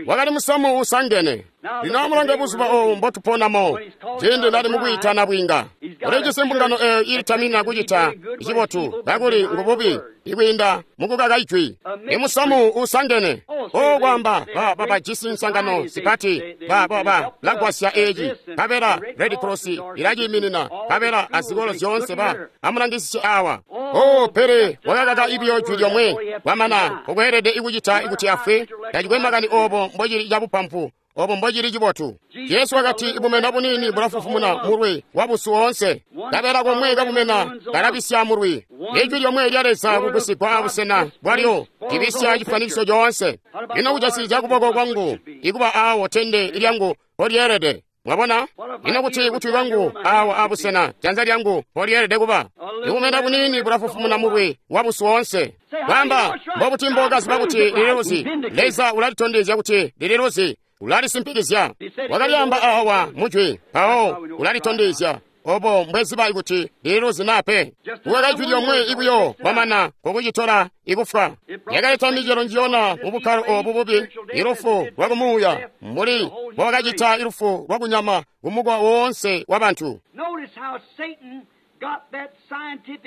Speaker 3: Wakali musamu usangene. Lino amulange buzuba obu mbotuponamo, ciindi nali mukwiitana bwiinga. Ulijisi mbungano eyo iilitamina kucita cibotu kakuli ngububi ikwiinda mukukaka ijwi. Imusamu usangene. O kwaamba ba babajisi nsangano zipati ba ba ba lagwasya eeci kabela Red Cross ilaciiminina kabela azikolo zyoonse ba amulangisisye awa. O pele wakakaka ibiyo jwi lyomwe kwamana ukweelede ikucita ikuti afwe. Tacikwe makani obo mbocili cabupampu, obo mbocili cibotu. Jesu wakati ibumena bunini bulafufumuna mulwi wabusu woonse, kabela komwe kabumena kalabisya mulwi. Ijwi lyomwe lya Leza kugusigwa abusena bwalyo libisya cifanikiso coonse. Ino kujasikizya kuboko kwangu ikuba awo tende lyangu polyeelede. Mwabona? Ino kuti kutwi kwangu awo abusena janza lyangu polyeelede kuba. Ibumena bunini bulafufumuna mulwi wabusu woonse. Kwamba mbobuti mbokaziba kuti lililuzi? Leza ulalitondezya kuti lililuzi, ulalisimpikizya. Wakalyamba awa mujwi, mpawo ulalitondezya. Obo mbweziba kuti lililuzi naa pe. Kukaka ijwi lyomwe ikuyo kwamana kokucitola ikufwa. Yakaleta micelo njiyona mu bukkalo obu bubi, ilufu lwakumuuya mbuli mbowakacita ilufu lwakunyama kumukwa woonse wa bantu.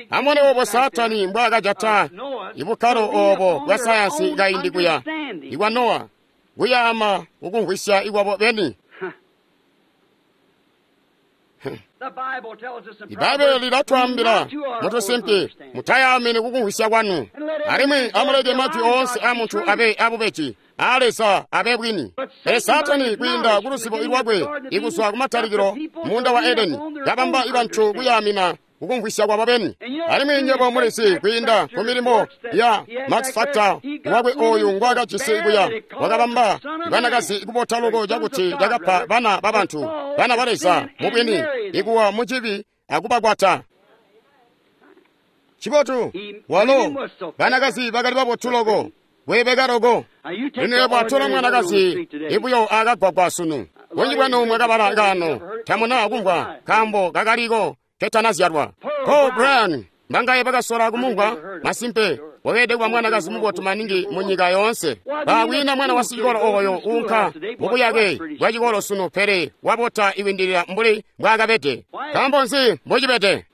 Speaker 3: Amubone obo Saatani mbwaakajata ibukkalo obo bwa sayansi kaindi kuya ikwa Nowa, kuyaama kukumvwisya ikwabo beni. Ibaibbele lilatwaambila mutusimpi, mutayaamini kukumvwisya kwanu, alimwi amuleke majwi oonse a muntu abe abubeji, a Leza abe bwini. Pele Saatani kwiinda kuluzibo lwakwe ikuzwa kumatalikilo muunda wa Edeni, kabamba ibantu kuyaamina kukumvwisya kwabo beni. Alimwi nywebo mulizi kwiinda ku milimo ya Max Factor wakwe oyu ngwaakajisi kuya, wakabamba banakazi kubota loko cakuti cakapa bana babantu, bana ba Leza mubwini, ikuwa mucibi akubakwata. Cibotu walo banakazi bakali babotu loko, bweebeka loko. Lino yebo atola mwanakazi ibuyo akagwagwa sunu. Bunji bwanu mwakabala kaano tamuna kumvwa nkaambo kakaliko ketanazyalwa. Paul Bryan mbangaye bakasola kumumvwa masimpe Weelede kuba mwanakazi mubotu maningi mu nyika yoonse. Bakwiina mwana wa sicikolo oyo uunka mubuyake bwa cikolo sunu, pele wabota iwindilila mbuli mbwaakabede. Nkaambo nzi mbocibede?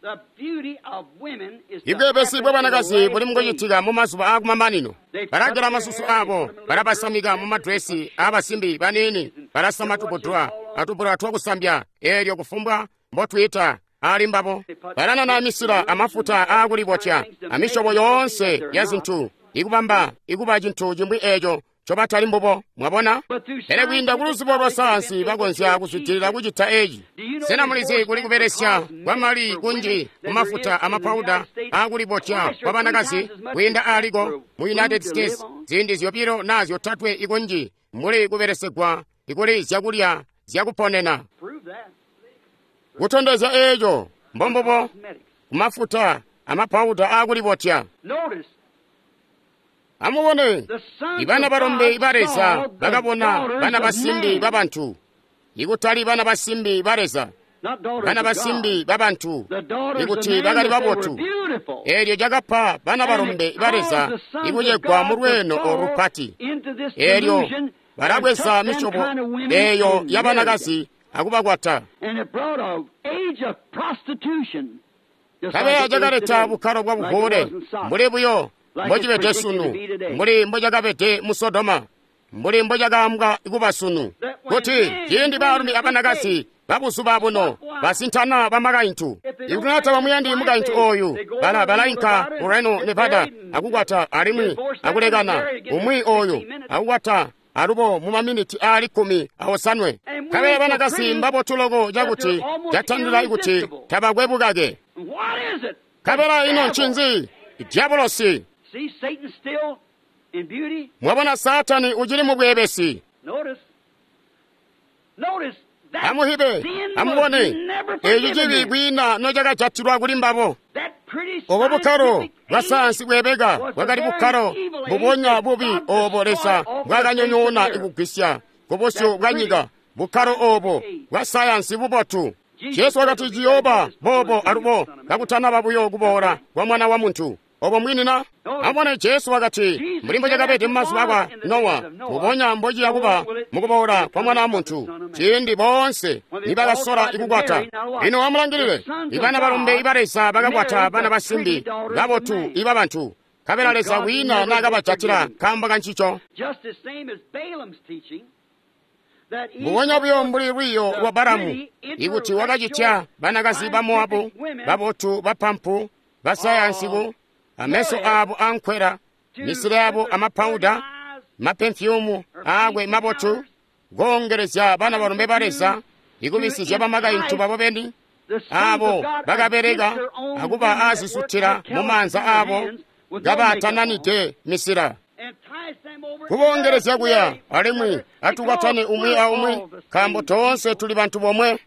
Speaker 3: Ibweebesi bwa banakazi buli mukucitika mu mazuba aakumamanino. Balagela masusu abo, balabasamika mu madresi aabasimbi baniini, balasama tubudula atubula twakusambya, eelyo kufumbwa mbotwiita ali mbabo. Balanana misila amafuta aakulibotya amisyobo yoonse ya zintu, ikubamba ikuba cintu cimwi eeco ncobatali mbubo. Mwabona? Pele kwiinda kuluzibo lwa sayansi bakonzya kuzwidilila kucita eci. Sena mulizi kuli kubelesya kwamali kunji kumafuta amapauda aakulibotya kwa banakazi kwiinda aaliko mu United States ziindi zyobilo naa zyotatwe ikunji mbuli kubelesegwa ikuli zyakulya zyakuponena. Kutondezya eeco mbombubo kumafuta amapauda aakulibotya. Amubone, ibana balombe ba Leza bakabona bana basimbi babantu, ikutali bana basimbi ba Leza, bana basimbi babantu, ikuti bakali babotu. Eelyo cakapa bana balombe ba Leza ikucegwa mu lweeno olupati. Eelyo balabweza misyobo eeyo yabanakazi akubakwata. Kabeya cakaleta bukkalo bwa buvuule mbuli buyo mbocibede sunu, mbuli mbocakabede mu Sodoma, mbuli mbocakaambwa kuba sunu, kuti ciindi baalumi abanakazi babuzuba buno basintana bamakaintu. Ikuti naa tabamuyandi mukaintu ooyu, bala balainka ku Reno, Nevada akukwata alimwi akulekana umwi ooyu akukwata alubo mu maminiti aali kkumi awosanwe. Kabeya banakazi mbabotu loko cakuti catandila kuti tabakwe bukake. Kabela ino ncinzi? Diabolosi. Mwabona, Saatani ucili mu bweebesi. Amuhibe, amubone, eeci cibi kwiina nocakajatilwa kuli mbabo. Obo bukkalo bwa sayansi bweebeka bwakali bukkalo mbubonya bubi oobo Leza bwakanyonyoona ikugwisya kubusyu bwa nyika, bukkalo oobo bwa sayansi bubotu. Jesu wakati ciyooba boobo alubo kakutanaba buyo kuboola kwa Mwana wa Muntu. Obo mwini na? Amubone, Jesu wakati mbuli mbocakabede mumazuba akwa Nowa, mbubonya mbociya kuba mukuboola kwa Mwana wa Muntu, ciindi boonse nibakasola ikukwata. Lino amulangilile, ibana balombe iba Leza bakakwata bana basimbi babotu iba bantu, nkabela Leza kwiina naakabajatila nkaambo kancico. Mbubonya buyo mbuli lwiiyo lwa Balamu, ikuti wakacitya banakazi ba Moabu babotu bapampu basayansiku, ameso abo ankwela, misila yabo amapauda, mapemfyumu aakwe mabotu, koongelezya bana balombe ba Leza ikubisizya bamakaintu babo beni, abo bakabeleka akuba aazisutila mu maanza abo kabatananide misila. Kuboongelezya kuya alimwi atukwatane umwi aumwi, nkaambo toonse tuli bantu bomwe.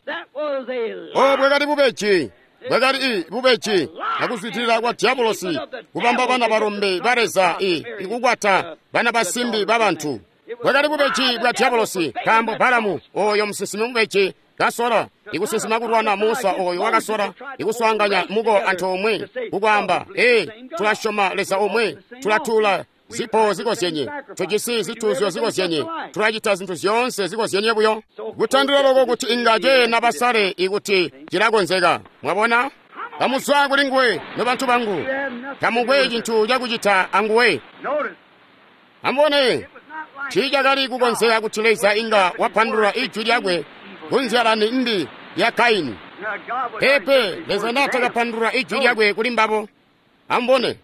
Speaker 3: Obo bwakali bubeji, bwakali i bubeji akuzwidilila kwa diabolosi kubamba bana balombe ba Leza i ikukwata bana basimbi babantu. Bwakali bubeji bwa diabolosi, nkaambo Balamu oyo musinsimi mubeji kasola ikusinsima kulwana Musa oyo wakasola ikuswaanganya muko antoomwe kukwaamba, ee, tulasyoma Leza omwe, tulatula zipo zikozyenye, tujisi zituuzyo zikozyenye, tulacita zintu zyoonse zikozyenye buyo. Kutandila loko kuti inga ceena basale ikuti cilakonzeka. Mwabona? Kamuzwa kuli nguwe, nobantu bangu. Tamukwe cintu cakucita anguwe. Amubone, tiicakali kukonzeka kuti Leza inga wapandulula ijwi lyakwe kunzyalani mbi ya Kaini. Pepe, Leza naatakapandulula ijwi lyakwe kuli mbabo. Amubone,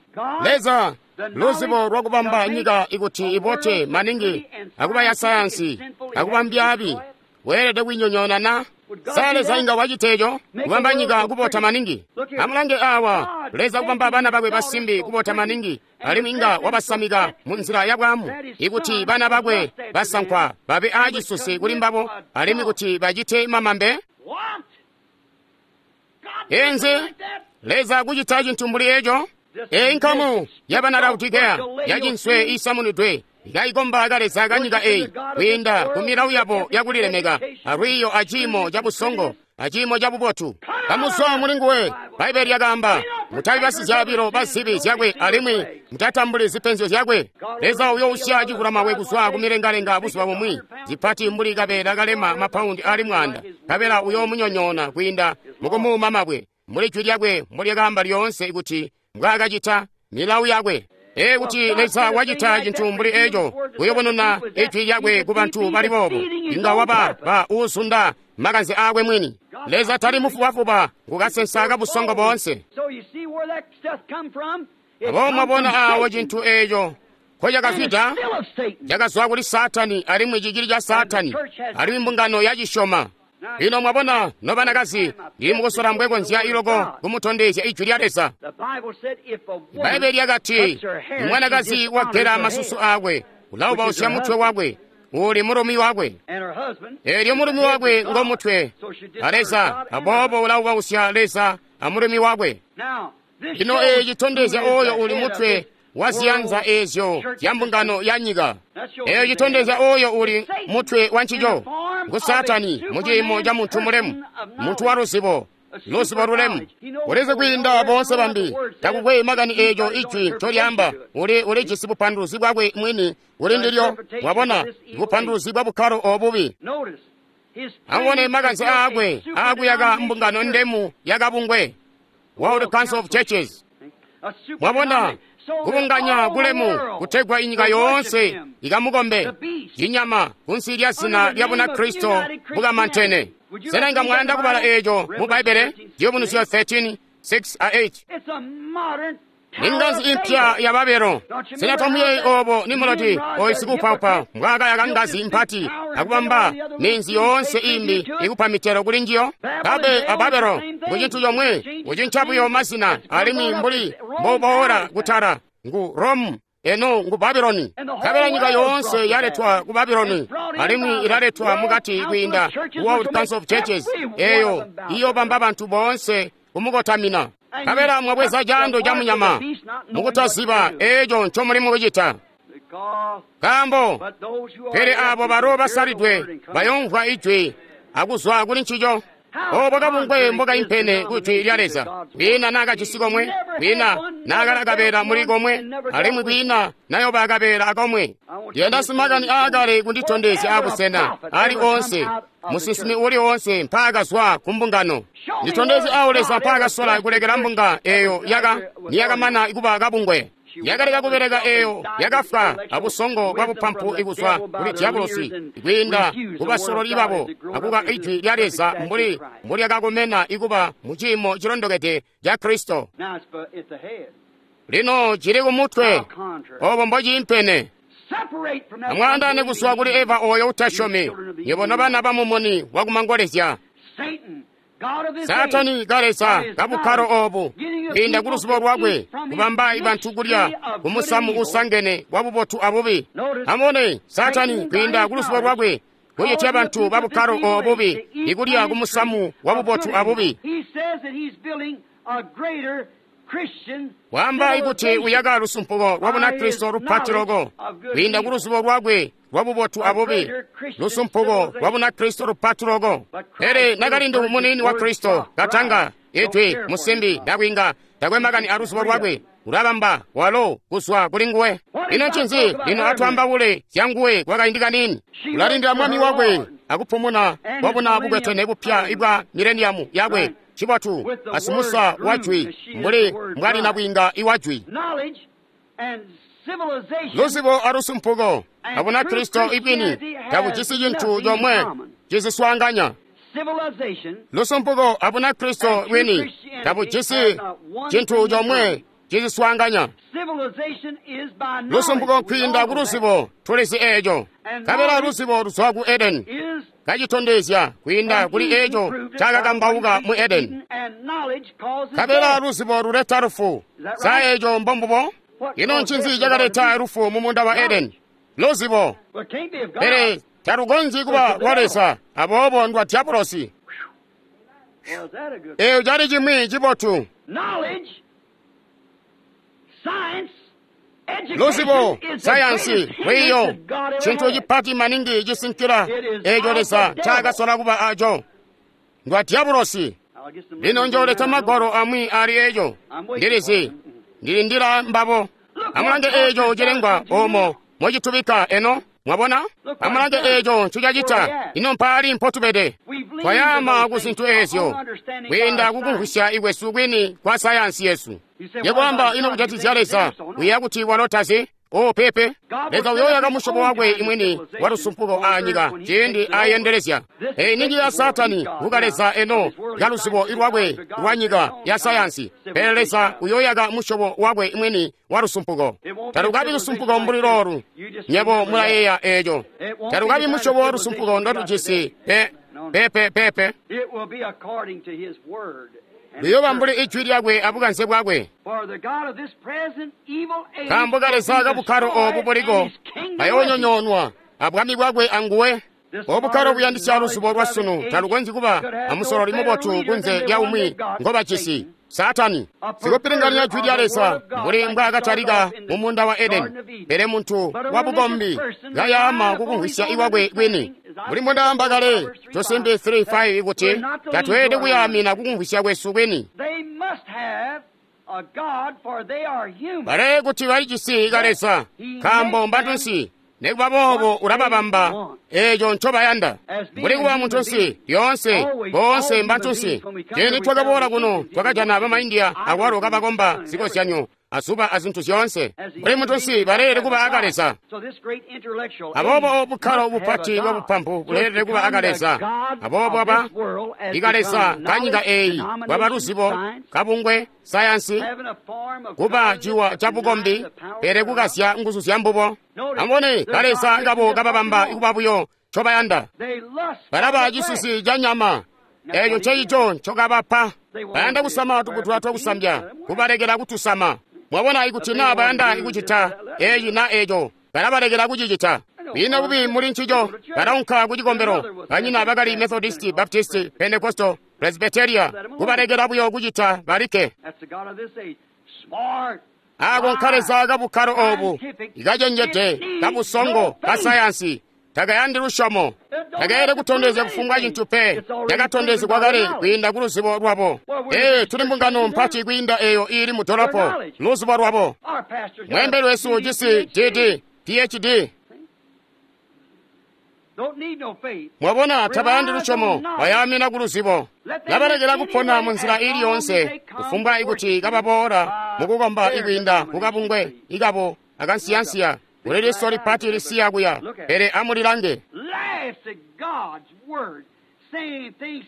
Speaker 3: Leza luzibo lwakubamba nyika ikuti ibote maningi akuba ya sayansi akuba mbyaabi, weelede kuinyonyoona na? Sa Leza inga wacita eco kubamba nyika kubota maningi? Amulange awa, Leza kubamba bana bakwe basimbi kubota maningi, alimwi inga wabasamika mu nzila ya bwaamu, ikuti bana bakwe basankwa babe aacisusi kuli mbabo, alimwi kuti bacite mamambe. Enzi Leza kucita cintu mbuli eco? Eyi nkamu yabana Laodikeya yacinswe isamunidwe ikaikomba kaleza kanyika eyi kwiinda ku milawu yabo yakulilemeka alwiiyo aciimo cabusongo aciimo cabubotu. Kamuzwa muli nguwe, Bbaibeli lyakaamba, Mutabi basizyaabilo ba zibi zyakwe alimwi mutatambuli zipenzyo zyakwe. Leza uyousya civulamabwe kuzwa kumilengalenga buzuba bumwi, zipati mbuli kabeela kalema mapaundi ali mwanda, nkabela uyoomunyonyoona kwiinda mukumuuma mabwe, mbuli jwi lyakwe mbolyakaamba lyoonse kuti mbwaakacita milawu yakwe. Ee, kuti Leza wacita cintu mbuli eco, kuyubununa ijwi lyakwe ku bantu bali boobo, inga waba ba uuzunda makanze aakwe mwini. Leza tali mufubafuba, ngukasensa kabusongo boonse. Aboobo mwabona awo cintu eco ko cakazwida, cakazwa kuli Saatani alimwi cicili ca Saatani, alimwi mbungano yacisyoma. Lino mwabona, nobanakazi, ndili mukusola mbwekonzya iloko kumutondezya ijwi lya Leza. Bbaibele lyakati, mwanakazi wagela masusu aakwe, ulaubausya mutwe wakwe, uli mulumi wakwe. Eelyo mulumi wakwe ngomutwe a Leza, aboobo ulaubausya Leza amulumi wakwe. Lino eeci citondezya oyo uli mutwe wa ziyanza eezyo zya mbungano ya nyika. Eeyo citondezya oyo uli mutwe wa ncico, ngu Saatani mu ciimo ca muntu mulemu, muntu wa luzibo, luzibo lulemu. Ulizi kwiinda boonse bambi, takukwe makani eeco ijwi ncolyaamba, uli ulijisi bupanduluzi bwakwe mwini kuli ndilyo. Mwabona, bupanduluzi bwa bukkalo obubi. Amubone makanze aakwe aakuyaka mbungano ndemu yakabungwe, World Council of Churches. Mwabona, kubunganya kulemu kutegwa inyika yoonse ikamukombe, cinyama kunsi lya zina lya Bunakristo bukamantene. Sena inga mwayanda kubala eeco mu Bbaibele? Ciyubunuzyo thirteen, six a eight. Ningazi impya ya Babelo. Sena tomuyeeyi obo Nimulodi oyu sikupaupa mbwaakayaka ngazi mpati akubamba minzi yoonse imbi ikupa mitelo kuli njiyo? Babe a Babelo ngu cintu comwe, kucinca buyo mazina alimwi mbuli mboboola kutala ngu Rome, eno ngu Babeloni. Nkabela nyika yoonse yaletwa ku Babeloni alimwi ilaletwa mukati kwiinda World Council of Churches, eyo iyobamba bantu boonse kumukotamina. Nkabela mwabweza caando ca munyama mukutaziba eeco ncomuli mukucita. Nkaambo pele aabo balo basalidwe bayomvwa ijwi akuzwa kuli ncico. Obo kabungwe mbokaimpene ku jwi lya Leza, kwiina naakajisi komwe, kwiina naakali akabeela muli komwe, alimwi kwiina nayoba akabeela akomwe. Ndiyanda simakani aakale kunditondezya abusena ali onse, musinsimi uli onse mpaakazwa ku mbungano. Nditondezye awo Leza mpaakasola kulekela mbunga eyo yaka niyakamana kuba kabungwe. Yakaleka kubeleka eyo yakafwa abusongo bwa bupampu ikuzwa kuli diabolosi kwiinda kubasololi babo akuka ijwi lya Leza mbuli mbulyakakomena ikuba mu ciimo cilondokede ca Kristo. Lino cili kumutwe, obo mbociimpene. Amwaandaane kuzwa kuli Eva oyo utasyomi, nywebo nobana bamumuni wakumangolezya. Saatani kaleza kabukkalo obu kwiinda ku luzibo lwakwe kubamba bantu kulya kumusamu usangene wa bubotu abubi. Amubone Saatani kwiinda ku luzibo lwakwe kucitya bantu ba bukkalo obubi ikulya kumusamu wa bubotu abubi. Wamba ikuti uyaka lusumpuko lwa Bunakristo lupati loko kwiinda ku luzibo lwakwe lwa bubotu abubi, lusumpuko lwa Bunakristo lupati loko. Pele nakalindu munini wa Kristo katanga ijwi musimbi nakwinga takwe makani a luzibo lwakwe ulabamba walo kuzwa kuli nguwe. Ino ncinzi lino atwaambaule zya nguwe kwakaindi kanini? Ulalindila mwami wakwe akupumuna kwabuna bukwetene bupya ibwa mileniyamu yakwe. Cibotu asimusa wa jwi mbuli mbwali nabwinga iwa jwi. Luzibo alusumpuko abunakristo ibwini tabujisi cintu comwe ciziswaanganya. Lusumpuko abunakristo bwini tabujisi cintu comwe ciziswaanganya. Lusumpuko kwiinda ku luzibo tulizi eeco. Nkabela luzibo luzwa ku Edeni kacitondezya kwiinda kuli eeco cakakambauka mu Edeni. Nkabela luzibo luleta lufu. Sa eeco mbombubo? Ino ncinzi cakaleta lufu mu munda wa Edeni? Luzibo. Pele talukonzyi kuba lwa Leza, aboobo ndwa diabolosi. Eeyo cali cimwi cibotu. Luzibo, sayansi, lwiiyo, cintu cipati maningi cisinkila eeco Leza ncaakasola kuba aco. Ndwa diabolosi. Lino njooleta magwalo amwi ali eco. Ndilizi ndilindila mbabo. Amulange eco cilengwa omo mocitubika eno. Mwabona? Amulange eco ncicacita. Ino mpaali mpotubede. Twayaama ku zintu ezyo kwiinda kukumvwisya ikwesu kwini kwa sayansi yesu. Yekwaamba ino kujatizya Leza uyeeya kuti walo tazi? O pepe, Leza uyoyaka musyobo wakwe imwini wa lusumpuko aanyika ciindi ayendelezya. Eyi ninji ya Saatani kuka Leza eno kaluzibo lwakwe lwa nyika ya sayansi. Pele Leza uyoyaka musyobo wakwe imwini wa lusumpuko. Talukabi lusumpuko mbuli loolu. Nyebo mulayeeya eco. Talukabi musyobo wa lusumpuko ndotujisi pe pepe pepe. Luyooba mbuli ijwi lyakwe abukanze bwakwe. Nkaambo ka Leza kabukkalo obu buliko ayoonyonyoonwa abwami bwakwe anguwe. Obukkalo buyandisya luzubo lwa sunu talukonzyi kuba amusololi mubotu kunze lya umwi ngobajisi, Saatani. Sikupilinganya jwi lya Leza mbuli mbwaakatalika mu muunda wa Edeni, pele muntu wa bukombi kayaama kukumvwisya iwakwe kwini. Mbuli mbondaamba kale Tosimbi three five kuti tatweelede kuyaamina kukumvwisya kwesu kwini. Bale kuti balijisi ka Leza, nkaambo mbantunsi. Nikuba boobo ulababamba eeco ncobayanda. Mbuli kuba muntunsi lyoonse, boonse mbantunsi. Ciindi twakaboola kuno twakajana bamaindiya akwalo kabakomba zikozyanyo azuba azintu zyoonse. Mbuli muntunsi baleelede kuba aka Leza. Aboobo bukkalo bupati bwabupampu buleelede kuba aka Leza. Aboobo aba ika Leza kanyika eeyi bwaba luzibo, kabungwe, sayansi, kuba ciwa ca bukombi, pele kukasya nguzu zya mbubo. Amubone kaleza kabo kababamba kuba buyo ncobayanda. Balaba cisusi ca nyama, eeco ncecico ncokabapa. Bayanda kusama tuputula twakusambya, kubalekela kutusama. Mwabona ikuti naa bayanda kucita eci na eco, balabalekela kucicita. Kwiina bubi muli ncico, balaunka ku cikombelo. Banyina bakali Methodist, Baptist, Pentecostal, Presbyteria, kubalekela buyo kucita balikke. Ako nkaleza kabukkalo obu, ikacenjede, kabusongo, kasayansi, takayandi lusyomo. Takaelede kutondezya kufumbwa cintu pe, yakatondezegwa kale kwiinda ku luzibo lwabo. Ee, tuli mbungano mpati kwiinda eyo iili mu dolopo, luzibo lwabo. Mweembeli wesu ujisi D D, P H D. Mwabona, tabayandi lusyomo, bayaamina ku luzibo. Labalekela kupona munzila iili yoonse, kufumbwa ikuti kababoola mukukomba ikwiinda kukabungwe ikabo akansiyansiya. Kuli liso lipati lisiya kuya, pele amulilange.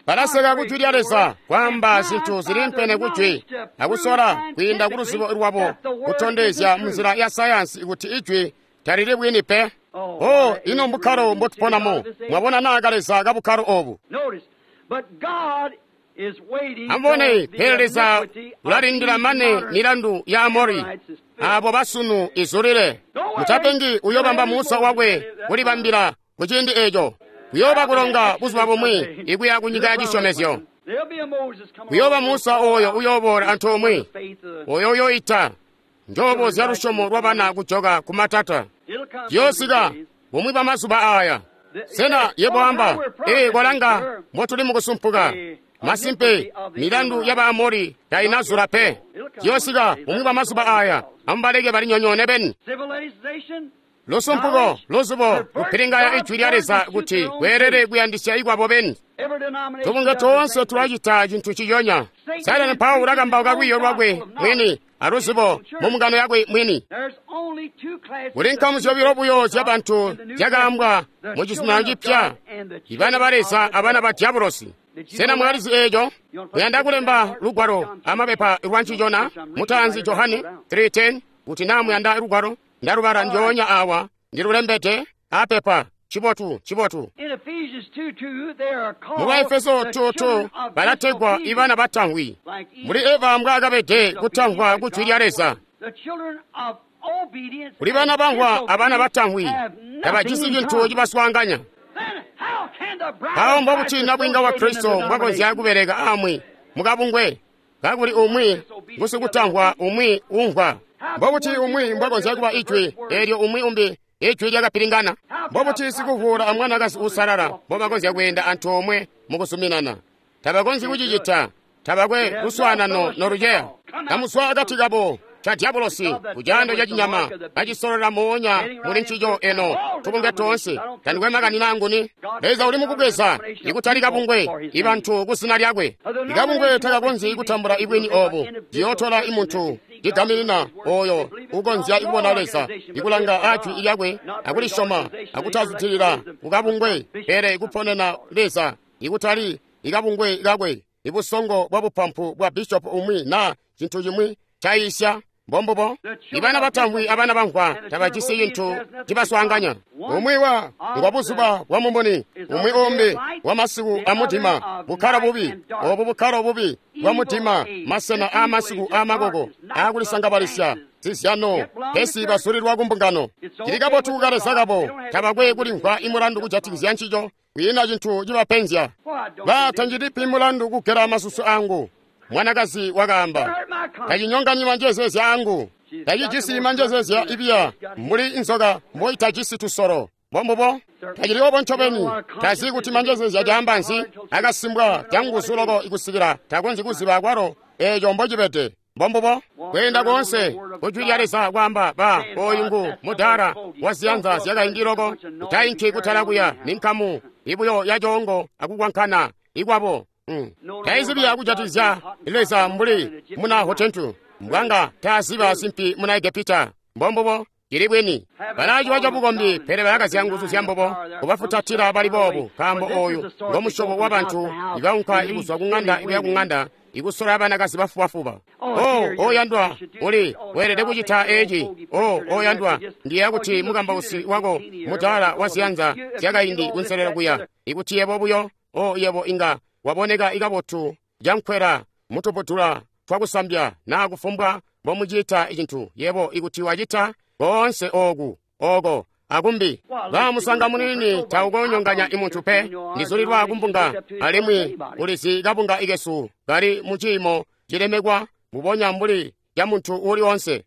Speaker 3: Balaseka kujwi lya Leza, kwaamba zintu zilimpene kujwi, akusola kwiinda ku luzibo lwabo kutondezya munzila ya sayansi kuti ijwi talili bwini pe. Oh, ino mbukkalo mbotuponamo. Mwabona naa kaleza kabukkalo obu. Amubone, pele Leza ulalindila mane milandu ya Amori abo basunu izulile. Mutapengi uyobamba Musa wakwe kulibambila kuciindi eco. Kuyooba kulonga buzuba bumwi ikuya kunyika ya cisyomezyo. Kuyooba Musa oyo uyooboola antoomwe, oyo uyoita njobo zya lusyomo lwabana kujoka kumatata. Ciyoosika bumwi bwa mazuba aaya. Sena yebo amba, ee kwalanga mbotuli mukusumpuka. Masimpe, milandu ya Baamori tainazula pe. Ciyoosika bumwi bwa mazuba aaya, amubaleke balinyonyoone beni. Lusumpuko, luzubo, kupilingaya ijwi lya Leza kuti kweelele kuyandisya ikwabo beni. Tubunga toonse tulacita cintu ciyonya. Saatani mpawo ulakambauka lwiiyo lwakwe mwini aluzibo mu mbungano yakwe mwini. Kuli nkamu zyobilo buyo zyabantu zyakaambwa mu Cizuminano Cipya, ibana ba Leza abana ba Diabolosi. Sena mwalizi eeco? Muyanda kulemba lugwalo amapepa lwa ncicona mutaanzi Johane three ten kuti naa muyanda lugwalo ndalubala ndyoonya awa ndilulembede apepa. Cibotu, cibotu. Mu Baefeso two two balategwa ibana batamvwi. Muli Eva mbwaakabede kutamvwa kujwi lya Leza. Kuli bana bamvwa abana batamvwi, tabajisi cintu cibaswaanganya. Mpawo mbobuti nabwiinga wa Kristo mbwakonzya kubeleka amwi mukabungwe kakuli umwi ngusikutamvwa umwi umvwa. Mbobuti umwi mbwakonzya kuba ijwi eelyo umwi umbi ijwi lyakapilingana. Mbobuti sikuvuula amwanakazi uusalala mbobakonzya kweenda antoomwe mukuzuminana. Tabakonzyi kucicita. Tabakwe luswaanano noluceya. Kamuswa akati kabo ca dyabulosi, kucaando ca cinyama, kacisololela moonya muli ncico eno, tubungwe toonse. Tandikwe makani naanguni. Leza uli mukubweza, ikutali kabungwe, ibantu ku zina lyakwe. Ikabungwe takakonzyi kutambula ibwini obu. Ciyootola imuntu cigaminina oyo ukonzya kubona Leza, ikulanga ajwi lyakwe, akulisyoma, akutazwidilila kukabungwe, pele kuponena Leza, ikutali ikabungwe kakwe, ibusongo bwa bupampu bwa bishopu umwi na cintu cimwi cayisya. Mbombubo ibana batamvwi abana bamvwa tabajisi cintu cibaswaanganya. Umwi wa ngwa buzuba bwa mumuni, umwi umbi wa masiku amudima, bukkalo bubi obu bukkalo bubi bwa mudima, masena aamasiku aamakoko aakulisangabalisya zizyano, pesi basulilwa kumbungano. Cili kabotu kukaleza kabo, tabakwe kulimvwa imulandu kujatikizya ncico, kwiina cintu cibapenzya. Ba tanjilipi mulandu kugela masusu angu. Mwanakazi wakaamba, tacinyonganyi manjezezya angu, tacijisi manjezezya ibiya mbuli inzoka mboitajisi tusolo. Mbombubo tacili obo ncobeni. Tazi kuti manjezezya caamba nzi, akasimbwa canguzu loko ikusikila takonzyi kuziba kwalo eeco mbocibede. Mbombubo kweenda koonse kujwi lya Leza kwaamba, ba oyu ngu mudaala waziyanza zyakaindi loko, utainki kutala kuya ninkamu ibuyo ya coongo akukwankana ikwabo. Mm. Taizibiya kujatikizya Leza mbuli muna Hotentu, mbwanga taaziba simpi muna Egepita. Mbombubo cili bwini. Balaciwa cabukombi, pele balakazya nguzu zya mbubo kubafutatila bali boobu, nkaambo oyu ngomusyobo wabantu ibaunka ikuzwa kuŋanda ikuya kuŋanda ikusola abanakazi bafubafuba. Oh, oyandwa, uli weelede kucita eci. Oh, oyandwa, ndiyeeya kuti mukambausi wako mudaala waziyanza zyakaindi kunselelo kuya, ikuti yebo buyo, oh, yebo inga waboneka ikabotu cankwela mutubudula twakusambya naa kufumbwa mbomucita icintu, yebo ikuti wacita koonse ooku oko akumbi. Ba musanga muniini taukonyonganya imuntu pe. Ndizulilwa kumbunga, alimwi ulizi kabunga ikesu kali muciimo cilemekwa mbubonya mbuli ca muntu uuli onse.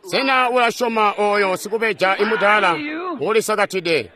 Speaker 3: Sena ulasyoma oyo sikubeja imudaala ulisakatide?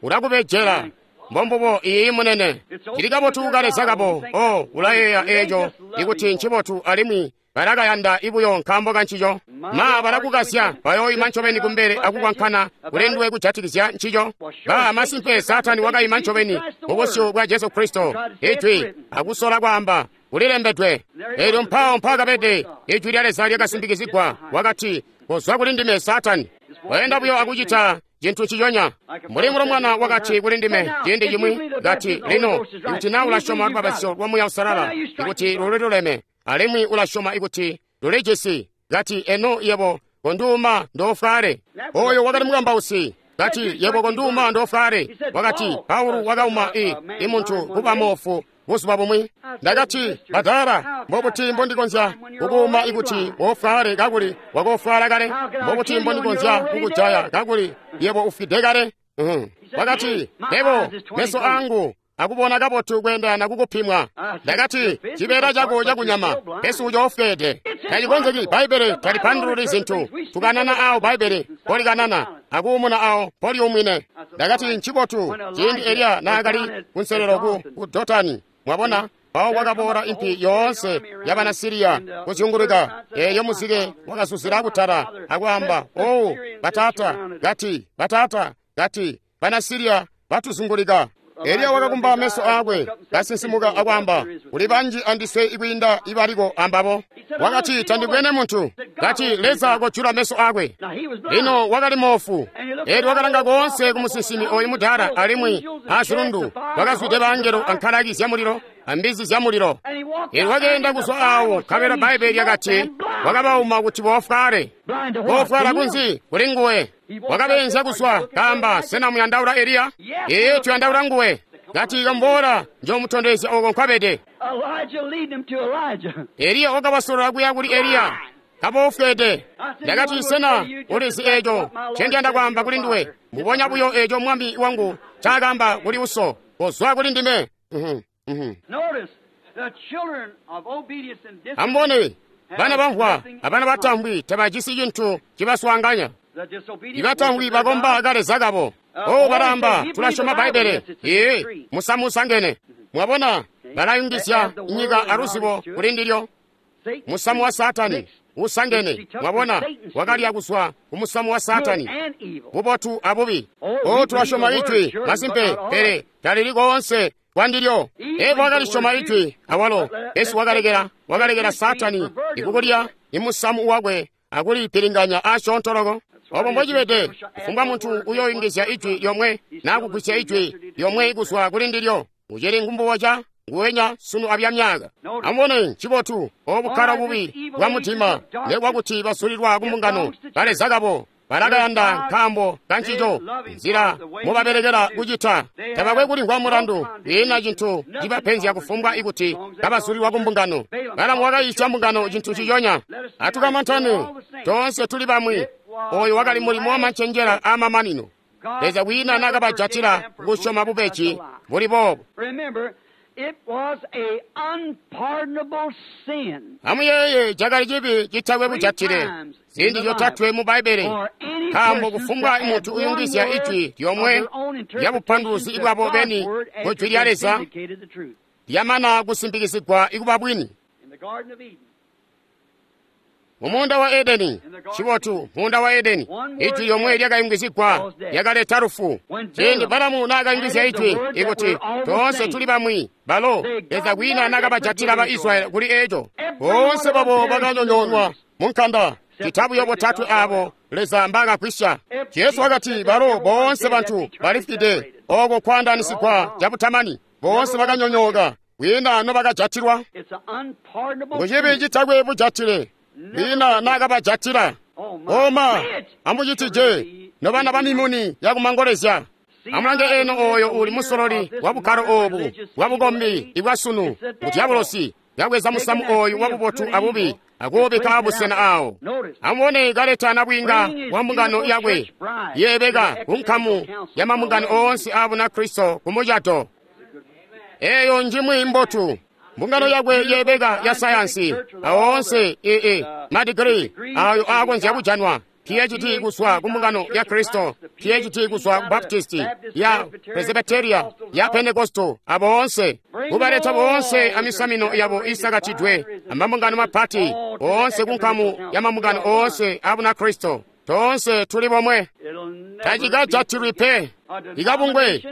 Speaker 3: Ulakubejela. Mbombubo iyi munene. Cili kabotu kukaleza kabo. Oh, ulayeeya eeco ikuti ncibotu, alimwi balakayanda ibuyo nkaambo kancico. Ma balakukasya, bayoima ncobeni kumbele akukwankana kulinduwe kujatikizya ncico. Ba masimpe Saatani wakaima ncobeni mubusyu bwa Jesu Kristo, Ijwi, akusola kwaamba kulilembedwe. Eelyo mpawo mpaakabede Ijwi lya Leza lyakasimpikizigwa. Wakati, kozwa kuli ndime Saatani. Weenda buyo akucita cintu nciconya. Mbuli mulomwana wakati kuli ndime ciindi cimwi, kati, lino ikuti na ulasyoma lubapatizyo lwa Muuya Uusalala ikuti luliluleme, alimwi ulasyoma ikuti lulijisi, kati, eno yebo konduuma ndofwale. Oyo wakali mukambausi. Kati, yebo konduuma ndofwale. Wakati, Paulo wakauma i imuntu kuba moofu buzuba bumwi. Ndakati, badala, mbobuti mbondikonzya kukuuma ikuti wofwale kakuli wakofwala kale? Mbobuti mbondikonzya kukujaya kakuli yebo ufwide kale? Uh-huh. Wakati, yebo meso angu akubona kabotu kweendana kukupimwa. Ndakati, cibeela cako cakunyama pesi ucoofweede. Tacikonzeki. Bbaibbele talipandululi zintu. Tukanana awo Bbaibbele mpolikanana, akuumuna awo mpoliumwine. Ndakati, ncibotu ciindi Eliya naakali kunselelo ku, ku Dotani. Mwabona, mpawo kwakaboola impi yoonse yabana Siriya kuzyunguluka. Eeyo muzike wakazuzila kutala akwaamba, owu bataata, kati bataata, kati bana Siriya batuzungulika. Eliya wakakumba meso aakwe, kasinsimuka akwaamba, kuli banji andiswe ikwiinda ibaliko ambabo. Wakati, tandibwene muntu. Kati, Leza kojula meso aakwe. Lino wakali moofu. Eelyo wakalanga koonse kumusinsimi oyu mudaala, alimwi azilundu wakazwide bangelo ankalaki zyamulilo ambizi zyamulilo. Eelyo wakeenda kuzwa awo, nkabela Bbaibbele lyakati wakabauma kuti boofwale. Boofwala kunzi? Kuli nguwe. Wakabeenzya kuzwa, kaamba, sena muyandaula Eliya? Ee, tuyandaula nguwe. Kati, kambola, njomutondezya oko nkwabede. Eliya wakabasolola kuya kuli Eliya, kaboofwede. Ndakati, sena ulizi eeco ncendiyanda kwaamba kuli nduwe? Mbubonya buyo eeco mwami wangu ncaakaamba kuli uso, kozwa kuli ndime. Ambone, bana bamvwa abana batamvwi tabajisi cintu cibaswaanganya. Ibatamvwi bakomba kaleza kabo. Oh, balamba, tulasyoma Bbaibbele. Ee, musamusangene. Mwabona, Balayungizya nyika aluzibo kuli ndilyo. Musamu wa Saatani usangene, mwabona, wakalya kuzwa ku musamu wa Saatani, bubotu abubi. O, tulasyoma Ijwi, masimpe, pele talili koonse kwandilyo. Eva wakalisyoma Ijwi awalo, pesi wakalekela, wakalekela Saatani ikukulya imusamu wakwe akulipilinganya asyoonto loko. Obo mbocibede, kufumbwa muntu uyoyungizya ijwi lyomwe naa kugwisya ijwi lyomwe kuzwa kuli ndilyo, ucili ngumbuboca nguwenya sunu abya myaka. Amubone ncibotu obukkala bubi bwa mutima nekwakuti basulilwa kumbungano baleza kabo balakayanda nkaambo kancico nzila mubabelekela kucita. Tabakwe kulimvwa mulandu, kwiina cintu cibapenzya kufumbwa ikuti kabasulilwa kumbungano. Balamu wakayiisya mbungano cintu ciconya. Atukamantane, toonse tuli bamwi. Oyo wakali mulimo wamancenjela aamamanino. Leza kwiina nakabajatila kusyoma bubeji buli boobo. Amuyeeye, cakali cibi citakwe bujatile ziindi zyotatwe mu Bbaibbele, nkaambo kufumbwa muntu uyungizya ijwi lyomwe lya bupanduluzi bwabo beni ku jwi lya Leza lyamana kusimpikizigwa ikuba bwini. Mumuunda wa Edeni, cibotu, muunda wa Edeni, ijwi lyomwe lyakayungizigwa lyakaleta lufu. Ciindi Balamu naakayungizya ijwi ikuti toonse tuli bamwi, balo Leza kwiina nakabajatila ba Israyeli kuli eco. Boonse babo bakanyonyoonwa mu nkanda, ccita buyo botatwe aabo Leza mbaakagwisya. Jesu wakati balo boonse bantu balifwide, oko kwaandaanisigwa cabutamani, boonse bakanyonyooka, kwiina nobakajatilwa. Ngu cibi citakwe bujatile, kwiina nakabajatila. Oma, amucitije nobana ba mimuni yakumangolezya. Amulange eno oyo uli musololi wa bukkalo obu bwa bukombi ibwa sunu, ngu dyabulosi kabweza musamu oyu wa bubotu abubi akuubikka abusena awo. Amubone kaleta nabwiinga wa mbungano yakwe yeebeka ku nkamu ya mambungano oonse a Bunakristo ku mucato. Eyo njimwi mbotu. Mbungano yakwe yeebeka ya sayansi awoonse ee madigiri ayo aakonzya kujanwa, P H D kuzwa ku mbungano ya Kristo, P H D kuzwa ku Baptisti, ya Presbyteria, ya Pentekosto, aboonse kubaleta boonse amisamino yabo isakatidwe amambungano mapati oonse ku nkamu ya mambungano oonse a Bunakristo. Toonse tuli bomwe, tacikajatilwi pe. Ikabungwe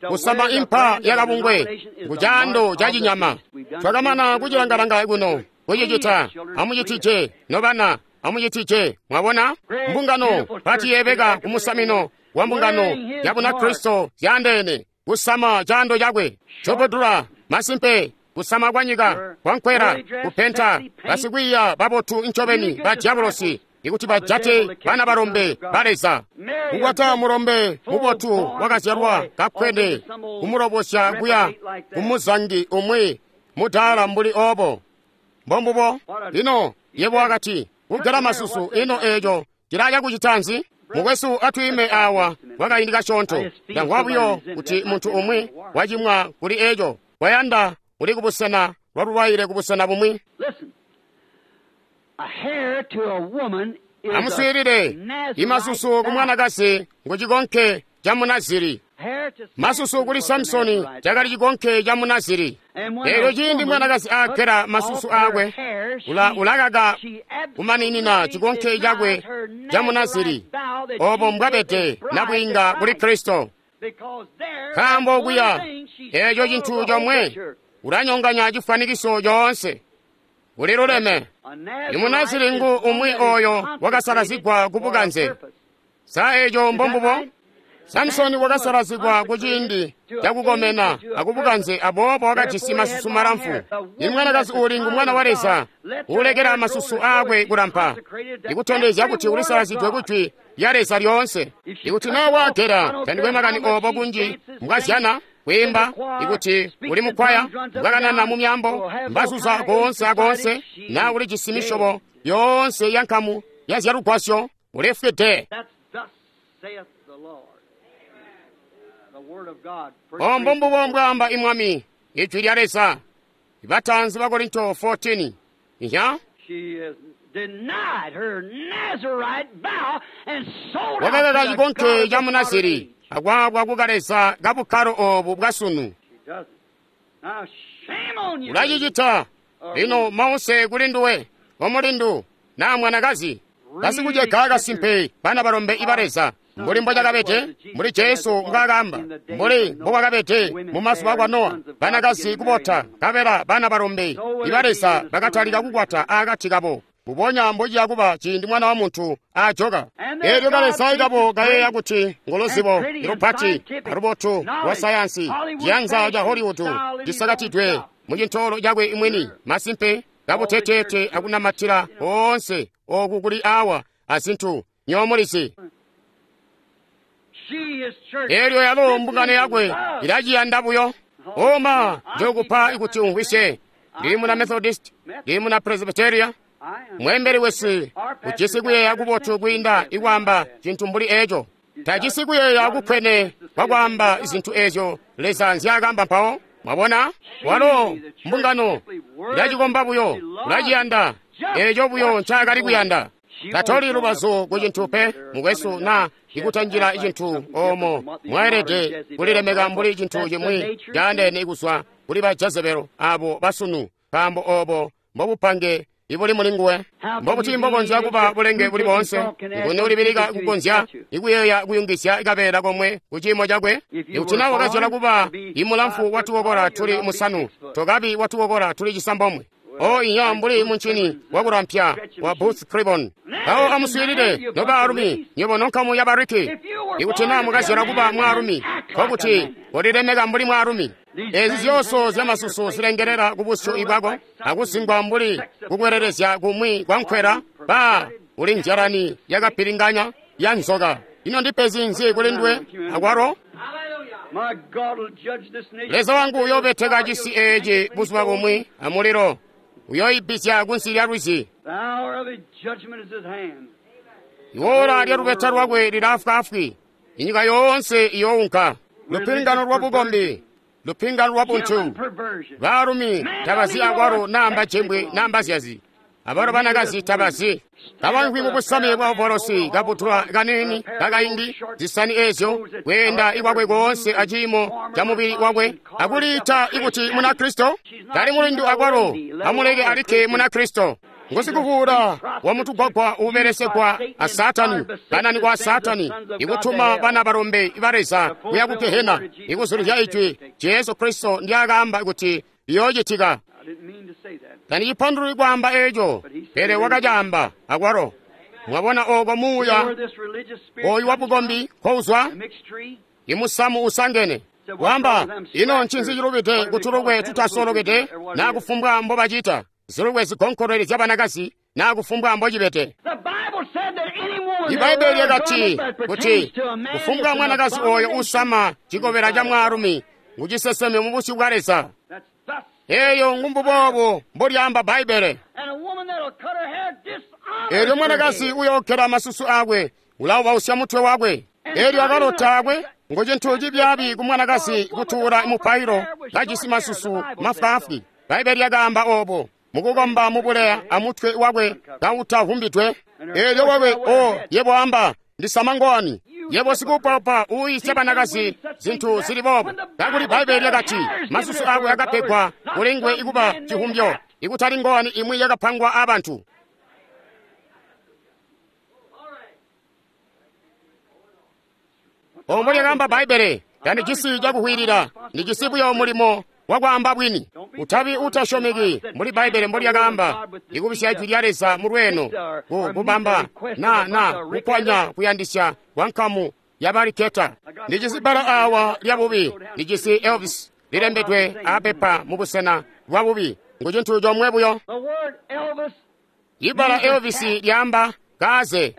Speaker 3: kusamba impa yakabungwe kucaando ca cinyama. Twakamana kucilangalanga kuno kucicita. Amucitije nobana, amucitije. Mwabona mbungano pati yeebeka kumusamino wa mbungano ya Bunakristo zyaandeene kusama caando cakwe cobodula masimpe kusama kwa nyika kwankwela kupenta basikwiiya babotu ncobeni ba diabolosi ikuti bajate bana balombe ba Leza. Kukwata mulombe mubotu wakazyalwa kakkwene kumulobosya kuya kumuzangi umwi mudaala mbuli obo. Mbombubo. Lino yebo wakati kugela masusu, ino eeco cilaya kucita nzi? Mukwesu, atwiime awa kwakaindi kasyoonto. Ndamvwa buyo kuti muntu umwi wacimwa kuli eeco, wayanda uli kubusena lwalulwaile kubusena bumwi. Amuswiilile, imasusu ku mwanakazi ngu cikonke ca Munaziri. Masusu kuli Samusoni cakali cikonke ca Munaziri. Eelyo ciindi mwanakazi aagela masusu aakwe, ula ulakaka kumaninina cikonke cakwe ca Munaziri. Obo mbwabede nabwiinga kuli Kristo. Nkaambo kuya eeco cintu comwe ulanyonganya cifwanikiso coonse. Uliluleme. Imunaziri ngu umwi oyo wakasalazigwa ku bukanze. Sa eeco mbombubo? Samusoni wakasalazigwa ku ciindi cakukomena akubukanze, aboobo wakajisi masusu malamfu. Imwanakazi uuli ngu mwana wa Leza uulekela masusu aakwe kulampa, ikutondezya kuti ulisalazidwe ku jwi lya Leza lyoonse. Ikuti naa waagela, tandikwe makani obo kunji mbwazyana kwiimba, ikuti uli mukwaya, mbwakanana mu myambo, mbazuza koonse akoonse, naa ulijisi misyobo yoonse ya nkamu ya zyalugwasyo, ulifwide. Ombo mbubo mbwaamba imwami, ijwi lya Leza. Ibatanzi ba Korinto fourteen. Iya? Wakakaka cikonke ca Munaziri akwaabwa kukaleza kabukkalo obu bwa sunu. Ulacicita. Lino mause kuli nduwe, omulindu, na mwanakazi. Basikucega kasimpe bana balombe iba Leza, mbuli mbocakabede, mbuli Jesu mbwaakaamba, mbuli mbokwakabede mumazuba akwa Nowa, banakazi kubota, nkabela bana balombe iba Leza bakatalika kukwata akati kabo. Mbubonya mbociya kuba ciindi Mwana wa Muntu ajoka. Eelyo kaleza kabo kayeeya kuti nguluzibo lupati alubotu lwa sayansi, ciyanza ca Hollywood cisakatidwe mucintoolo cakwe mwini, masimpe kabuteteete akunamatila oonse oku kuli awa azintu nyomulizi. Eelyo yalo mbungano yakwe ilaciyanda buyo. Oma njokupa kuti umvwisye. Ndili muna Methodist, ndili muna Presbyteria. Mwembeli wesu ujisi kuyeeya kubotu kwiinda ikwaamba cintu mbuli eco. Tajisi kuyeeya kukwene kwakwaamba zintu ezyo Leza nzyaakamba mpawo. Mwabona? Walo mbungano ilacikomba buyo, ulaciyanda eco buyo ncaakali kuyanda. Tatoli lubazu ku cintu pe, mukwesu, na ikutanjila cintu omo mwaelede kulilemeka mbuli cintu cimwi caandeene kuzwa kuli ba Jezebelo abo basunu, nkaambo obo mbobupange ibuli mulinguwe. Mbobuti mbokonzya kuba bulenge buli boonse? Nguni ulibilika kukonzya ikuyeeya kuyungizya kabeela komwe ku ciimo cakwe? Ikuti na wakazyala kuba imulamfu watukokola tuli musanu, tokabi watukokola tuli cisambomwe. O inya mbuli muncini wakulampya wa Booth Clibborn. Mpawo amuswiilile, nobaalumi, nywebo nonkamu ya Bariki. Ikuti na mukazyala kuba mwaalumi, nkokuti ulilemeka mbuli mwaalumi. Ezi zyonso zyamasusu zilengelela kubusyu bwako akuzingwa mbuli kukwelelezya kumwi kwa nkwela, ba uli nzyalani yakapilinganya ya nzoka. Ino ndipezi nzi kuli nduwe akwalo? Leza wangu uyoobeteka cisi eeci buzuba bumwi amulilo, uyoibisya kunsi lya lwizi. Iwola lya lubeta lwakwe lilaafwaafwi, inyika yoonse iyounka. Lupingano lwa bukombi, lupingano lwa buntu. Baalumi tabazi akwalo namba jembwe namba zyazi, abalo banakazi tabazi. Kabankwi mubusame bwa ovolosi, kabutula kanini kakaindi, zisani ezyo, kweenda ikwakwe koonse aciimo ca mubili wakwe, akuliita ikuti Munakristo. Tali mulindu akwalo, amuleke alikke Munakristo. Ngusikuvuula wa mutugwagwa ubelesegwa a Saatani, banani kwa Saatani, ikutuma bana balombe ba Leza kuya ku Gehena, ikuzulizya ijwi Jesu Kristo ndyakaamba kuti liyoocitika. Tandicipandululi kwaamba eco, pele wakacaamba akwalo. Mwabona oko muuya oyu wa bukombi kouzwa? Imusamu usangene. Wamba, ino ncinzi cilubide kutulukwe tutasolokede na kufumbwa mbobacita? Zilukwe zigonkolole zyabanakazi na kufumbwa mbocibede. Ibaibbele lyakati kuti kufumbwa mwanakazi oyo usama cikobela ca mwaalumi nguciseseme mubusyu bwa Leza. Eyo ngumbuboobo mbolyaamba Bbaibbele. Eelyo mwanakazi uyookela masusu akwe, ulaubausya mutwe wakwe. Eelyo akalota akwe ngo cintu cibyaabi ku mwanakazi kutuula mupailo kajisi masusu mafwaafwi. Bbaibbele lyakaamba oobo mukukomba mubuleya amutwe wakwe kautavumbidwe. Eelyo wakwe o yebo amba ndisama ngowani, yebo sikupaupa uuyisya banakazi zintu zili boobo, kakuli Bbaibbele lyakati masusu akwe akapegwa kulingwe ikuba cihumbyo, ikutali ngowani imwi yakapangwa abantu. Ombo lyakaamba Bbaibbele, tandijisi cakuhwilila, ndijisi buyo mulimo wakwaamba bwini. Utabi utasyomeki mbuli Bbaibbele mbolyakaamba, ikubisya ijwi lya Leza mulweeno, ku kubamba na na kukwanya kuyandisya kwa nkamu yabaliketa. Ndijisi bbala awa lya bubi, ndijisi Elvis lilembedwe apepa mubusena bwa bubi, ngu cintu comwe buyo. Ibbala Elvis lyaamba kaze,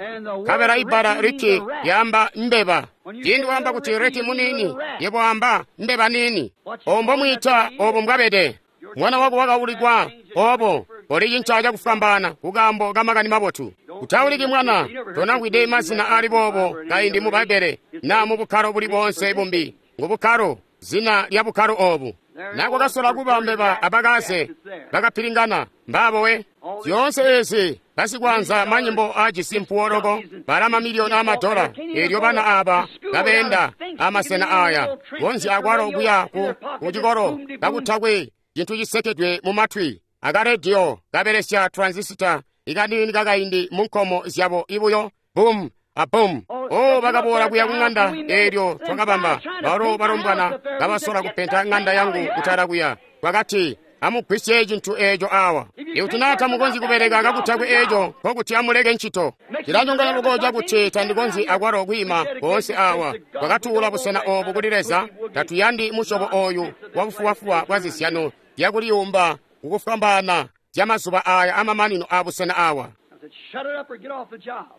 Speaker 3: kabela ibbala Ricky lyaamba mbeba. Ciindi waamba kuti Ricky muniini, yebo wamba mbeba niini. Obo mbomwiita obo mbwabede. Mwana wako wakaulikwa obo olicinca cakufwambaana kukaambo kamakani mabotu. Utauliki mwana, tonamvwide mazina ali boobo kaindi mu Bbaibbele na mu bukkalo buli boonse bumbi. Ngu bukkalo, zina lya bukkalo obu. Nako kasola kuba mbeba abakaze bakapilingana mbaabo we. Zyoonse ezi basikwanza manyimbo ajisi mpuwo loko bala mamiliyoni amadola. Eelyo bana aba kabeenda amasena aya konzya akwalo kuya ku kucikolo kakutakwe cintu cisekedwe mu matwi akarediyo kabelesya transisita ikaniini kakaindi mu nkomo zyabo ibuyo bum abum o bakaboola kuya ku ŋanda eelyo twakabamba balo balombwana kabasola kupenta ŋanda yangu kutala kuya twakati amugwisye cintu eeco awa ikuti naa tamukonzyi kubeleka kakutakwe eeco nkokuti amuleke ncito cilanyonganya loko cakuti tandikonzyi akwalo kwiima koonse awa twakatuula busena oobu kuli Leza tatuyandi musyobo ooyu wabufubafuba bwa zizyano zyakuliyumba kukufwambaana zyamazuba aaya amamanino abusena awa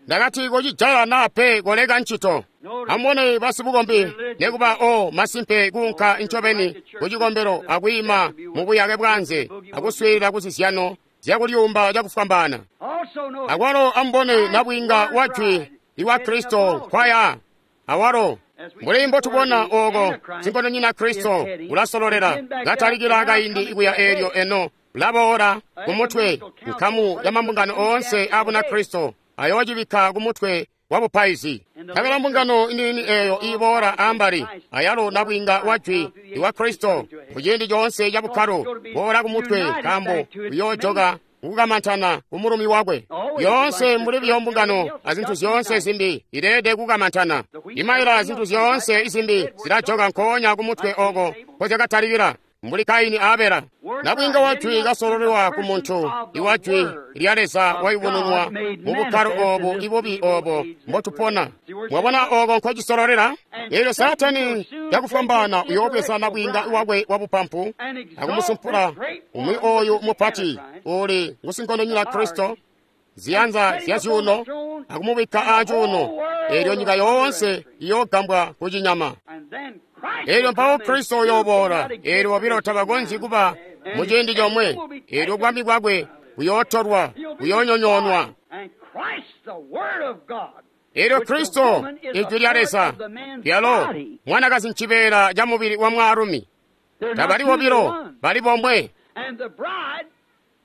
Speaker 3: ndakati kocijaya naa pe koleka ncito amubone basibukombi nekuba o masimpe kuunka ncobeni kucikombelo akwiima mu buyake bwanze akuswiilila kuzizyano zyakuliyumba cakufwambaana akwalo amubone nabwiinga wa jwi iwa Kristo nkwaya awalo mbuli mbotubona ooko sinkondonyina Kristo ulasololela katalikila kaindi ikuya eelyo eno ulaboola kumutwe nkamu ya mambungano oonse abuna Kristo ayoocibikka kumutwe wa bupaizi nkabela mbungano iniini eeyo iiboola ambali ayalo nabwiinga wa jwi iwa Kristo kuciindi coonse ca bukkalo boola kumutwe nkaambo uyoojoka kukamantana kumulumi wakwe yoonse mbuli buyo mbungano azintu zyoonse zimbi ileede kukamantana imaila zintu zyoonse izimbi zilajoka nkoonya kumutwe oko nkozyakatalikila mbuli Kaini a Abela nabwiinga wa jwi kasololelwa ku muntu iwa jwi lya Leza wayubununwa mu bukkalo oobu ibubi oobo mbotupona mwabona ooko nkocisololela eelyo Saatani cakufwambaana uyoobweza nabwiinga wakwe wabupampu akumusumpula umwi ooyu mupati uuli ngusinkondonyina Kristo ziyanza zya zyuuno akumubikka aacuuno eelyo nyika yoonse iyoogambwa kucinyama eelyo mpawo Kristo uyooboola eelyo bobilo tabakonzyi kuba mu ciindi comwe eelyo bwami bwakwe buyootolwa buyoonyonyoonwa eelyo Kristo ijwi lya Leza lyalo mwanakazi ncibeela ca mubili wa mwaalumi tabali bobilo bali bomwe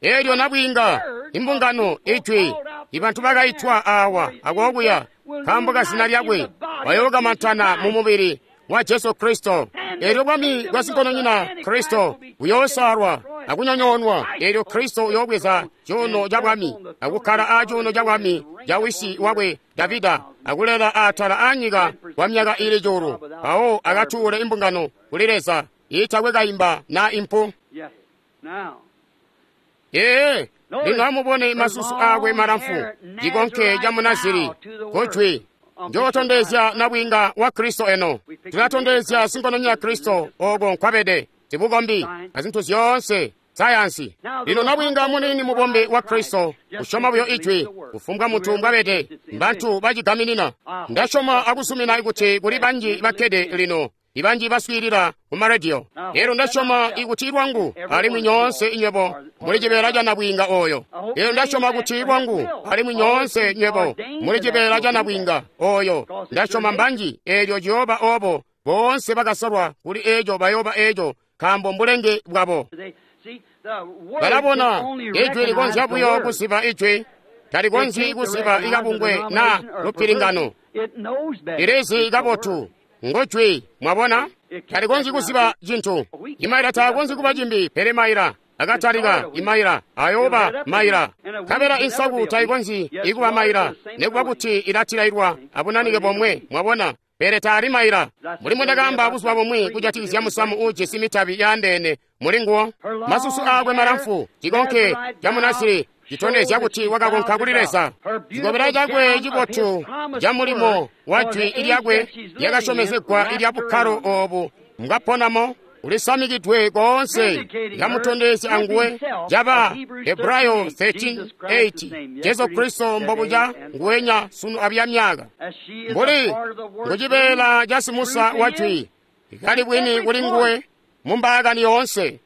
Speaker 3: eelyo nabwiinga imbungano ijwi ibantu bakaitwa awa akookuya nkaambo ka zina lyakwe bayookamantana mu mubili wa Jesu Kristo eelyo bwami bwa sinkondonyina Kristo buyoosalwa akunyonyoonwa eelyo Kristo uyoobweza cuuno ca bwami akukkala aacuuno ca bwami ca wisi wakwe Davida akulela atala aanyika kwa myaka ili cuulu mpawo akatuule imbungano kuli Leza iitakwe kaimba na impu ee lino amubone masusu aakwe malamfu cikonke ca Munaziri kujwi njootondezya nabwiinga wa Kristo eno tulatondezya sinkondonyina Kristo oko nkwabede zibukombi azintu zyoonse sayansi lino nabwiinga muniini mubombe wa Kristo kusyoma buyo ijwi kufumbwa munthu mbwabede mbantu bacigaminina ndasyoma akusumina kuti kuli banji bakkede lino ibanji baswiilila ku marediyo lero ndasyoma ikuti lwangu alimwi nyoonse inywebo muli cibeela ca nabwiinga oyo lero ndasyoma kuti lwangu alimwi nyoonse nywebo muli cibeela ca nabwiinga oyo ndasyoma mbanji eelyo ciyooba obo boonse bakasolwa kuli eeco bayooba eeco nkaambo mbulenge bwabo balabona ijwi likonzya buyo kuziba ijwi talikonzyi kuziba ikabungwe na lupilingano lilizi kabotu ngojwi mwabona talikonzyi kuziba cintu imaila taakonzyi kuba cimbi pele maila akatalika imaila ayooba maila nkabela insaku taikonzyi ikuba maila nekuba kuti ilatilailwa abunanike bomwe mwabona pele taali maila mbuli mbwendakaamba buzuba bumwi kujatikizya musamu uujisi mitabi yaandeene mulinguwo masusu aakwe malamfu cikonke ca Munaziri citondezya kuti wakakonka kuli Leza cikobela cakwe cibotu ca mulimo wa jwi lyakwe lyakasyomezegwa ilya bukkalo oobu mbwaponamo ulisamikidwe koonse lyamutondezya anguwe caba Hebrayo thirteen eight Jesu Kristo mbobuca nguwenya sunu abya myaka mbuli ngucibeela ca simusa wa jwi kali bwini kuli nguwe mu mbaakani yoonse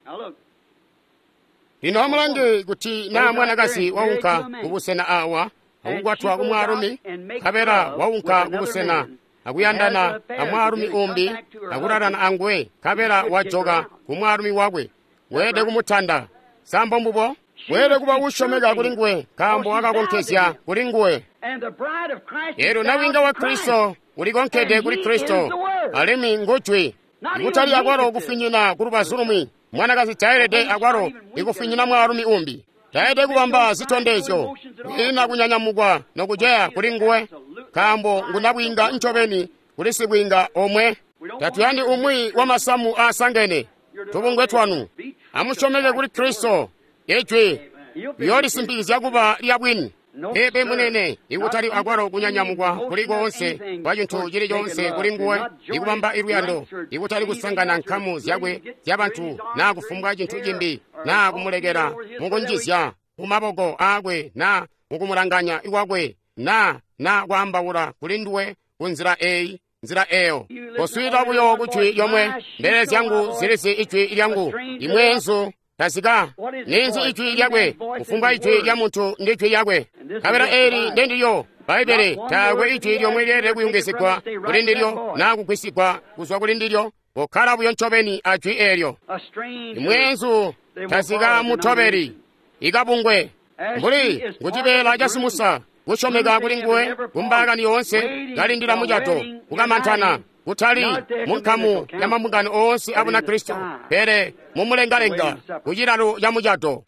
Speaker 3: lino amulange kuti naa mwanakazi waunka kubusena awa akukwatwa kumwaalumi nkabela waunka kubusena akuyandana amwaalumi umbi akulalana anguwe nkabela wajoka kumwaalumi wakwe weelede kumutanda sambo mbubo weelede kuba usyomeka kuli nguwe nkaambo wakakonkezya kuli nguwe eelyo nabwiinga wa Kristo ulikonkede kuli Kristo alimwi ngujwi ikutali akwalo kufinyina ku lubazu lumwi Mwanakazi taelede akwalo ikufinyina mwaalumi umbi. Taelede kubamba zitondezyo, kwiina kunyanyamukwa nokuceya kuli nguwe, nkaambo ngunabwiinga ncobeni kuli sibwiinga omwe. Tatuyandi umwi wa masamu aasangene tubungwe twanu. Amusyomeke kuli Kristo, Ijwi liyoolisimpikizya kuba lya bwini. Peepe munene, ikutali akwalo kunyanyamukwa kuli koonse kwa cintu cili coonse kuli nguwe, ikubamba iluyando, ikutali kusangana nkamu zyakwe zyabantu naa kufumbwa cintu cimbi, naa kumulekela mukunjizya mumaboko aakwe naa mukumulanganya ikwakwe naa naa kwaambaula kuli nduwe kunzila eyi nzila eyo. Koswiilila buyo ku jwi lyomwe, mbelele zyangu zilizi ijwi lyangu, imweenzu tazika. Ninzi ijwi lyakwe? Kufumbwa ijwi lya muntu ndi jwi lyakwe. Nkabela eli ndendilyo Bbaibbele, taakwe ijwi lyomwe lyeelede kuyungizigwa kuli ndilyo naa kugwisigwa kuzwa kuli ndilyo. Kokkala buyo ncobeni a jwi eelyo. Imweenzu tazika mutobeli ikabungwe mbuli ngucibeela ca simusa kusyomeka kuli nguwe kumbaakani yoonse, kalindila mucato, kukamantana, kutali munkamu ya mambungano oonse a Bunakristo, pele mumulengalenga kucilalo ca mucato.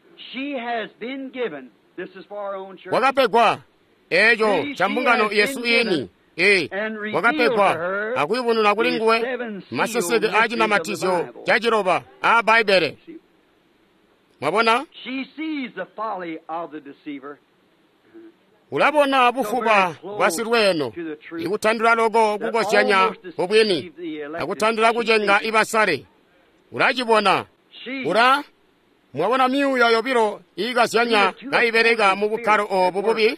Speaker 3: Wakapegwa eeco ca mbungano yesu iini. Ee, wakapegwa akuyubununa kuli nguwe maseseke a cinamatizyo ca ciloba a Bbaibbele. Mwabona? Ulabona bufuba bwa silweeno, ikutandula loko kukozyanya kubwini, akutandula kucenga ibasale. Ulacibona. Ula mwabona myuuya yobilo iikazyanya kaibeleka mu bukkalo oobu bubi.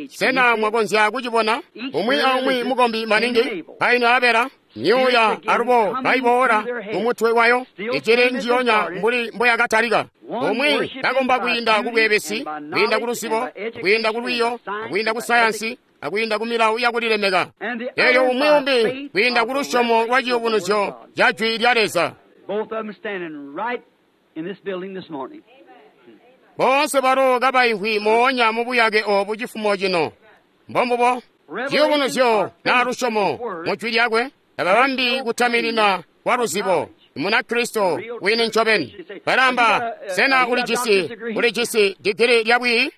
Speaker 3: Sena mwakonzya kucibona? Umwi aumwi mukombi maningi kaini abela myuuya alubo kaiboola kumutwe wayo, icili njiyonya mbuli mboyakatalika. Umwi kakomba kwiinda ku bweebesi, kwiinda ku luzibo, kwiinda ku lwiiyo, kwiinda ku sayansi, akwiinda ku milawo yakulilemeka. Eelyo umwi umbi kwiinda ku lusyomo lwa ciyubunuzyo ca jwi lya Leza. Boonse balo kabaimvwi moonya mu buyake oobu cifumo cino. Mbombubo, ciyubunuzyo naa lusyomo mu jwi lyakwe tababambi kutaminina kwa luzibo. Munakristo wini ncobeni. Balamba, sena ulijisi ulijisi digili lya bwiiyi?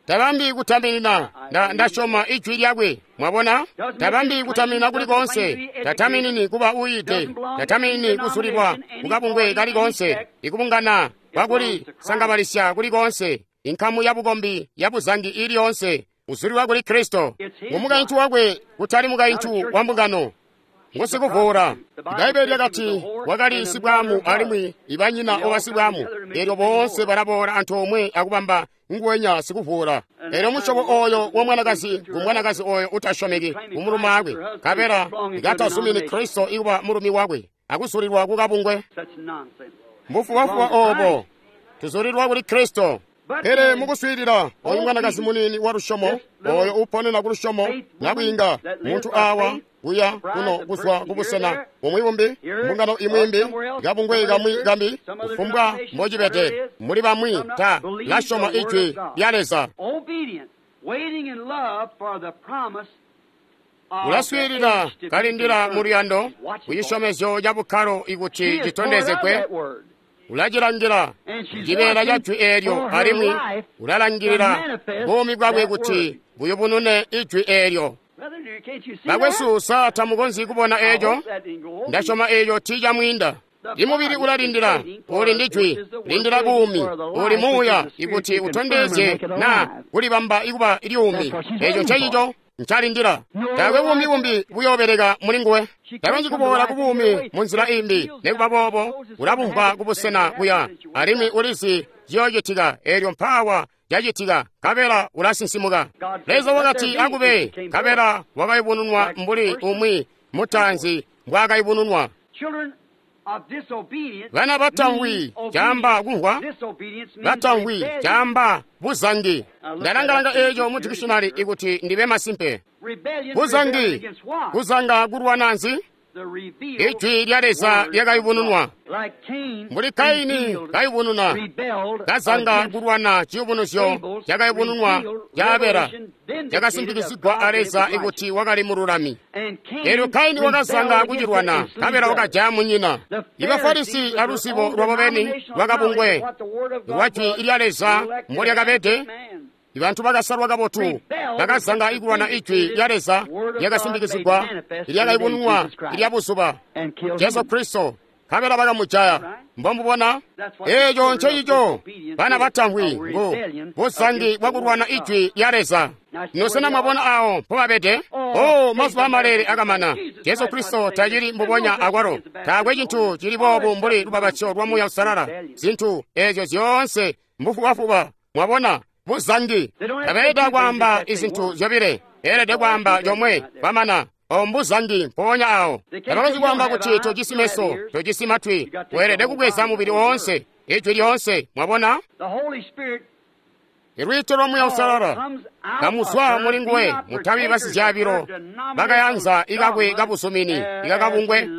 Speaker 3: Tabambi kutaminina, nda ndasyoma ijwi lyakwe. Mwabona? Tabambi kutaminina kuli koonse. Tataminini kuba uyiide. Tataminini kuzulilwa kukabungwe kali koonse, ikubungana kwakuli sangabalisya kuli koonse, inkamu ya bukombi ya buzangi ili yoonse. Uzulilwa kuli Kristo. Ngumukaintu wakwe, kutali mukaintu wa mbungano. Ngusikuvuula. Bbaibbele lyakati wakali sibwaamu alimwi ibanyina obasibwaamu. Eelyo boonse balaboola antoomwe akubamba nguwenya sikuvuula. Eelyo musyobo ooyo wa mwanakazi ngumwanakazi ooyo utasyomeki kumulumaakwe, nkabela katazumini Kristo ikuba mulumi wakwe, akuzulilwa kukabungwe. Mbufubafuba oobo tuzulilwa kuli Kristo. Pele mukuswiilila oyu mwanakazi muniini wa lusyomo, oyo uponena ku lusyomo nabwiinga, muntu awa kuya kuno kuzwa kubusena bumwi bumbi, mbungano imwi imbi, kabungwe kamwi kambi, kufumbwa mbocibede, muli bamwi ta lasyoma ijwi lya Leza. Ulaswiilila kalindila mu luyando kucisyomezyo ca bukkalo ikuti citondezegwe. Ulacilangila cibeela ca jwi eelyo alimwi ulalangilila buumi bwakwe kuti buyubunune ijwi eelyo. Bakwesu, sa tamukonzyi kubona eeco? Ndasyoma eeco tiicamwiinda. Imubili ulalindila, uli ndi jwi, lindila buumi, uli muuya ikuti utondezye naa kulibamba ikuba lyuumi. Eeco ncecico ncalindila. Taakwe buumi bumbi buyoobeleka muli nguwe. Takonzyi kuboola ku buumi munzila imbi. Nikuba boobo ulabumvwa kubusena kuya, alimwi ulizi ciyoocitika. Eelyo mpaawa cacitika, nkabela ulasinsimuka. Leza wakati akube, nkabela wakayubununwa mbuli umwi mutaanzi mbwaakayubununwa. Bana batamvwi caamba kumvwa, batamvwi caamba buzangi. Ndalangalanga eeco mu dictionary ikuti ndibe masimpe. Buzangi, kuzanga kulwana nzi? Ijwi lya Leza lyakayubununwa. Mbuli Kaini kayubununa, kazanga kulwana ciyubunuzyo cakayubununwa ca Abela, cakasimpikizigwa a Leza ikuti wakali mululami. Elyo Kaini wakazanga kucilwana, nkabela wakajaya munyina. Ibafarisi aluzibo lwabo beni lwakabungwe lwa Jwi lya Leza mbolyakabede, ibantu bakasalwa kabotu bakazanga ikulwana Ijwi lya Leza lyakasimpikizigwa, lyakayubununwa lya buzuba Jesu Kristo, nkabela bakamujaya. Mbomubona eeco ncencico bana batamvwi ngu buzangi bwakulwana Ijwi lya Leza. Ino mwabona awo mpobabede? O, mazuba amalele akamana. Jesu Kristo tacili mbubonya akwalo. Taakwe cintu cili boobu mbuli lubapatizyo lwa Muuya Uusalala. Zintu eezyo zyoonse mbufubafuba. Mwabona buzangi. Tabeelede kwaamba izintu zyobile, beelede kwaamba comwe kwamana. O mbuzangi mpoonya awo. Tabakonzyi kwaamba kuti tojisi meso, tojisi matwi. Weelede kubweza mubili woonse, Ijwi lyoonse. Mwabona? Ilwiito lwa Muuya Uusalala kamuzwa muli nguwe, mutabi basizyaabilo bakayanza ikakwe kabuzumini ikakabungwe,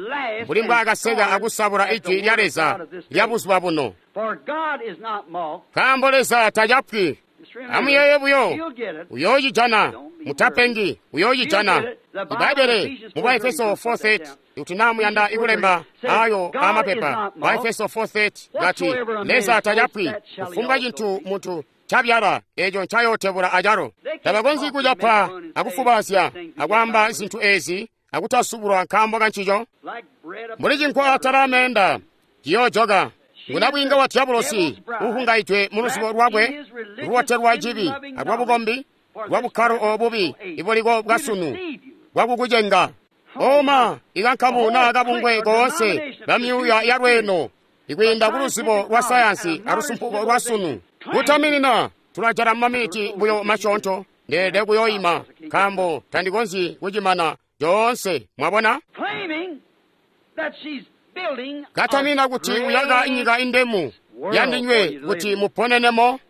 Speaker 3: mbuli mbwaakaseka akusabula Ijwi lya Leza lya buzuba buno. Nkaambo Leza tacapwi. Amuyeeye buyo, uyoocijana. Mutapengi, uyoocijana. Ibbaibbele mu Baefeso four thirty, kuti naa muyanda ikulemba ayo amapepa, Baefeso four thirty gati, Leza tacapwi. Kufumbwa cintu muntu cabyala, eeco ncayootebula acalo. Tabakonzyi kucapa akufubazya akwaamba zintu eezi akutasubulwa nkaambo kancico. Mbuli cinkwa atala ameenda, ciyoojoka. Ngunabwiinga wa Diabolosi uhungaidwe mu luzibo lwakwe lubotelwa cibi alwabukombi lwabukkalo obubi ibuliko bwasunu bwakukucenga. Oma ikankamu naa kabungwe koonse bamyuuya yalweeno ikwiinda ku luzibo lwa sayansi alusumpuko lwa sunu. Kutaminina tulajala mumaminiti buyo masyoonto, ndeelede kuyoima nkaambo tandikonzyi kucimana coonse. Mwabona? Katamina kuti uyaka inyika indemu yandinywe kuti muponenemo.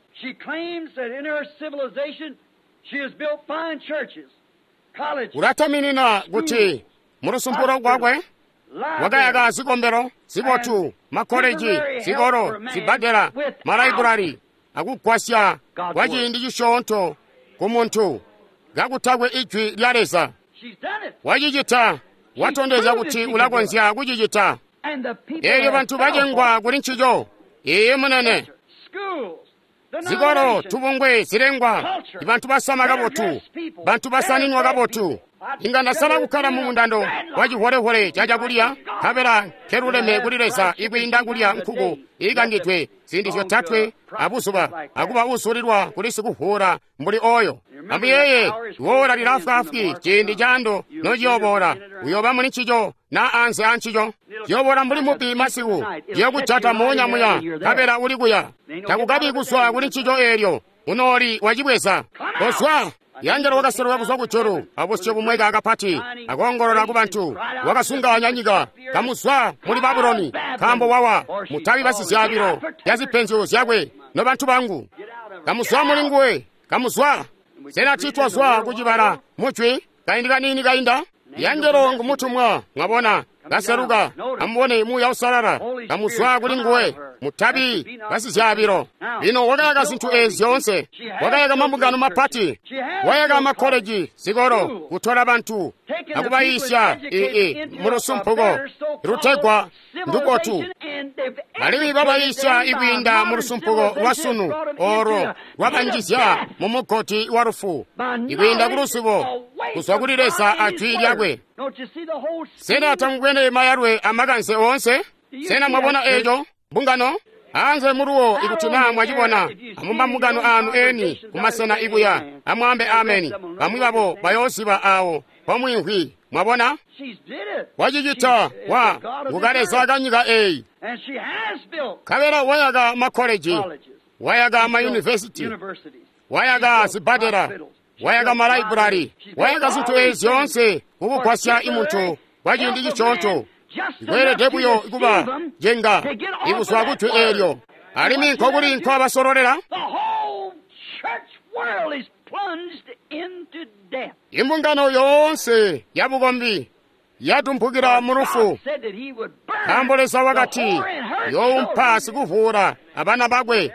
Speaker 3: Ulataminina kuti mulusumpulo lwakwe wakayaka zikombelo zibotu, makoleji, zikolo, zibbadela, malaiburari, akugwasya kwa ciindi cisyoonto ku muntu kakutakwe Ijwi lya Leza. Wacicita, watondezya kuti ulakonzya kucicita. Eelyo bantu bacengwa kuli ncico. Iye munene. Zikolo, tubungwe, zilengwa, bantu basama kabotu, bantu basaninwa kabotu. Inga ndasala kukkala mu mundando wa ciholehole ca cakulya, nkabela nkeluleme kuli Leza ikwiinda kulya nkuku iikangidwe ziindi zyotatwe abuzuba, akuba usulilwa kuli sikuvuula mbuli oyo. Amuyeeye, iwoola lilaafwaafwi ciindi caando nociyooboola. Uyooba muli ncico naa anze ancico. Ciyoobola mbuli mubbi masiku, ciyokujata moonya muya, nkabela uli kuya. Takukabi kuzwa kuli ncico eelyo, unooli wacibweza. Kozwa! Yangelo wakaseluka kuzwa kujulu abusyu bumweka kapati akoongolola ku bantu, wakasunganya nyika, kamuzwa muli Babuloni, nkaambo wawa, mutabi basizyaabilo lya zipenzyo zyakwe, nobantu bangu. Kamuzwa muli nguwe, kamuzwa. Sena tiitwazwa kucibala mujwi kaindi kaniini kainda? Yangelo ngumutumwa, mwabona, kaseluka, amubone Muuya Uusalala, kamuzwa kuli nguwe, mutabi basizyaabilo. Lino wakayaka zintu eezi zyoonse, wakayaka mambungano mapati, wayaka makoleji, zikolo, kutola bantu akubayiisya ii mulusumpuko lutegwa ndubotu, alimwi babayiisya ikwiinda mulusumpuko lwa sunu oolo lwabanjizya mumugoti wa lufu, ikwiinda kuluzibo kuzwa kuli Leza a Jwi lyakwe. Sena tamubwene mayalwe amakanze oonse? Sena mwabona eeco mbungano? Anze muluwo ikuti naa mwacibona, amumambungano aanu eni kumasena ikuya, amwaambe ameni. Bamwi babo bayooziba awo pomwimvwi. Mwabona? Wacicita wa ngukaleza kanyika eyi. Nkabela wayaka makoleji, wayaka mayunivesiti, wayaka zibbadela, wayaka malaiburari, wayaka zintu ezi zyoonse kukugwasya imuntu kwa ciindi cisyoonto. Ikweelede buyo kuba jenga ikuzwa kujwi eelyo. Alimwi nkokuli nkwabasololela? Imbungano yoonse yabukombi Yatumpukila mu lufu.
Speaker 4: God said that he would burn
Speaker 3: Nkaambo Leza wakati
Speaker 4: the whore and her
Speaker 3: youmpa
Speaker 4: children.
Speaker 3: sikuvuula abana bakwe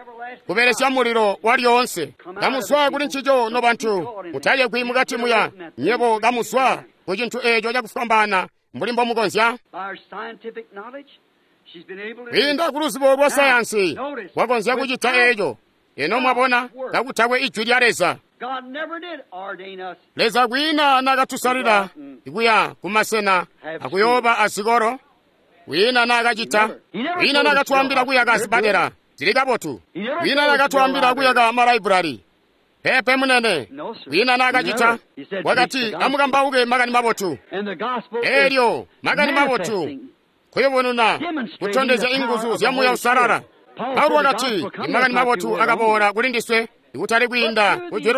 Speaker 3: kubelesya mulilo walyoonse. Kamuzwa kuli ncico nobantu, mutayegwi mukati muya, nyebo kamuzwa ku cintu eeco cakufwambaana mbuli mbomukonzya.
Speaker 4: By her scientific knowledge, she's been able to
Speaker 3: Kwiinda ku luzibo lwa sayansi wakonzya kucita eeco. Eno mwabona kakutakwe ijwi lya Leza.
Speaker 4: God never did ordain us
Speaker 3: Leza kwiina nakatusalila kuya kumasena akuyooba azikolo. Kwiina nakacita. Kwiina nakatwaambila kuyaka zipadela zili kabotu. Kwiina nakatwaambila kuyaka malaibrari. Pepe munene. Kwiina nakacita. Wakati amukambauke makani mabotu.
Speaker 4: and the gospel is
Speaker 3: Elyo makani mabotu
Speaker 4: manifesting,
Speaker 3: kuyubununa kutondezya inguzu zya Muuya Uusalala. Paulo wakati imakani mabotu akaboola kuli ndiswe ikutali kwiinda ku jwi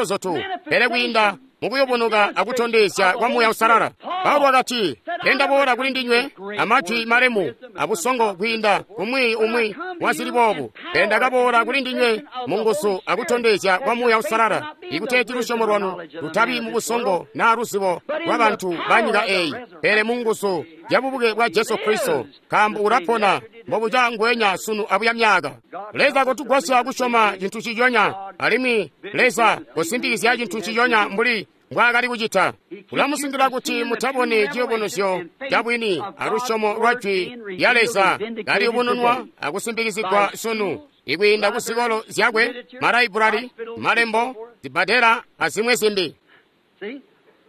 Speaker 3: pele kwiinda mukuyubunuka akutondezya kwa Muuya Uusalala. Paulo wakati ndaboola kuli ndinywe amajwi malemu abusongo kwiinda kumwi umwi wazili boobu, pele ndakaboola kuli ndinywe mu nguzu akutondezya kwa Muuya Uusalala, ikuteeti lusyomo lwanu lutabi mu busongo naa luzibo lwa bantu ba nyika eyi, pele mu nguzu ya bubuke bwa Jesu Kristo, nkaambo ulapona mbobuca ngwenya sunu abuya myaka. Leza kotugwasya kusyoma cintu ciconya, alimwi Leza kusimpikizya cintu ciconya mbuli mbwaakali kucita. Ulamusingila kuti mutaboni ciyubunuzyo ca bwini alusyomo lwa jwi lya Leza kaliyubununwa akusimpikizigwa sunu ikwiinda ku zikolo zyakwe, malaibrari, malembo, zibbadela azimwi zimbi.
Speaker 4: See? He keeps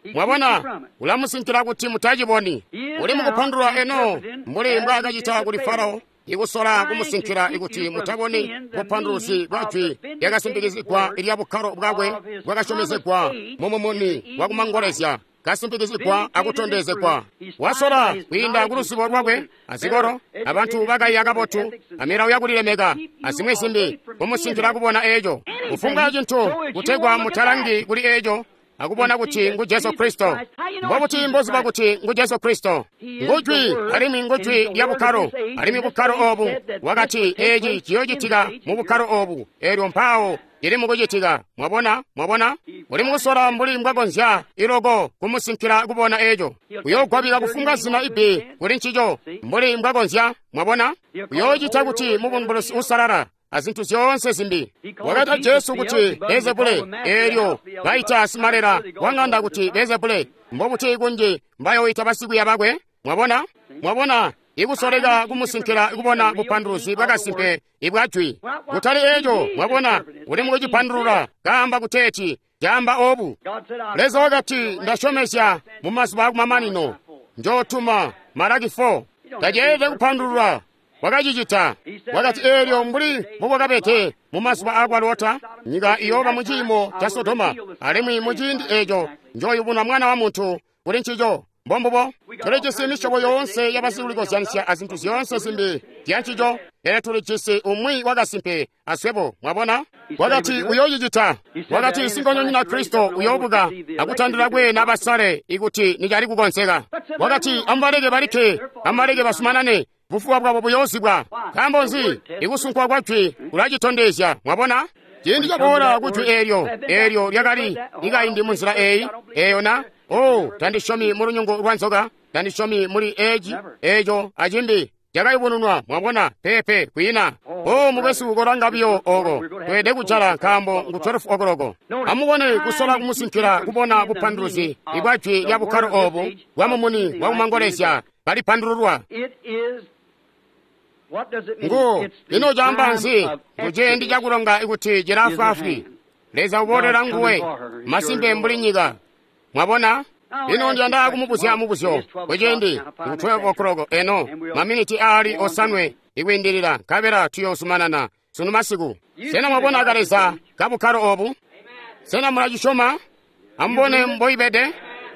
Speaker 4: you
Speaker 3: Mwabona,
Speaker 4: from it.
Speaker 3: ulamusinkila kuti mutaciboni. Uli mukupandulula eno mbuli mbwaakacita kuli Farao, ikusola kumusinkila ikuti mutaboni bupanduluzi bwa jwi lyakasimpikizigwa lya bukkalo bwakwe bwakasyomezegwa mumumuni wakumangolezya, kasimpikizigwa akutondezegwa. Wasola kwiinda ku luzibo lwakwe azikolo abantu bakaiya kabotu amilawo yakulilemeka azimwi zimbi kumusinkila kubona eeco kufumbwa cintu kutegwa mutalangi kuli eeco akubona kuti ngu Jesu Kristo. Mbobuti mboziba kuti ngu Jesu Kristo? Ngujwi alimwi ngujwi lya bukkalo, alimwi bukkalo obu wakati eeci ciyoocitika mu bukkalo obu, eelyo mpaawo cili mukucitika. Mwabona? Mwabona? Uli mukusola mbuli mbwakonzya iloko kumusinkila kubona eeco. Uyoogwabila kufumbwa zina ibbi kuli ncico mbuli mbwakonzya. Mwabona? Uyoocita kuti mubumbulusi usalala azintu zyoonse zimbi. Wakata Jesu kuti Beelzebule, eelyo baita simalela wa ng'anda kuti Beelzebule, mbobuti kunji mbayoita basikwiiya bakwe? Mwabona? Mwabona, ikusoleka kumusinkila kubona bupanduluzi bwakasimpe ibwa jwi. Kutali eeco, mwabona, uli mukucipandulula kaamba kuteeti caamba obu.
Speaker 4: God said, I
Speaker 3: Leza wakati ndasyomezya mu mazuba akumamanino njootuma Malaki four. Taceelede kupandulula wakacicita. Wakati eelyo mbuli mbubwakabede mu mazuba akwa Lota, nyika iyooba mu ciimo ca Sodoma, alimwi mu ciindi eeco njooyubuna Mwana wa Muntu kuli ncico. Mbombubo tulijisi misyobo yoonse yabasikulikozyanisya azintu zyoonse zimbi zyancico, pele tulijisi umwi wakasimpe aswebo. Mwabona? Wakati uyoocicita. Wakati sinkondonyina Kristo uyoobuka akutandila kweena basale ikuti nicali kukonzeka. Wakati amubaleke balikke, amubaleke basumanane, bufuba bwabo buyoozibwa. Nkaambo nzi? Ikusunkwa kwa jwi kulacitondezya. Mwabona? Ciindi caboola ku jwi eelyo, eelyo lyakali likaindi munzila eeyi, eeyo na oh, tandisyomi mu lunyungu lwa nzoka, tandisyomi muli eeci, eeco acimbi. Cakayubununwa, mwabona, pepe kwiina. Oh, mukwesu kolanga biyo oko, tweelede kujala nkaambo ngu twelve o'clock. Amubone kusola kumusinkila kubona bupanduluzi ibwa jwi lya bukkalo obu bwa mumuni wakumangolezya kalipandululwa.
Speaker 4: It is what does it mean?
Speaker 3: Ngu
Speaker 4: It's the
Speaker 3: ino caamba
Speaker 4: time
Speaker 3: nzi?
Speaker 4: of
Speaker 3: Kuciindi
Speaker 4: exodus.
Speaker 3: cakulonga ikuti cilaafwaafwi. Leza uboolera nguwe masimpe mbuli nyika. Mwabona? Ino ndiyanda kumubuzya mubuzyo kuciindi ku twelve o'clock eno maminiti aali osanwe ikwiindilila nkabela tuyoozumanana sunu masiku. Sena mwabona kaleza kabukkalo obu? Sena mulacisyoma? Amubone mboibede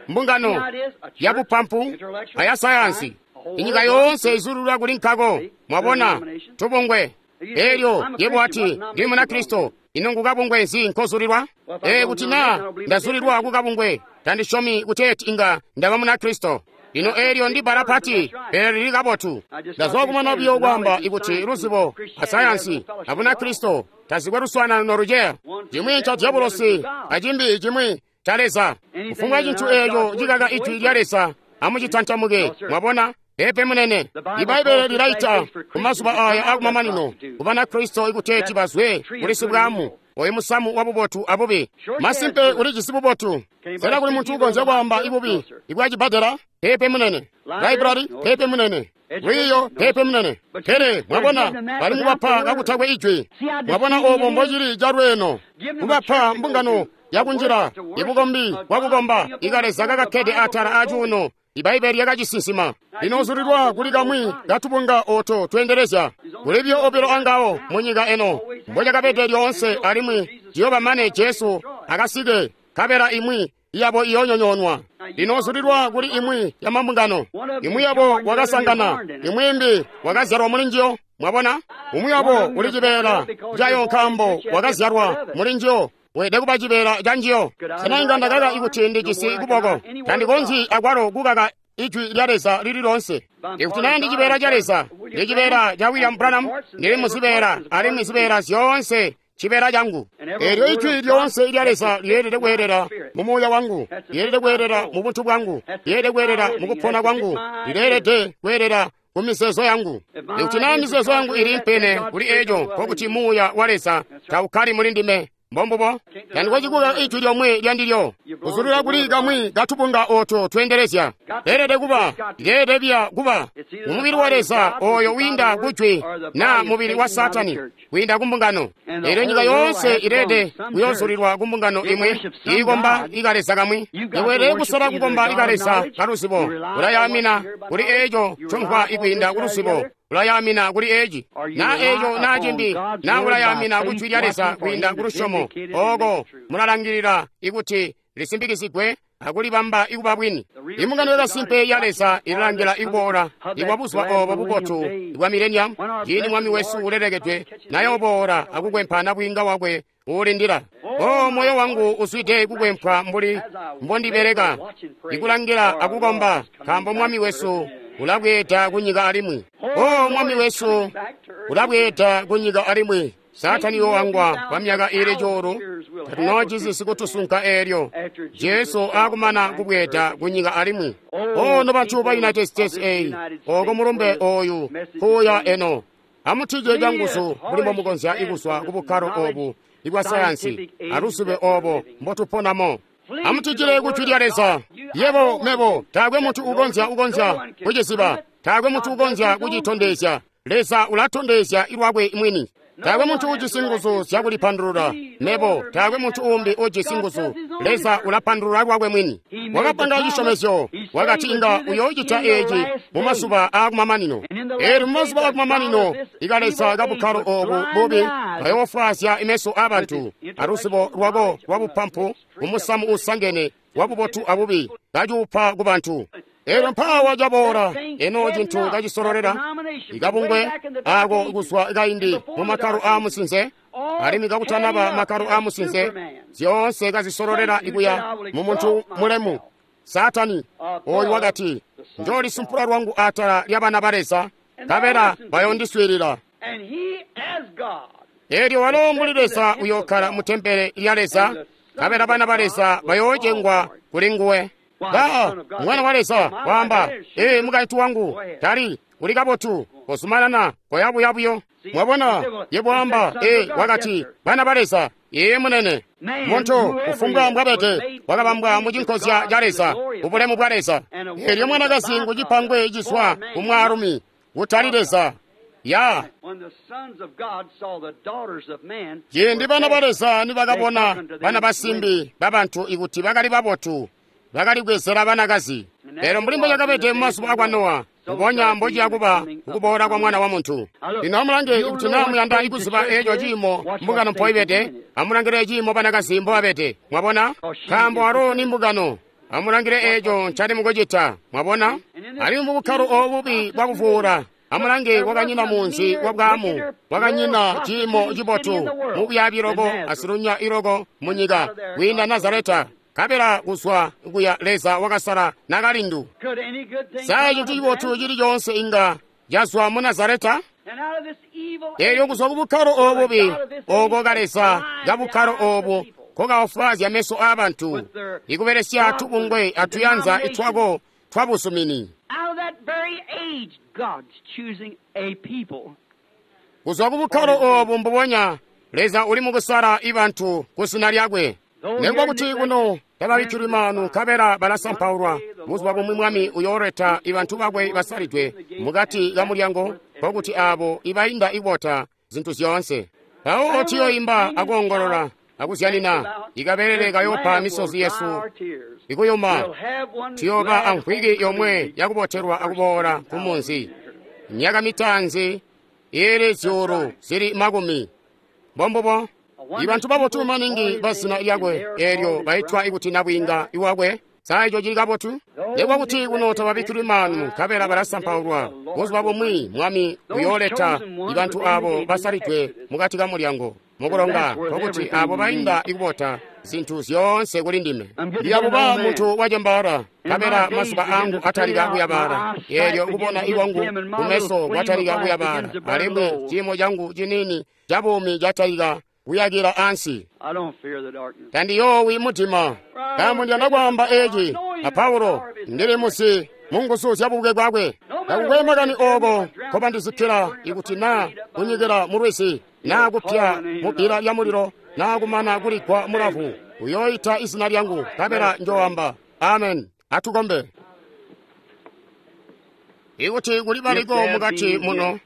Speaker 3: mbungano ya bupampu aya sayansi. Inyika yoonse izululwa kuli nkako. Mwabona tubungwe. Eelyo yebo ati ndi Munakristo. Ino ngukabungwe nzi nkozulilwa? Ee, kuti naa ndazulilwa kukabungwe, tandisyomi kuteeti inga ndaba Munakristo. Lino eelyo ndi bbala pati, pele lili kabotu. Ndazwa kumana buyo kwaamba ikuti luzibo asayansi a Bunakristo tazikwe luswaanano noluceya. Cimwi nca diabolosi acimbi cimwi ca Leza. Kufumbwa cintu eeco cikaka ijwi lya Leza Amucitantamuke. Mwabona? Peepe munene. Ibbaibbele lilaita kumazuba aya akumamanino kubana Kristo ikuteeti bazwe kuli sibwamu oyu musamu wa bubotu abubi. Masimpe ulijisi bubotu. Sena kuli muntu ukonzya kwaamba ibubi ibwacibbadela? Peepe munene. Library? Peepe munene. Lwiiyo? Peepe munene. Pele mwabona bali mubapa kakutakwe ijwi. Mwabona obo mbocili calweeno kubapa mbungano yakunjila ibukombi bwakukomba ikaleza kakakkede atala acuuno. Ibbaibbele lyakacisinsima. Lino zulilwa kuli kamwi katubunga oto tweendelezya. Kulibyo obilo angawo munyika eno mbocakabede lyoonse alimwi ciyoba mane Jesu akasike kabela imwi yabo iyonyonyoonwa. Lino zulilwa kuli imwi ya mambungano. Imwi yabo wakasangana, imwi imbi wakazyalwa muli njiyo. Mwabona? Umwi wabo uli cibeela cayo nkaambo wakazyalwa muli njiyo. Weelede kuba cibeela ca njiyo. Sena inga ndakaka ikuti ndijisi kuboko? Tandikonzyi akwalo kukaka ijwi lya Leza lili loonse. Ikuti naa ndi cibeela ca Leza, ndi cibeela ca William Branham, ndili muzibeela alimwi zibeela zyoonse cibeela cangu. Eelyo ijwi lyoonse lya Leza lyeelede kweelela mu muuya wangu, lyeelede kweelela mu buntu bwangu, lyeelede kweelela mu kupona kwangu, lileelede kweelela ku mizeezo yangu. Ikuti naa mizeezo yangu ili impene kuli eeco, nkokuti muuya wa Leza taukkali muli ndime. Mbombubo. Tandikocikuka ijwi lyomwe lyandilyo. Kuzulila kuli kamwi katubunga oto tweendelezya. Leelede kuba, lyeelede biya kuba mumubili wa Leza oyo wiinda kujwi na mubili wa Saatani wiinda kumbungano. Eelyo nyika yoonse ileelede kuyoozulilwa kumbungano imwi iikomba ikaleza kamwi. Iweelede kusala kukomba ikaleza kaluzibo. Ulayamina kuli eeco ncomvwa ikwiinda kuluzibo. Ulayamina kuli eci na eco na cimbi na ulayamina kujwi lya Leza kwiinda kulusyomo. Oko mulalangilila ikuti lisimbikizigwe akulibamba ikuba bwini. Imbungano yakasimpe ya Leza ilalangila ikuboola ibwa buzuba obo bubotu bwa mileniamu, ciindi Mwami wesu ulelekedwe nayoboola akukwempa nabwiinga wakwe uulindila. O moyo wangu uzwide kukwempwa mbuli mbondibeleka ikulangila akukomba, nkaambo Mwami wesu ulabweeda kunyika alimwi. O Mwami wesu ulabweeda kunyika alimwi. Saatani yoangwa kwa myaka ili cuulu tatunoojisi sikutusunka eelyo Jesu akumana kubweeda kunyika alimwi. O nobantu ba United States eyi, oko mulumbe oyu kuya eno. Amutije canguzu mbuli mbomukonzya ikuzwa kubukkalo obu ibwa sayansi aluzibe obo mbotuponamo. Amutijile kujwi lya Leza. Yebo mebo taakwe muntu ukonzya ukonzya kuciziba, taakwe muntu ukonzya kucitondezya. Leza ulatondezya ilwakwe mwini. Taakwe muntu ujisi nguzu zyakulipandulula. Mebo taakwe muntu umbi ujisi nguzu. Leza ulapandulula lwakwe mwini. Wakapanga cisyomezyo, wakati inga uyoocita eeci mu mazuba aakumamanino. Eelyo mu mazuba aakumamanino ikaleza kabukkalo obu bubi kayoofwaazya imeso aabantu aluzibo lwako lwabupampu mumusamu uusangene wabubotu abubi kacuupa kubantu. Eelyo mpaawa caboola eno cintu kacisololela ikabungwe ako kuzwa kaindi mu makkalo aamusinze alimwi kakutanaba makkalo aamusinze zyoonse kazisololela ikuya mu muntu mulemu Saatani oyu wakati, njoolisumpula lwangu atala lya bana ba Leza, nkabela bayoondiswiilila. Eelyo walo mbuli Leza uyookkala mu tempele lya Leza, nkabela bana ba Leza bayoocengwa kuli nguwe. Ba mwana wa Leza waamba, ee mukaintu wangu tali uli kabotu, kozumanana koyabuya buyo. Mwabona yebo waamba, ee wakati bana ba Leza, ee munene. Muntu kufumbwa mbwabede wakabambwa mu cinkozya ca Leza, ubulemu bwa Leza. Eelyo mwanakazi ngucipangwe cizwa ku mwaalumi kutali Leza. Ya ciindi bana ba Leza nibakabona bana basimbi babantu ikuti bakali babotu, bakali kwezela banakazi. Lero mbuli mbocakabede mumazuba akwa Nowa, mbubonya mbociya kuba kukuboola kwa Mwana wa Muntu. Lino amulange ikuti naa muyanda ikuziba eeco ciimo mbungano mpoibede, amulangile ciimo banakazi mbobabede. Mwabona? Nkaambo alo ni mbungano. Amulangile eeco ncali mukucita. Mwabona? Alimwi mubukkalo oobu bubi bwakuvuula, amulange kwakanyina munzi wa bwaamu, kwakanyina ciimo cibotu mubuyaabi loko asilunya iloko munyika kwiinda Nazareta. Kabela kuzwa kuya Leza wakasala nakalindu. Sa cintu cibotu cili coonse inga cazwa mu Nazareta? Eelyo kuzwa ku bukkalo obubi, oko kaleza kabukkalo obu kokaofwaazya meso aabantu, ikubelesya tubungwe atuyanza itwako twabuzumini.
Speaker 4: Out of that very age, God's choosing a people.
Speaker 3: Kuzwa ku bukkalo obu mbubonya, Leza uli mukusala ibantu ku zina lyakwe. Nekuba kuti kuno tababikkilwi maanu nkabela balasampaulwa, buzuba bumwi Mwami uyooleta ibantu bakwe basalidwe mukati ka mulyango, nkokuti aabo ibainda ibota zintu zyoonse. Mpawo tuyoimba akoongolola akuzyanina, ikabelele kayopa misozi yesu ikuyuma. Tuyooba amvwiki yomwe yakubotelwa akuboola ku munzi. Myaka mitaanzi ili zyuulu zili makumi. Mbombubo. Ibantu babotu maningi ba zina lyakwe eelyo baitwa ikuti nabwiinga iwakwe. Sa ico cili kabotu? Nekuba kuti kuno tababikkilwi maanu nkabela balasampaulwa, buzuba bumwi Mwami uyooleta ibantu aabo basalidwe mukati ka mulyango mukulonga, nkokuti aabo bainda ikubota zintu zyoonse kuli ndime. Ndiyabuba muntu wacembaala, nkabela mazuba angu atalika kuyabaala, eelyo kubona ikwangu kumeso kwatalika kuyabaala, alimwi ciimo cangu ciniini cabuumi catalika kuyakila ansi.
Speaker 4: I don't fear the darkness.
Speaker 3: Tandiyoowi mudima, nkaambo ndiyanda kwaamba eci a Paulo, ndili musi munguzu zya bubuke bwakwe. Takukwe makani ooko nkobandizikkila, ikuti naa kunyikila mulwizi, naa kupya mubbila lya mulilo, naa kumana kuligwa mulavu, uyooita izina lyangu, nkabela njooamba. Amen. Atukombe. Ikuti kuli baliko mukati muno,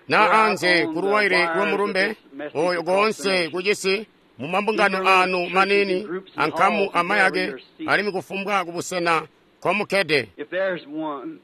Speaker 3: na anze kuluwaile lwamulumbe oyo koonse kucisi mumambungano anu manini ankamu amayake alimwi kufumbwa kubusena nkomukkede.
Speaker 4: If there's one,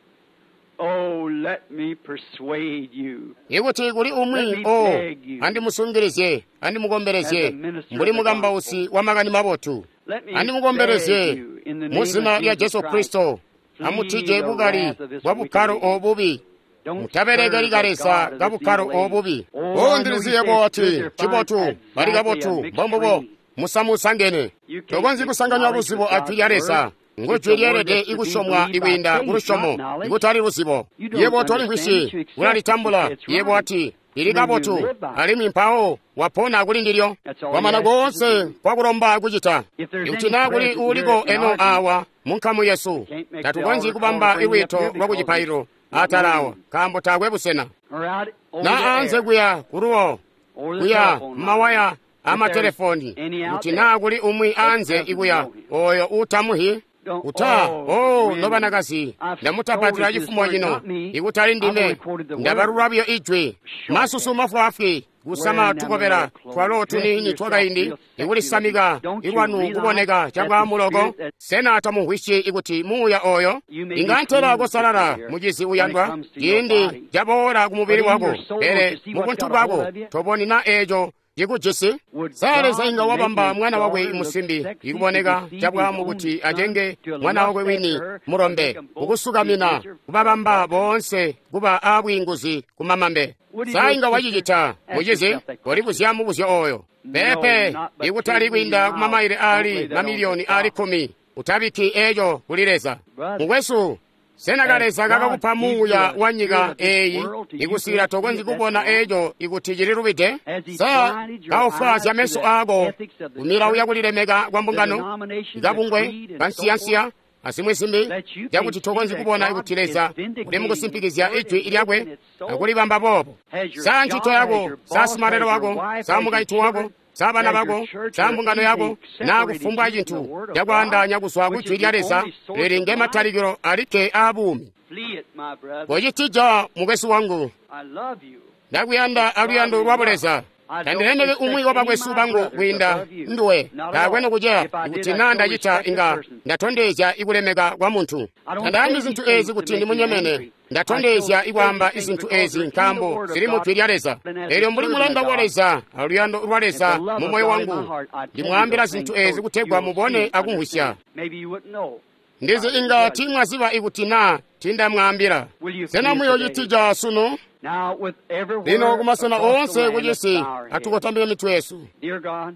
Speaker 4: oh, let me persuade you.
Speaker 3: Ikuti kuli umwi o andimusungilizye andimukombelezye mbuli mukambausi wa makani mabotu,
Speaker 4: Let me
Speaker 3: andimukombelezye
Speaker 4: beg you in the name
Speaker 3: mu zina
Speaker 4: of
Speaker 3: lya
Speaker 4: Jesus
Speaker 3: Jesu
Speaker 4: Christ.
Speaker 3: Kristo, amutije bukali bwa bukkalo obubi.
Speaker 4: Don't
Speaker 3: Mutaberekeli
Speaker 4: serve the
Speaker 3: kaleza
Speaker 4: God of
Speaker 3: ka
Speaker 4: this
Speaker 3: bukkalo
Speaker 4: evil age.
Speaker 3: obubi.
Speaker 4: Oh,
Speaker 3: O
Speaker 4: I know you
Speaker 3: ndiliziye
Speaker 4: say
Speaker 3: bwati
Speaker 4: it's good to
Speaker 3: cibotu
Speaker 4: find
Speaker 3: bali
Speaker 4: exactly a
Speaker 3: kabotu
Speaker 4: mixed
Speaker 3: mbombubo
Speaker 4: breed.
Speaker 3: musamusangene.
Speaker 4: You can't
Speaker 3: Tokonzyi
Speaker 4: mix
Speaker 3: kusanganya
Speaker 4: knowledge
Speaker 3: luzibo
Speaker 4: with
Speaker 3: a jwi lya
Speaker 4: God's
Speaker 3: Leza.
Speaker 4: word.
Speaker 3: Ngo
Speaker 4: It's
Speaker 3: jwi
Speaker 4: a word
Speaker 3: lyeelede
Speaker 4: that's to be
Speaker 3: ikusyomwa
Speaker 4: believed by
Speaker 3: ikwiinda
Speaker 4: faith,
Speaker 3: ku lusyomo,
Speaker 4: not knowledge.
Speaker 3: ikutali luzibo.
Speaker 4: You don't
Speaker 3: Yebo
Speaker 4: understand
Speaker 3: tolimvwisyi,
Speaker 4: it, you accept
Speaker 3: ulalitambula.
Speaker 4: it, it's
Speaker 3: Yebo
Speaker 4: right.
Speaker 3: ati lili
Speaker 4: And then you
Speaker 3: kabotu,
Speaker 4: live by it.
Speaker 3: alimwi mpawo wapona kuli ndilyo.
Speaker 4: That's all
Speaker 3: Kwamana
Speaker 4: he asks you to
Speaker 3: koonse
Speaker 4: do.
Speaker 3: kwakulomba kucita.
Speaker 4: If there's
Speaker 3: Ikuti
Speaker 4: any
Speaker 3: naa kuli
Speaker 4: present
Speaker 3: uuliko
Speaker 4: here in
Speaker 3: eno
Speaker 4: our
Speaker 3: awa mu nkamu yesu,
Speaker 4: Can't make the
Speaker 3: tatukonzyi
Speaker 4: altar call
Speaker 3: kubamba
Speaker 4: to bring me up
Speaker 3: ilwiito
Speaker 4: here
Speaker 3: lwa
Speaker 4: because
Speaker 3: kucipaililo
Speaker 4: there's no
Speaker 3: atala awa,
Speaker 4: room.
Speaker 3: nkaambo taakwe busena.
Speaker 4: Or out over the
Speaker 3: Na anze
Speaker 4: air,
Speaker 3: kuya kuluwo,
Speaker 4: over the
Speaker 3: kuya
Speaker 4: telephone line.
Speaker 3: mawaya
Speaker 4: If there's
Speaker 3: amatelefoni,
Speaker 4: any out
Speaker 3: kuti
Speaker 4: there
Speaker 3: naa kuli umwi
Speaker 4: that
Speaker 3: anze
Speaker 4: doesn't
Speaker 3: ikuya
Speaker 4: know him.
Speaker 3: oyo uutamuhi.
Speaker 4: Don't,
Speaker 3: Uta,
Speaker 4: oh,
Speaker 3: oh,
Speaker 4: women,
Speaker 3: nobanakazi,
Speaker 4: I've told
Speaker 3: ndamutapatila
Speaker 4: it this
Speaker 3: chifumo
Speaker 4: morning,
Speaker 3: chino,
Speaker 4: not me.
Speaker 3: ikutali
Speaker 4: I've
Speaker 3: ndime,
Speaker 4: only quoted the word.
Speaker 3: ndabalula buyo ijwi.
Speaker 4: Short
Speaker 3: Masusu
Speaker 4: hair,
Speaker 3: mafwaafwi, kusama
Speaker 4: wearing them
Speaker 3: tukobela
Speaker 4: little clothes,
Speaker 3: twalo
Speaker 4: dressing
Speaker 3: tuniini
Speaker 4: yourself
Speaker 3: twakaindi,
Speaker 4: real sexy
Speaker 3: ikulisamika
Speaker 4: looking. Don't you
Speaker 3: ilwanu
Speaker 4: realize
Speaker 3: kuboneka
Speaker 4: that the
Speaker 3: chabwamuloko.
Speaker 4: spirit that
Speaker 3: Sena tamumvwisyi ikuti muuya oyo
Speaker 4: you may be
Speaker 3: inga ntela
Speaker 4: pleased with
Speaker 3: kosalala
Speaker 4: here
Speaker 3: mucizi
Speaker 4: when it
Speaker 3: uyandwa
Speaker 4: comes to your
Speaker 3: ciindi
Speaker 4: body.
Speaker 3: caboola ku mubili
Speaker 4: But in
Speaker 3: wako,
Speaker 4: your soul, don't
Speaker 3: pele
Speaker 4: you see
Speaker 3: mu
Speaker 4: what's
Speaker 3: buntu
Speaker 4: got a hold
Speaker 3: bwako
Speaker 4: of you?
Speaker 3: toboni na eco cikujisi.
Speaker 4: Would
Speaker 3: Sa Leza
Speaker 4: God
Speaker 3: inga
Speaker 4: make
Speaker 3: wabamba
Speaker 4: his
Speaker 3: mwana wakwe
Speaker 4: daughter look
Speaker 3: musimbi
Speaker 4: sexy to
Speaker 3: ikuboneka
Speaker 4: deceive his
Speaker 3: cabwamu
Speaker 4: own
Speaker 3: kuti
Speaker 4: son,
Speaker 3: acenge
Speaker 4: to
Speaker 3: mwana
Speaker 4: lust
Speaker 3: wakwe wini
Speaker 4: after her, to make
Speaker 3: mulombe,
Speaker 4: them both be
Speaker 3: kukusukamina
Speaker 4: bitter
Speaker 3: kubabamba
Speaker 4: adulterers?
Speaker 3: boonse kuba aabwiinguzi kumamambe.
Speaker 4: Would he do
Speaker 3: Sa
Speaker 4: it,
Speaker 3: inga
Speaker 4: sister?
Speaker 3: wacicita
Speaker 4: Ask
Speaker 3: mucizi,
Speaker 4: yourself that question.
Speaker 3: kolibuzya mubuzyo oyo.
Speaker 4: No,
Speaker 3: Pepe,
Speaker 4: not but
Speaker 3: ikutali
Speaker 4: ten million
Speaker 3: kwiinda
Speaker 4: miles.
Speaker 3: kumamaile
Speaker 4: Don't lay
Speaker 3: aali
Speaker 4: that on to
Speaker 3: mamiliyoni aali
Speaker 4: God.
Speaker 3: kkumi. Utabikki eco kuli Leza.
Speaker 4: Brother,
Speaker 3: Mukwesu, sena ka
Speaker 4: as
Speaker 3: Leza
Speaker 4: God
Speaker 3: kakakupa
Speaker 4: gives you
Speaker 3: muuya
Speaker 4: a
Speaker 3: wa
Speaker 4: spirit
Speaker 3: nyika
Speaker 4: of this
Speaker 3: eyi,
Speaker 4: world till you
Speaker 3: ikusiyila
Speaker 4: can't see
Speaker 3: tokonzyi
Speaker 4: it, that's
Speaker 3: kubona
Speaker 4: wrong.
Speaker 3: eco ikuti cililubide?
Speaker 4: As he
Speaker 3: Sa
Speaker 4: blinded your
Speaker 3: kaofwaazya
Speaker 4: eyes to
Speaker 3: meso
Speaker 4: the
Speaker 3: ako
Speaker 4: ethics of the
Speaker 3: kumilawo
Speaker 4: church,
Speaker 3: yakulilemeka kwa
Speaker 4: the
Speaker 3: mbungano,
Speaker 4: denomination, the
Speaker 3: kabungwe,
Speaker 4: creed, and so forth,
Speaker 3: kansiyansiya, azimwi zimbi,
Speaker 4: that you can't
Speaker 3: cakuti
Speaker 4: see
Speaker 3: tokonzyi
Speaker 4: that
Speaker 3: kubona
Speaker 4: God
Speaker 3: kuti
Speaker 4: is
Speaker 3: Leza uli
Speaker 4: vindicating his
Speaker 3: mukusimpikizya
Speaker 4: word
Speaker 3: ijwi
Speaker 4: and
Speaker 3: lyakwe
Speaker 4: making it so?
Speaker 3: akulibamba boobo.
Speaker 4: Has your
Speaker 3: Sa ncito
Speaker 4: job, has
Speaker 3: yako,
Speaker 4: your
Speaker 3: sa
Speaker 4: boss,
Speaker 3: simalelo
Speaker 4: has your
Speaker 3: wako,
Speaker 4: wife,
Speaker 3: sa
Speaker 4: has your
Speaker 3: mukaintu wako,
Speaker 4: children,
Speaker 3: sa bana
Speaker 4: has your
Speaker 3: bako,
Speaker 4: church,
Speaker 3: sa
Speaker 4: or
Speaker 3: mbungano
Speaker 4: anything
Speaker 3: yako, naa
Speaker 4: separated
Speaker 3: kufumbwa
Speaker 4: you from the
Speaker 3: cintu
Speaker 4: Word of God,
Speaker 3: cakwaandaanya kuzwa ku
Speaker 4: which
Speaker 3: jwi
Speaker 4: is
Speaker 3: lya
Speaker 4: the
Speaker 3: Leza
Speaker 4: only source
Speaker 3: lili
Speaker 4: of
Speaker 3: nge
Speaker 4: life?
Speaker 3: matalikilo alikke aabuumi.
Speaker 4: Flee it, my brother.
Speaker 3: Kocitija mukwesu wangu,
Speaker 4: I love you.
Speaker 3: ndakuyanda
Speaker 4: With
Speaker 3: aluyando
Speaker 4: godly
Speaker 3: lwa
Speaker 4: love.
Speaker 3: buleza.
Speaker 4: I don't
Speaker 3: Tandilemeki umwi
Speaker 4: respect
Speaker 3: wa
Speaker 4: any
Speaker 3: bakwesu
Speaker 4: my
Speaker 3: bangu
Speaker 4: brothers
Speaker 3: kwiinda
Speaker 4: above you.
Speaker 3: nduwe,
Speaker 4: Not at
Speaker 3: taakwe
Speaker 4: all.
Speaker 3: nokuceya.
Speaker 4: If I did,
Speaker 3: Kuti
Speaker 4: I'd
Speaker 3: naa
Speaker 4: show
Speaker 3: ndacita
Speaker 4: respect to
Speaker 3: inga
Speaker 4: person.
Speaker 3: ndatondezya ikulemeka kwa muntu.
Speaker 4: I don't say
Speaker 3: Tandaambi
Speaker 4: these
Speaker 3: zintu
Speaker 4: things
Speaker 3: ezi
Speaker 4: to
Speaker 3: kuti
Speaker 4: make you
Speaker 3: ndimunyemene,
Speaker 4: angry. I show
Speaker 3: ndatondezya
Speaker 4: say
Speaker 3: ikwaamba
Speaker 4: these things
Speaker 3: izintu
Speaker 4: because
Speaker 3: ezi
Speaker 4: they're in the
Speaker 3: nkaambo
Speaker 4: Word of
Speaker 3: zili mu
Speaker 4: God.
Speaker 3: jwi lya Leza.
Speaker 4: And as a
Speaker 3: Eelyo mbuli
Speaker 4: servant of
Speaker 3: mulanda wa
Speaker 4: God
Speaker 3: Leza aluyando lwa
Speaker 4: and the
Speaker 3: Leza
Speaker 4: love
Speaker 3: mu
Speaker 4: of
Speaker 3: moyo
Speaker 4: God in my
Speaker 3: wangu,
Speaker 4: heart, I tell you
Speaker 3: ndimwaambila
Speaker 4: those
Speaker 3: zintu
Speaker 4: things
Speaker 3: ezi
Speaker 4: so you
Speaker 3: kutegwa
Speaker 4: will see
Speaker 3: mubone
Speaker 4: and
Speaker 3: akumvwisya.
Speaker 4: understand. Maybe you wouldn't know if
Speaker 3: Ndizi
Speaker 4: I didn't
Speaker 3: inga
Speaker 4: tell you.
Speaker 3: timwaziba ikuti naa tindamwaambila.
Speaker 4: Will you
Speaker 3: Sena
Speaker 4: flee it today?
Speaker 3: muyoocitija sunu?
Speaker 4: Now, with
Speaker 3: Lino
Speaker 4: everywhere
Speaker 3: kumasena
Speaker 4: across the
Speaker 3: oonse
Speaker 4: land, let's
Speaker 3: kucisi
Speaker 4: bow our heads.
Speaker 3: atukotambike mitwe yesu.
Speaker 4: Dear God,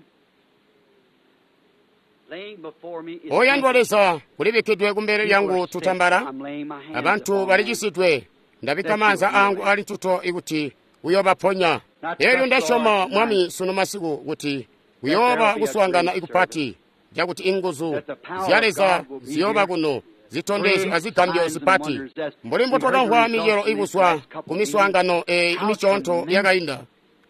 Speaker 4: laying before me is
Speaker 3: Oyandwa
Speaker 4: handkerchiefs.
Speaker 3: Leza, kulibikkidwe kumbele
Speaker 4: People are
Speaker 3: lyangu
Speaker 4: sick.
Speaker 3: tutambala,
Speaker 4: I'm laying my hands
Speaker 3: abantu
Speaker 4: upon them
Speaker 3: balicisidwe. Ndabikka
Speaker 4: that
Speaker 3: maanza
Speaker 4: you'll heal
Speaker 3: angu
Speaker 4: them.
Speaker 3: ali ntuto ikuti uyobaponya.
Speaker 4: I
Speaker 3: Elyo
Speaker 4: trust, Lord,
Speaker 3: ndasyoma
Speaker 4: tonight
Speaker 3: Mwami sunu masiku kuti
Speaker 4: that
Speaker 3: kuyooba
Speaker 4: there'll be a
Speaker 3: kuswaangana
Speaker 4: great service,
Speaker 3: ikupati cakuti inguzu
Speaker 4: that the power
Speaker 3: zya
Speaker 4: of
Speaker 3: Leza
Speaker 4: God will be
Speaker 3: ziyooba
Speaker 4: here
Speaker 3: kuno zitondezyo azigambyo zipati mbuli mbotwakamvwa micelo ikuzwa ku miswaangano eyi misyoonto yakainda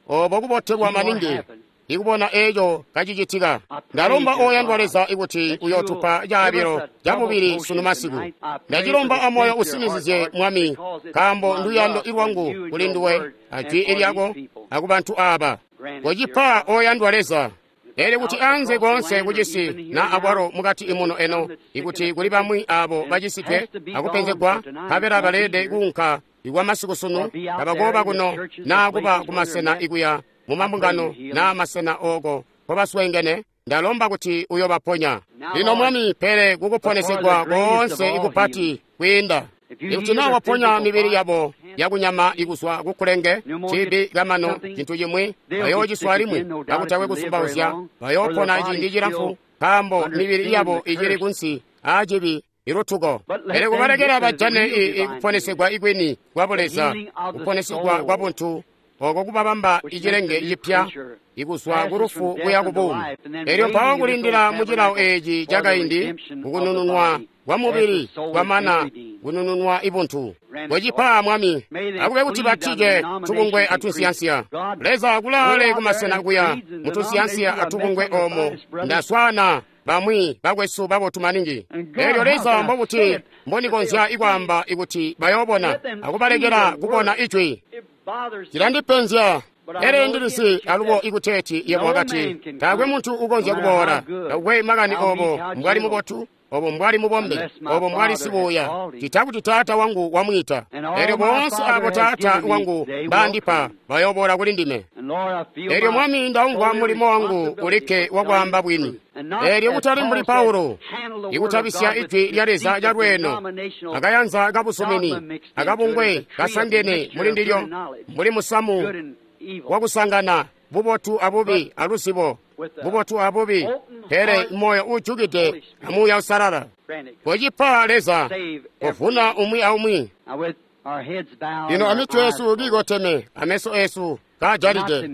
Speaker 3: obo kubotelwa maningi ikubona eco kacicitika. Ndalomba oyandwa Leza ikuti uyotupa caabilo cabubili sunu masiku. Ndacilomba amoyo usinizizye Mwami, nkaambo nduyando lwangu kuli nduwe ajwi lyako akubantu aba. Kocipa oyandwa Leza. Elyo kuti anze koonse kucisi na akwalo mukati imuno eno, ikuti kuli bamwi abo bacisidwe akupenzegwa, nkabela baleelede kuunka ikwa masiku sunu, tabakoba kuno naa kuba kumasena ikuya mumambungano naa masena oko nkobasweengene, ndalomba kuti uyobaponya. Lino Mwami, pele kukuponesegwa koonse ikupati kwiinda, ikuti naa waponya mibili yabo yakunyama ikuzwa kukulenge cibi kamano cintu cimwi, bayoociswa alimwi kakutakwe kuzumbauzya, bayoopona ciindi cilamfu, nkaambo mibili yabo icili kunsi aacibi ilutuko. Pele kubalekela bajane ikuponesegwa ikwini kwa Buleza, kuponesegwa kwa buntu oko kubabamba icilenge cipya ikuzwa kulufu kuya kubuumi. Elyo mpawo kulindila mucilawo eci cakaindi kukunununwa kwa mubili kwamana kunununwa ibuntu. Kocipa Mwami, akube kuti batije tubungwe atunsiyansiya. Leza kulaale kumasena kuya mutunsiyansiya atubungwe omo ndaswana bamwi bakwesu babotu maningi. Elyo Leza mbobuti mbonikonzya ikwaamba ikuti bayoobona akubalekela kubona ijwi. Cilandipenzya. Pele ndilisi alubo ikuteeti yebo wakati taakwe muntu ukonzya kuboola, takukwe makani obo mbwali mubotu, obo mbwali mubombe, obo mbwali sibuuya, cita kuti Taata wangu wamwiita. Elyo boonse abo Taata wangu bandipa bayoboola kuli ndime. Elyo Mwami, ndaumvwa mulimo wangu ulikke wakwaamba bwini. Elyo kutali mbuli Paulo, ikutabisya ijwi lya Leza calweeno, akayanza kabusumini, akabungwe kasangene muli ndilyo, mbuli musamu wakusangana bubotu abubi aluzibo, bubotu abubi, pele moyo ujukide amuuya usalala. Kocipa Leza, kovuna umwi aumwi. Lino amitwe yesu kiikoteme, ameso esu kaajalide.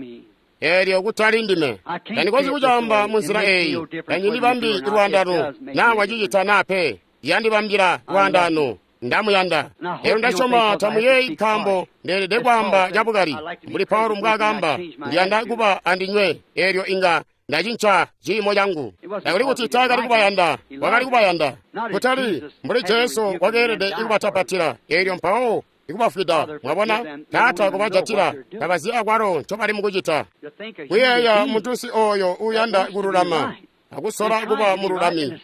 Speaker 3: Elyo kutali ndime, tandikonzyi kucaamba munzila eyi, tanyindibambi lwaandano, naa wacicita naa pe, yandibambila lwaandano. Ndamuyanda. Elyo ndasyoma tamuyeeyi nkaambo ndeelede kwaamba cabukali mbuli Paulo mbwaakaamba, ndiyanda kuba andinywe, elyo inga ndacinca ciimo cangu. Takuli kuti taakali kubayanda, wakali kubayanda. Kutali mbuli Jesu wakeelede ikubatapatila, elyo mpawo ikubafwida. Mwabona, Taata kubajatila, tabazi akwalo ncobali mukucita. Kuyeeya muntunsi oyo uuyanda kululama, akusola kuba mululami,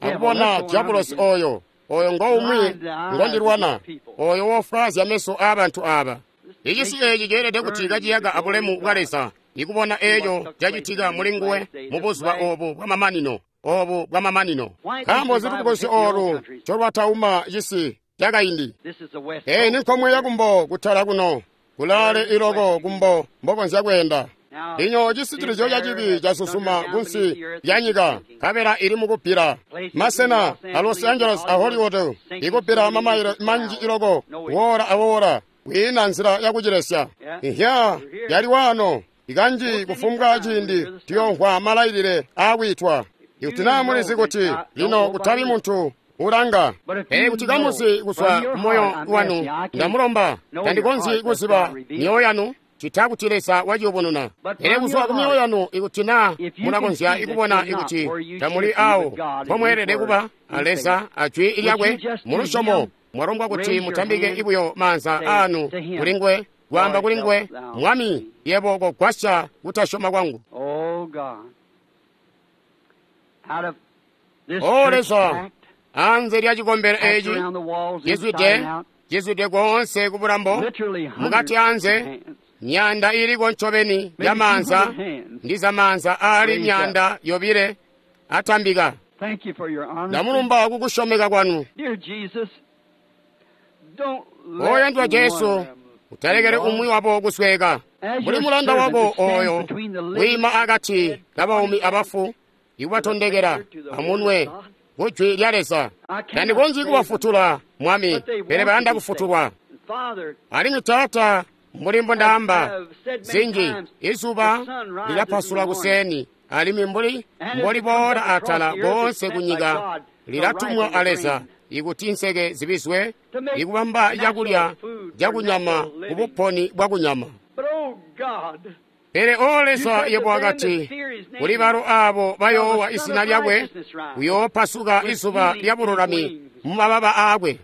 Speaker 3: akubona diabulosi oyo, oyo ngoumwi ngondilwana, oyo wofwaazya meso aabantu aba. Icisi eci ceelede kuti kaciyaka abulemu bwa Leza, ikubona eco cacitika muli nguwe mu buzuba obu bwamamanino, obu bwamamanino. Nkaambo zitubukosi olu ncolwatauma cisi cakaindi. Eyi ni nkomwe yakumbo kutala kuno, kulaale iloko kumbo mbokonzya kweenda. Lino cisitilizyo cacibi casusuma kunsi lya nyika, nkabela ili mukubbila. Masena a Los Angeles a Hollywood ikubbila mamayilo manji iloko, woola awoola, kwiina nzila yakucilesya. Ihya yali waano, ikanji kufumbwa ciindi tuyomvwa malailile aakwiitwa. Ikuti naa mulizi kuti lino kutabi muntu ulanga, pele kuti kamuzi kuzwa kumoyo wanu, ndamulomba, tandikonzyi kuziba myoyo yanu, cita kuti Leza waciyubununa. Pele kuzwa kumyoyo yanu, ikuti naa mulakonzya ikubona ikuti tamuli awo mpomweelede kuba a Leza ajwi lyakwe mulusyomo, mwalombwa kuti mutambike ibuyo maanza aanu kuli nguwe, kwaamba kuli nguwe, Mwami, yebo kogwasya kutasyoma kwangu. O Leza, anze lya cikombelo eci cizwide cizwide koonse kubulambo, mukati anze myanda iliko ncobeni ya maanza ndi za maanza aali myanda yobile atambika. Ndamulumba kukusyomeka kwanu. Oyandwa Jesu, utalekele umwi wabo kusweka. Mbuli mulanda wako oyo wiima akati kabaumi abafu, ikubatondekela amunwe kujwi lya Leza. Tandikonzyi kubafutula, Mwami, pele bayanda kufutulwa. Alimwi Taata, mbuli mbondaamba zinji, izuba lilapasula kuseni, alimwi mbuli mboliboola atala koonse kunyika lilatumwa a Leza ikuti nseke zibizwe ikubamba cakulya cakunyama kubuponi bwakunyama. Pele o Leza, yebo wakati kuli balo aabo bayoowa izina lyakwe, kuyoopasuka izuba lya bululami mu mababa aakwe.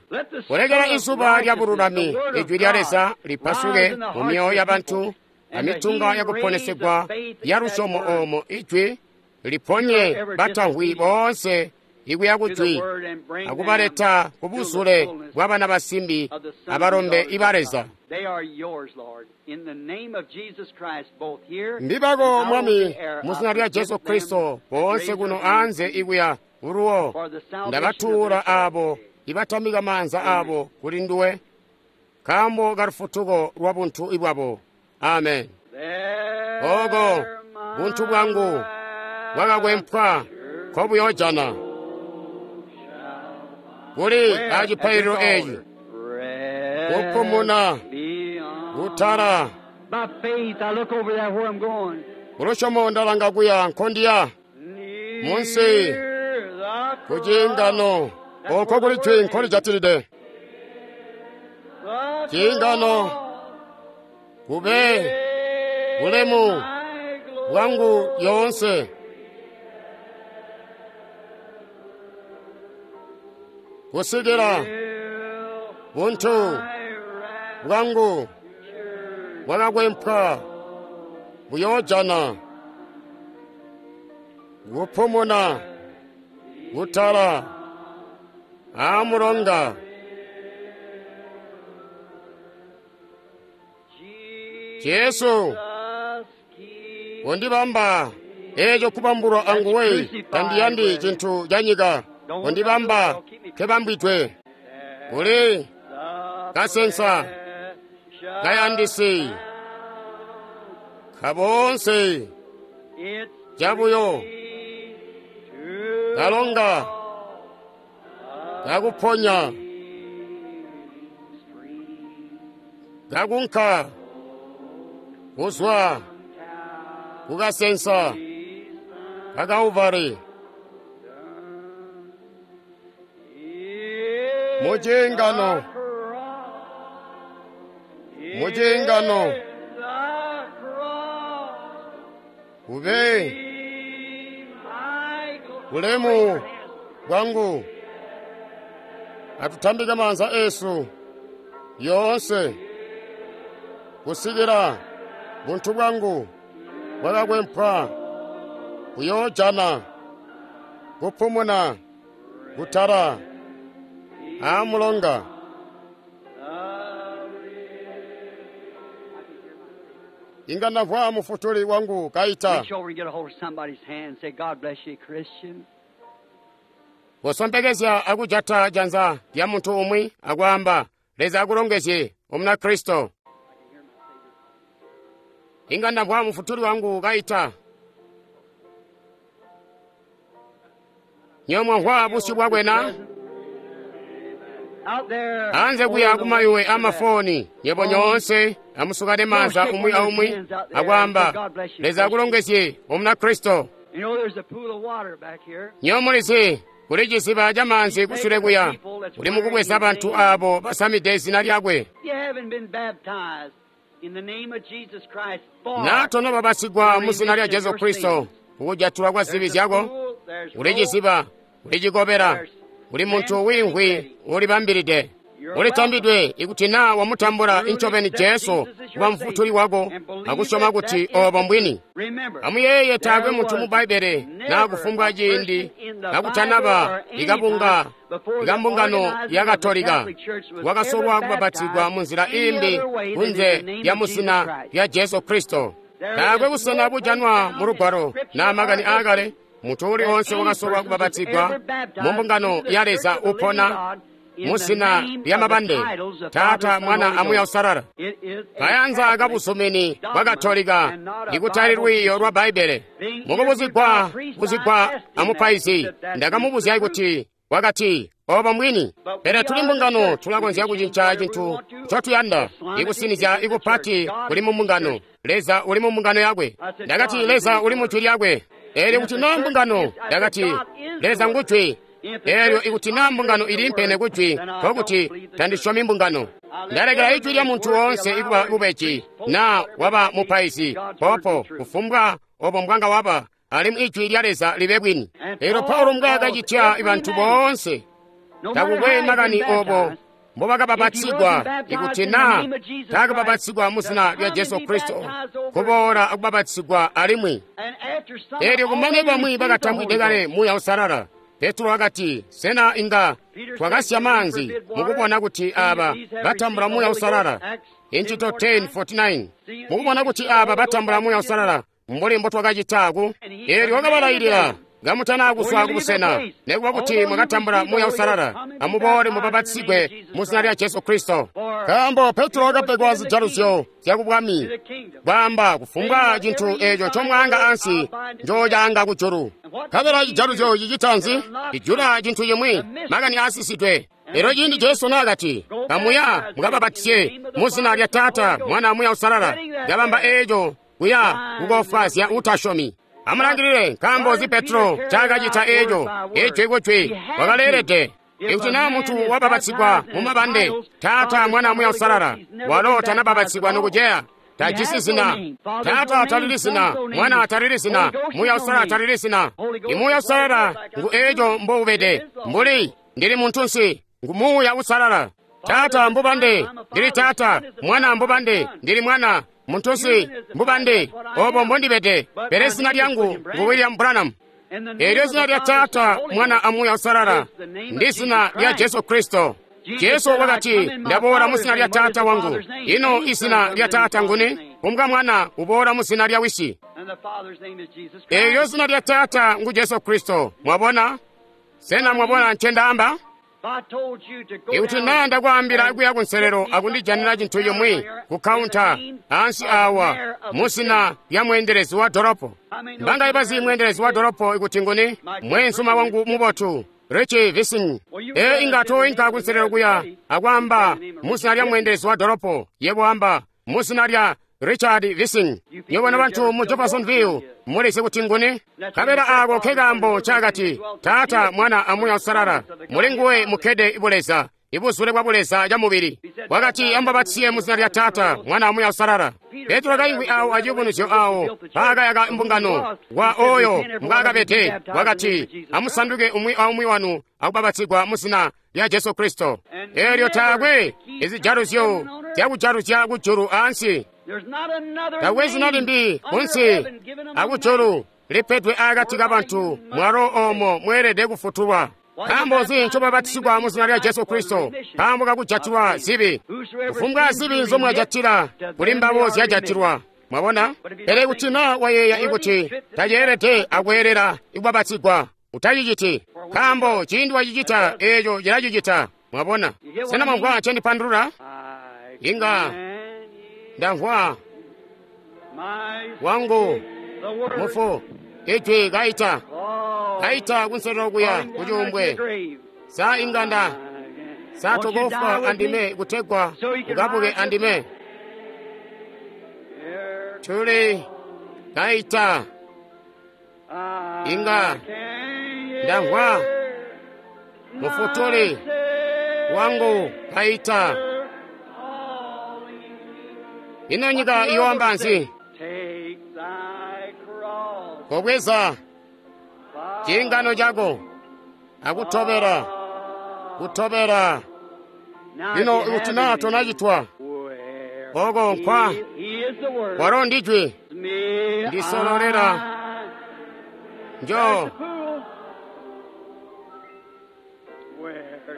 Speaker 3: Kulekela izuba lya bululami, ijwi lya Leza, lipasuke mu myoyo yabantu amitunga yakuponesegwa ya lusyomo oomo ijwi liponye batamvwi boonse ikuya kujwi akubaleta kubuzule bwabana basimbi abalombe iba Leza. Mbibako Mwami, muzina lya Jesu Kristo, boonse kuno anze ikuya uluwo ndabatuula aabo ibatamika maanza aabo kuli nduwe nkaambo ka lufutuko lwa buntu ibwabo. Amen. Oko buntu bwangu bwakakwempwa nkobuyojana kuli acipaililo eci kupumuna kutala kulusyomo ndalanga kuya nkondiya munsi kuciingano oko kuli jwi nkolijatilide ciingano kube bulemu bwangu yoonse kusikila buntu bwangu bwakakwempwa buyoojana kupumuna kutala aamulonga. Jesu undibamba eeco kubambulwa anguwe, tandiyandi cintu ca nyika, undibamba nkebambwidwe kuli kasensa kayandisi kaboonse cabuyo kalonga kakuponya kakunka kuzwa kukasensa kakauvari muciingano muciingano kube bulemu bwangu. Atutambike maanza esu yoonse kusikila buntu bwangu bwakakwempwa buyoojana kupumuna kutala aamulonga. Inga ndamvwa mufutuli wangu kaita. Kusombekezya akujata janza lya muntu umwi akwaamba, Leza akulongezye Omunakristo. Inga ndamvwa mufutuli wangu kaita. Nyomwamvwa busyu bwakwe na? Anze kuya kumayuwe amafoni nyebo nyoonse amusukane maanza umwi aumwi akwaamba, Leza akulongezye Omunakristo. Nyomulizi kuli ciziba ca maanzi kusule kuya kuli mukubweza bantu aabo basamide izina lyakwe. Na tonobabasigwa mu zina lya Jesu Kristo kukujatulwa kwa zibi zyako, kuli ciziba, kuli cikobela, kuli muntu wiimvwi ulibambilide. Ulitambidwe ikuti naa wamutambula incobeni Jesu kuba mufutuli wako akusyoma kuti obo mbwini. Amuyeeye taakwe muntu mu Bbaibbele naa kufumbwa ciindi kakutanaba ikabunga ikambungano ya Katolika wakasolwa kubabatizigwa munzila iimbi kunze lya muzina lya Jesu Kristo. Taakwe busena bujanwa mu Lugwalo naa makani aakale muntu uli onse wakasolwa kubabatizigwa mu mbungano ya Leza upona muzina lya mabande Taata, Mwana amuya Usalala. Kayanza kabuzumini bwa Katolika ikutali lwiiyo lwa Bbaibbele. Mukubuzigwa buzigwa amupaizi ndakamubuzya kuti wakati obo mwini. Pele tuli mbungano tulakonzya kucinca cintu ncotuyanda ikusinizya ikupati kuli mu mbungano. Leza uli mu mbungano yakwe. Ndakati Leza uli mu jwi lyakwe. Eelyo kuti naa mbungano, ndakati Leza ngujwi. Elyo ikuti naa mbungano iliimpene kujwi, nkokuti tandisyomi mbungano. Ndalekela ijwi lya muntu woonse ikuba bubeji, naa waba mupaizi, popo, kufumbwa obo mbwanga waba, alimwi ijwi lya Leza libe bwini. Elyo Paulo mbwaakacitya bantu boonse, takukwe makani obo mbobakabapatsigwa, ikuti naa taakabapatsigwa mu zina lya Jesu Kristo, kuboola akubapatsigwa alimwi. Elyo kumane bamwi bakatambwide kale Muuya Uusalala. Petro wakati, sena inga twakasya maanzi mukubona kuti aba batambula Muuya Uusalala? Incito ten forty-nine. Mukubona kuti aba batambula Muuya Uusalala mbuli mbotwakacita ku. Elyo wakabalailila, kamutana kuzwa kubusena, nekuba kuti mwakatambula Muuya Uusalala, amuboole mubapatsigwe mu zina lya Jesu Kristo. Nkaambo Petro wakapegwa zijaluzyo zyakubwami, bwaamba kufumbwa cintu eeco ncomwaanga ansi njoocaanga kujulu. Nkabela cijaluzyo cicita nzi? Cijula cintu cimwi, makani aasisidwe. Elyo ciindi Jesu naakati, kamuya mukabapatise mu zina lya Taata, Mwana, Muuya Uusalala, kabamba eeco kuya kukofwaazya utasyomi. Amulangilile, nkaambo zi Petro ncaakacita eeco, ijwi kujwi, wakaleelede. Ikuti naa muntu wabapatsigwa mu mabande, Taata, Mwana, Muuya Uusalala, walo tanabapatsigwa nokuceya. Tajisi zina. Taata talili zina, Mwana talili zina, Muuya Uusalala talili zina. I Muuya Uusalala ngu eeco mboubede, mbuli ndili muntunsi, ngu Muuya Uusalala. Taata mbubande, ndili Taata, Mwana mbubande, ndili Mwana, muntunsi mbubande, obo mbondibede, pele zina lyangu ngu William Branham. Elyo zina lya Taata, Mwana a Muuya Uusalala ndi zina lya Jesu Kristo. Jesu wakati, ndaboola mu zina lya Taata wangu. Ino izina lya Taata nguni? Kumbwa Mwana uboola mu zina lya Wisi. Elyo zina lya Taata ngu Jesu Kristo. Mwabona? Sena mwabona ncendaamba? Ikuti naa ndakwaambila kuya kunselelo akundijanira cintu cimwi ku kaunta ansi awa mu zina lya mweendelezi wa dolopo. Mbanga ibazi mweendelezi wa dolopo ikuti nguni? Mweenzuma wangu mubotu Richie Vising. E inga toinka kunselelo kuya akwaamba mu zina lya mweendelezi wa dolopo, yebo amba mu zina lya Richard Vising. Nywebo bantu mu Jeffersonville mulizi kuti nguni? Kabela ako kekaambo cakati, Taata, Mwana a Muuya Uusalala, muli nguwe mukkede ibuleza, ibuzule bwa buleza ca mubili. Wakati amubapatisiye mu zina lya Taata, Mwana a Muuya Uusalala. Petro kaimvwi awo aciyubunuzyo awo paakayaka mbungano wa oyo mbwaakabede, wakati, amusanduke umwi aumwi wanu akubapatsigwa mu zina lya Jesu Kristo. Elyo taakwe izijaluzyo zyakujaluzya kujulu ansi. Taakwe zina limbi kunsi akujulu lipedwe akati kabantu mwalo oomo mweelede kufutulwa. Nkaambo nzi ncobapatisigwa mu zina lya Jesu Kristo? Nkaambo kakujatilwa zibi. Kufumbwa zibi nzomwajatila kuli mbabo zyajatilwa. Mwabona? Pele kuti naa wayeeya ikuti taceelede akweelela ikubapatsigwa, utaciciti. Nkaambo ciindi wacicita eeco cilacicita. Mwabona? Sena mwamvwa ncendipandulula? Inga ndamvwa wangu mufu ijwi kaita kaita kunselelo kuya kucuumbwe. Sa inga nda sa tokofwa andime kutegwa ukabuke andime. Tuli kaita inga ndamvwa mufutuli wangu kaita. Ino nyika iyoamba nzi? Kobweza ciingano cako akutobera, kutobera. Lino ikuti naa tonacitwa oko nkwa walo ndijwi ndisololera njo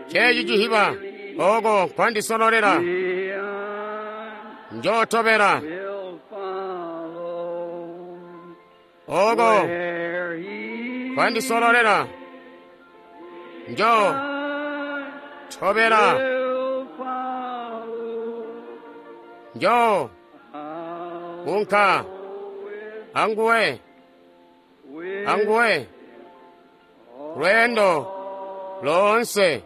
Speaker 3: ceeci cihiba oko nkwandisololera njotobera oko kwandisololera njo tobera njo unka anguwe anguwe lwendo lonse.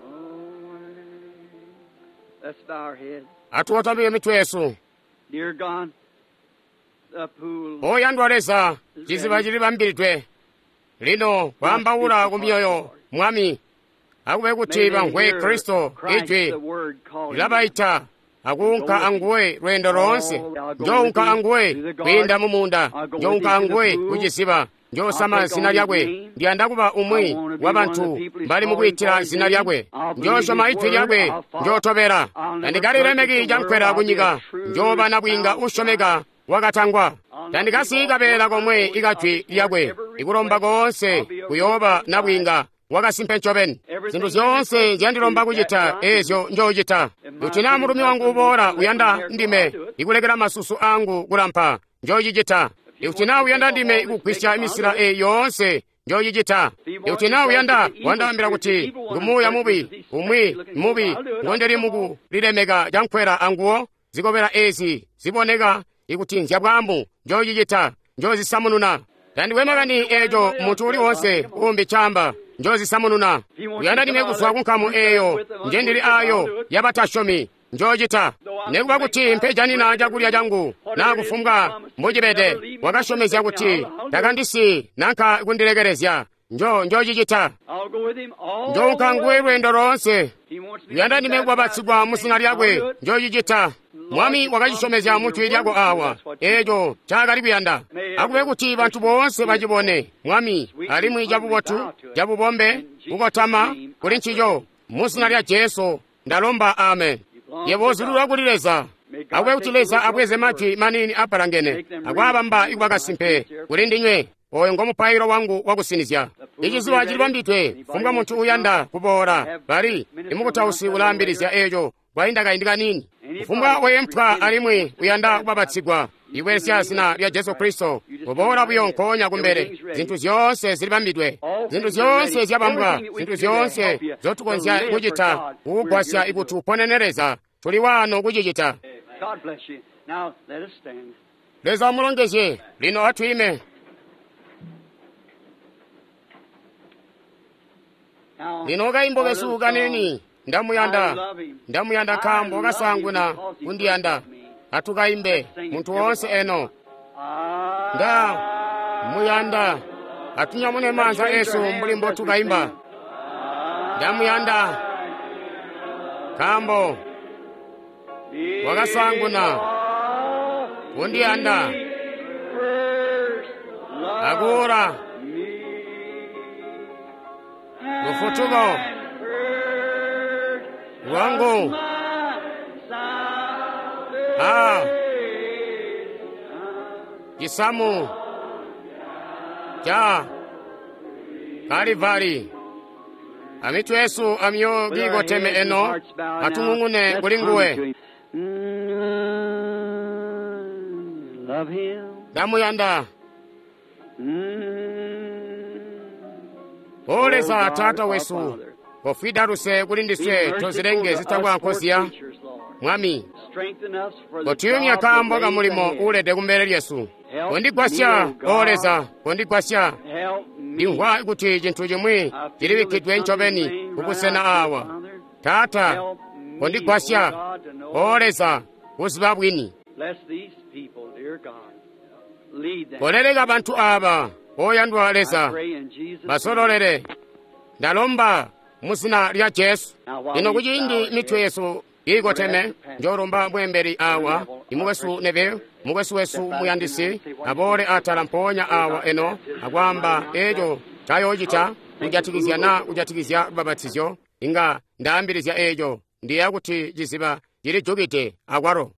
Speaker 4: Let's bow our heads.
Speaker 3: Atuwatamike mitwe yesu.
Speaker 4: Dear God, the pool
Speaker 3: Oyandwa Leza, ciziba cilibambilidwe lino kwaambaula ku myoyo Mwami Akube kuti bamvwe Kristo ijwi lilabaita akuunka anguwe lweendo loonse. Njounka anguwe kwiinda mu muunda, njounka anguwe kuciziba, njoosama zina lyakwe. Ndiyanda kuba umwi wa bantu bali mukwiitila zina lyakwe. Njoosyoma ijwi lyakwe, njootobela. Tandikalilemeki cankwela kunyika, njooba nabwiinga usyomeka wakatangwa. Tandikasiyi kabeela komwe ikajwi lyakwe. Ikulomba koonse kuyooba nabwiinga wakasimpe ncobeni. Zintu zyoonse nzyandilomba kucita eezyo njoocita. Kuti naa mulumi wangu uboola uyanda ndime ikulekela masusu angu kulampa, njoocicita. Ikuti naa uyanda ndime ikugwisya misila eyi yoonse, njoocicita. Ikuti naa uyanda wandaambila kuti ngumuuya mubi, umwi mubi ngondeli mukulilemeka cankwela anguwo, zikobela ezi ziboneka ikuti nzyabwambu, njoocicita, njoozisamununa. Tandikwe makani eeco muntu uli woonse uumbi camba, njoozisamununa. Uyanda ndime kuzwa ku nkamu eeyo njendili aayo yabatasyomi, njoocita. Nikuba kuti mpejanina cakulya cangu naa kufumbwa mbocibede, wakasyomezya kuti takandisi nanka kundilekelezya, njo njoocicita. Njounka nguwe lweendo loonse. Uyanda ndime kubabatsigwa mu zina lyakwe, njoocicita. Mwami wakacisyomezya mu jwi lyako awa, eeco ncaakali kuyanda. Akube kuti bantu boonse bacibone, Mwami, alimwi cabubotu, cabubombe, kukotama kuli ncico. Mu zina lya Jesu ndalomba, amen. Yebo uzulilwa kuli Leza. Akube kuti Leza abweze majwi maniini apalangene akwaabamba ikuba kasimpe kuli ndinywe. Oyo ngo mupailo wangu wakusinizya. Iciziba cilibambidwe kufumbwa muntu uyanda kuboola. Bali imukutausi ulaambilizya eeco kwainda kaindi kaniini. Kufumbwa weempwa alimwi uyanda kubabatsigwa ikubelesya zina lya Jesu Kristo, kuboola buyo nkoonya kumbele. Zintu zyoonse zilibambidwe, zintu zyoonse zyabambwa, zintu zyoonse nzyotukonzya kucita kukugwasya ikuti uponene Leza, tuli waano kucicita. Leza amulongezye. Lino atwiime. Lino kaimbo kesu kanini, ndamuyanda, ndamuyanda nkaambo kasaanguna kundiyanda. Atukaimbe muntu woonse eno. Nda muyanda. Atunyamune maanza esu mbuli mbotukaimba. Ndamuyanda nkaambo wakasaanguna kundiyanda akuula lufutuko lwangu. A cisamu ca Kalivari. Amitwe yesu amyo giikoteme eno, atung'ung'une kuli nguwe. Ndamuyanda. O Leza Taata wesu, kofwida luse kuli ndiswe tozilenge zitakwa nkoziya. Mwami, kotuyumya kaambo ka mulimo uulede kumbele lyesu. Kondigwasya, O Leza, kondigwasya. Ndimvwa kuti cintu cimwi cilibikkidwe ncobeni kubusena awa. Taata, kondigwasya, O Leza, kuziba bwini. Koleleka bantu aaba, oyandwa Leza, basololele. Ndalomba mu zina lya Jesu. Lino kuciindi mitwe yesu iikoteme, njoolomba mweembeli awa, imukwesu Neville, mukwesu wesu muyandisi, aboole atala mpoonya awa eno akwaamba eeco ncayoocita kujatikizya naa kujatikizya lubabatizyo. Inga ndaambilizya eeco, ndiyeeya kuti ciziba cilijukide akwalo.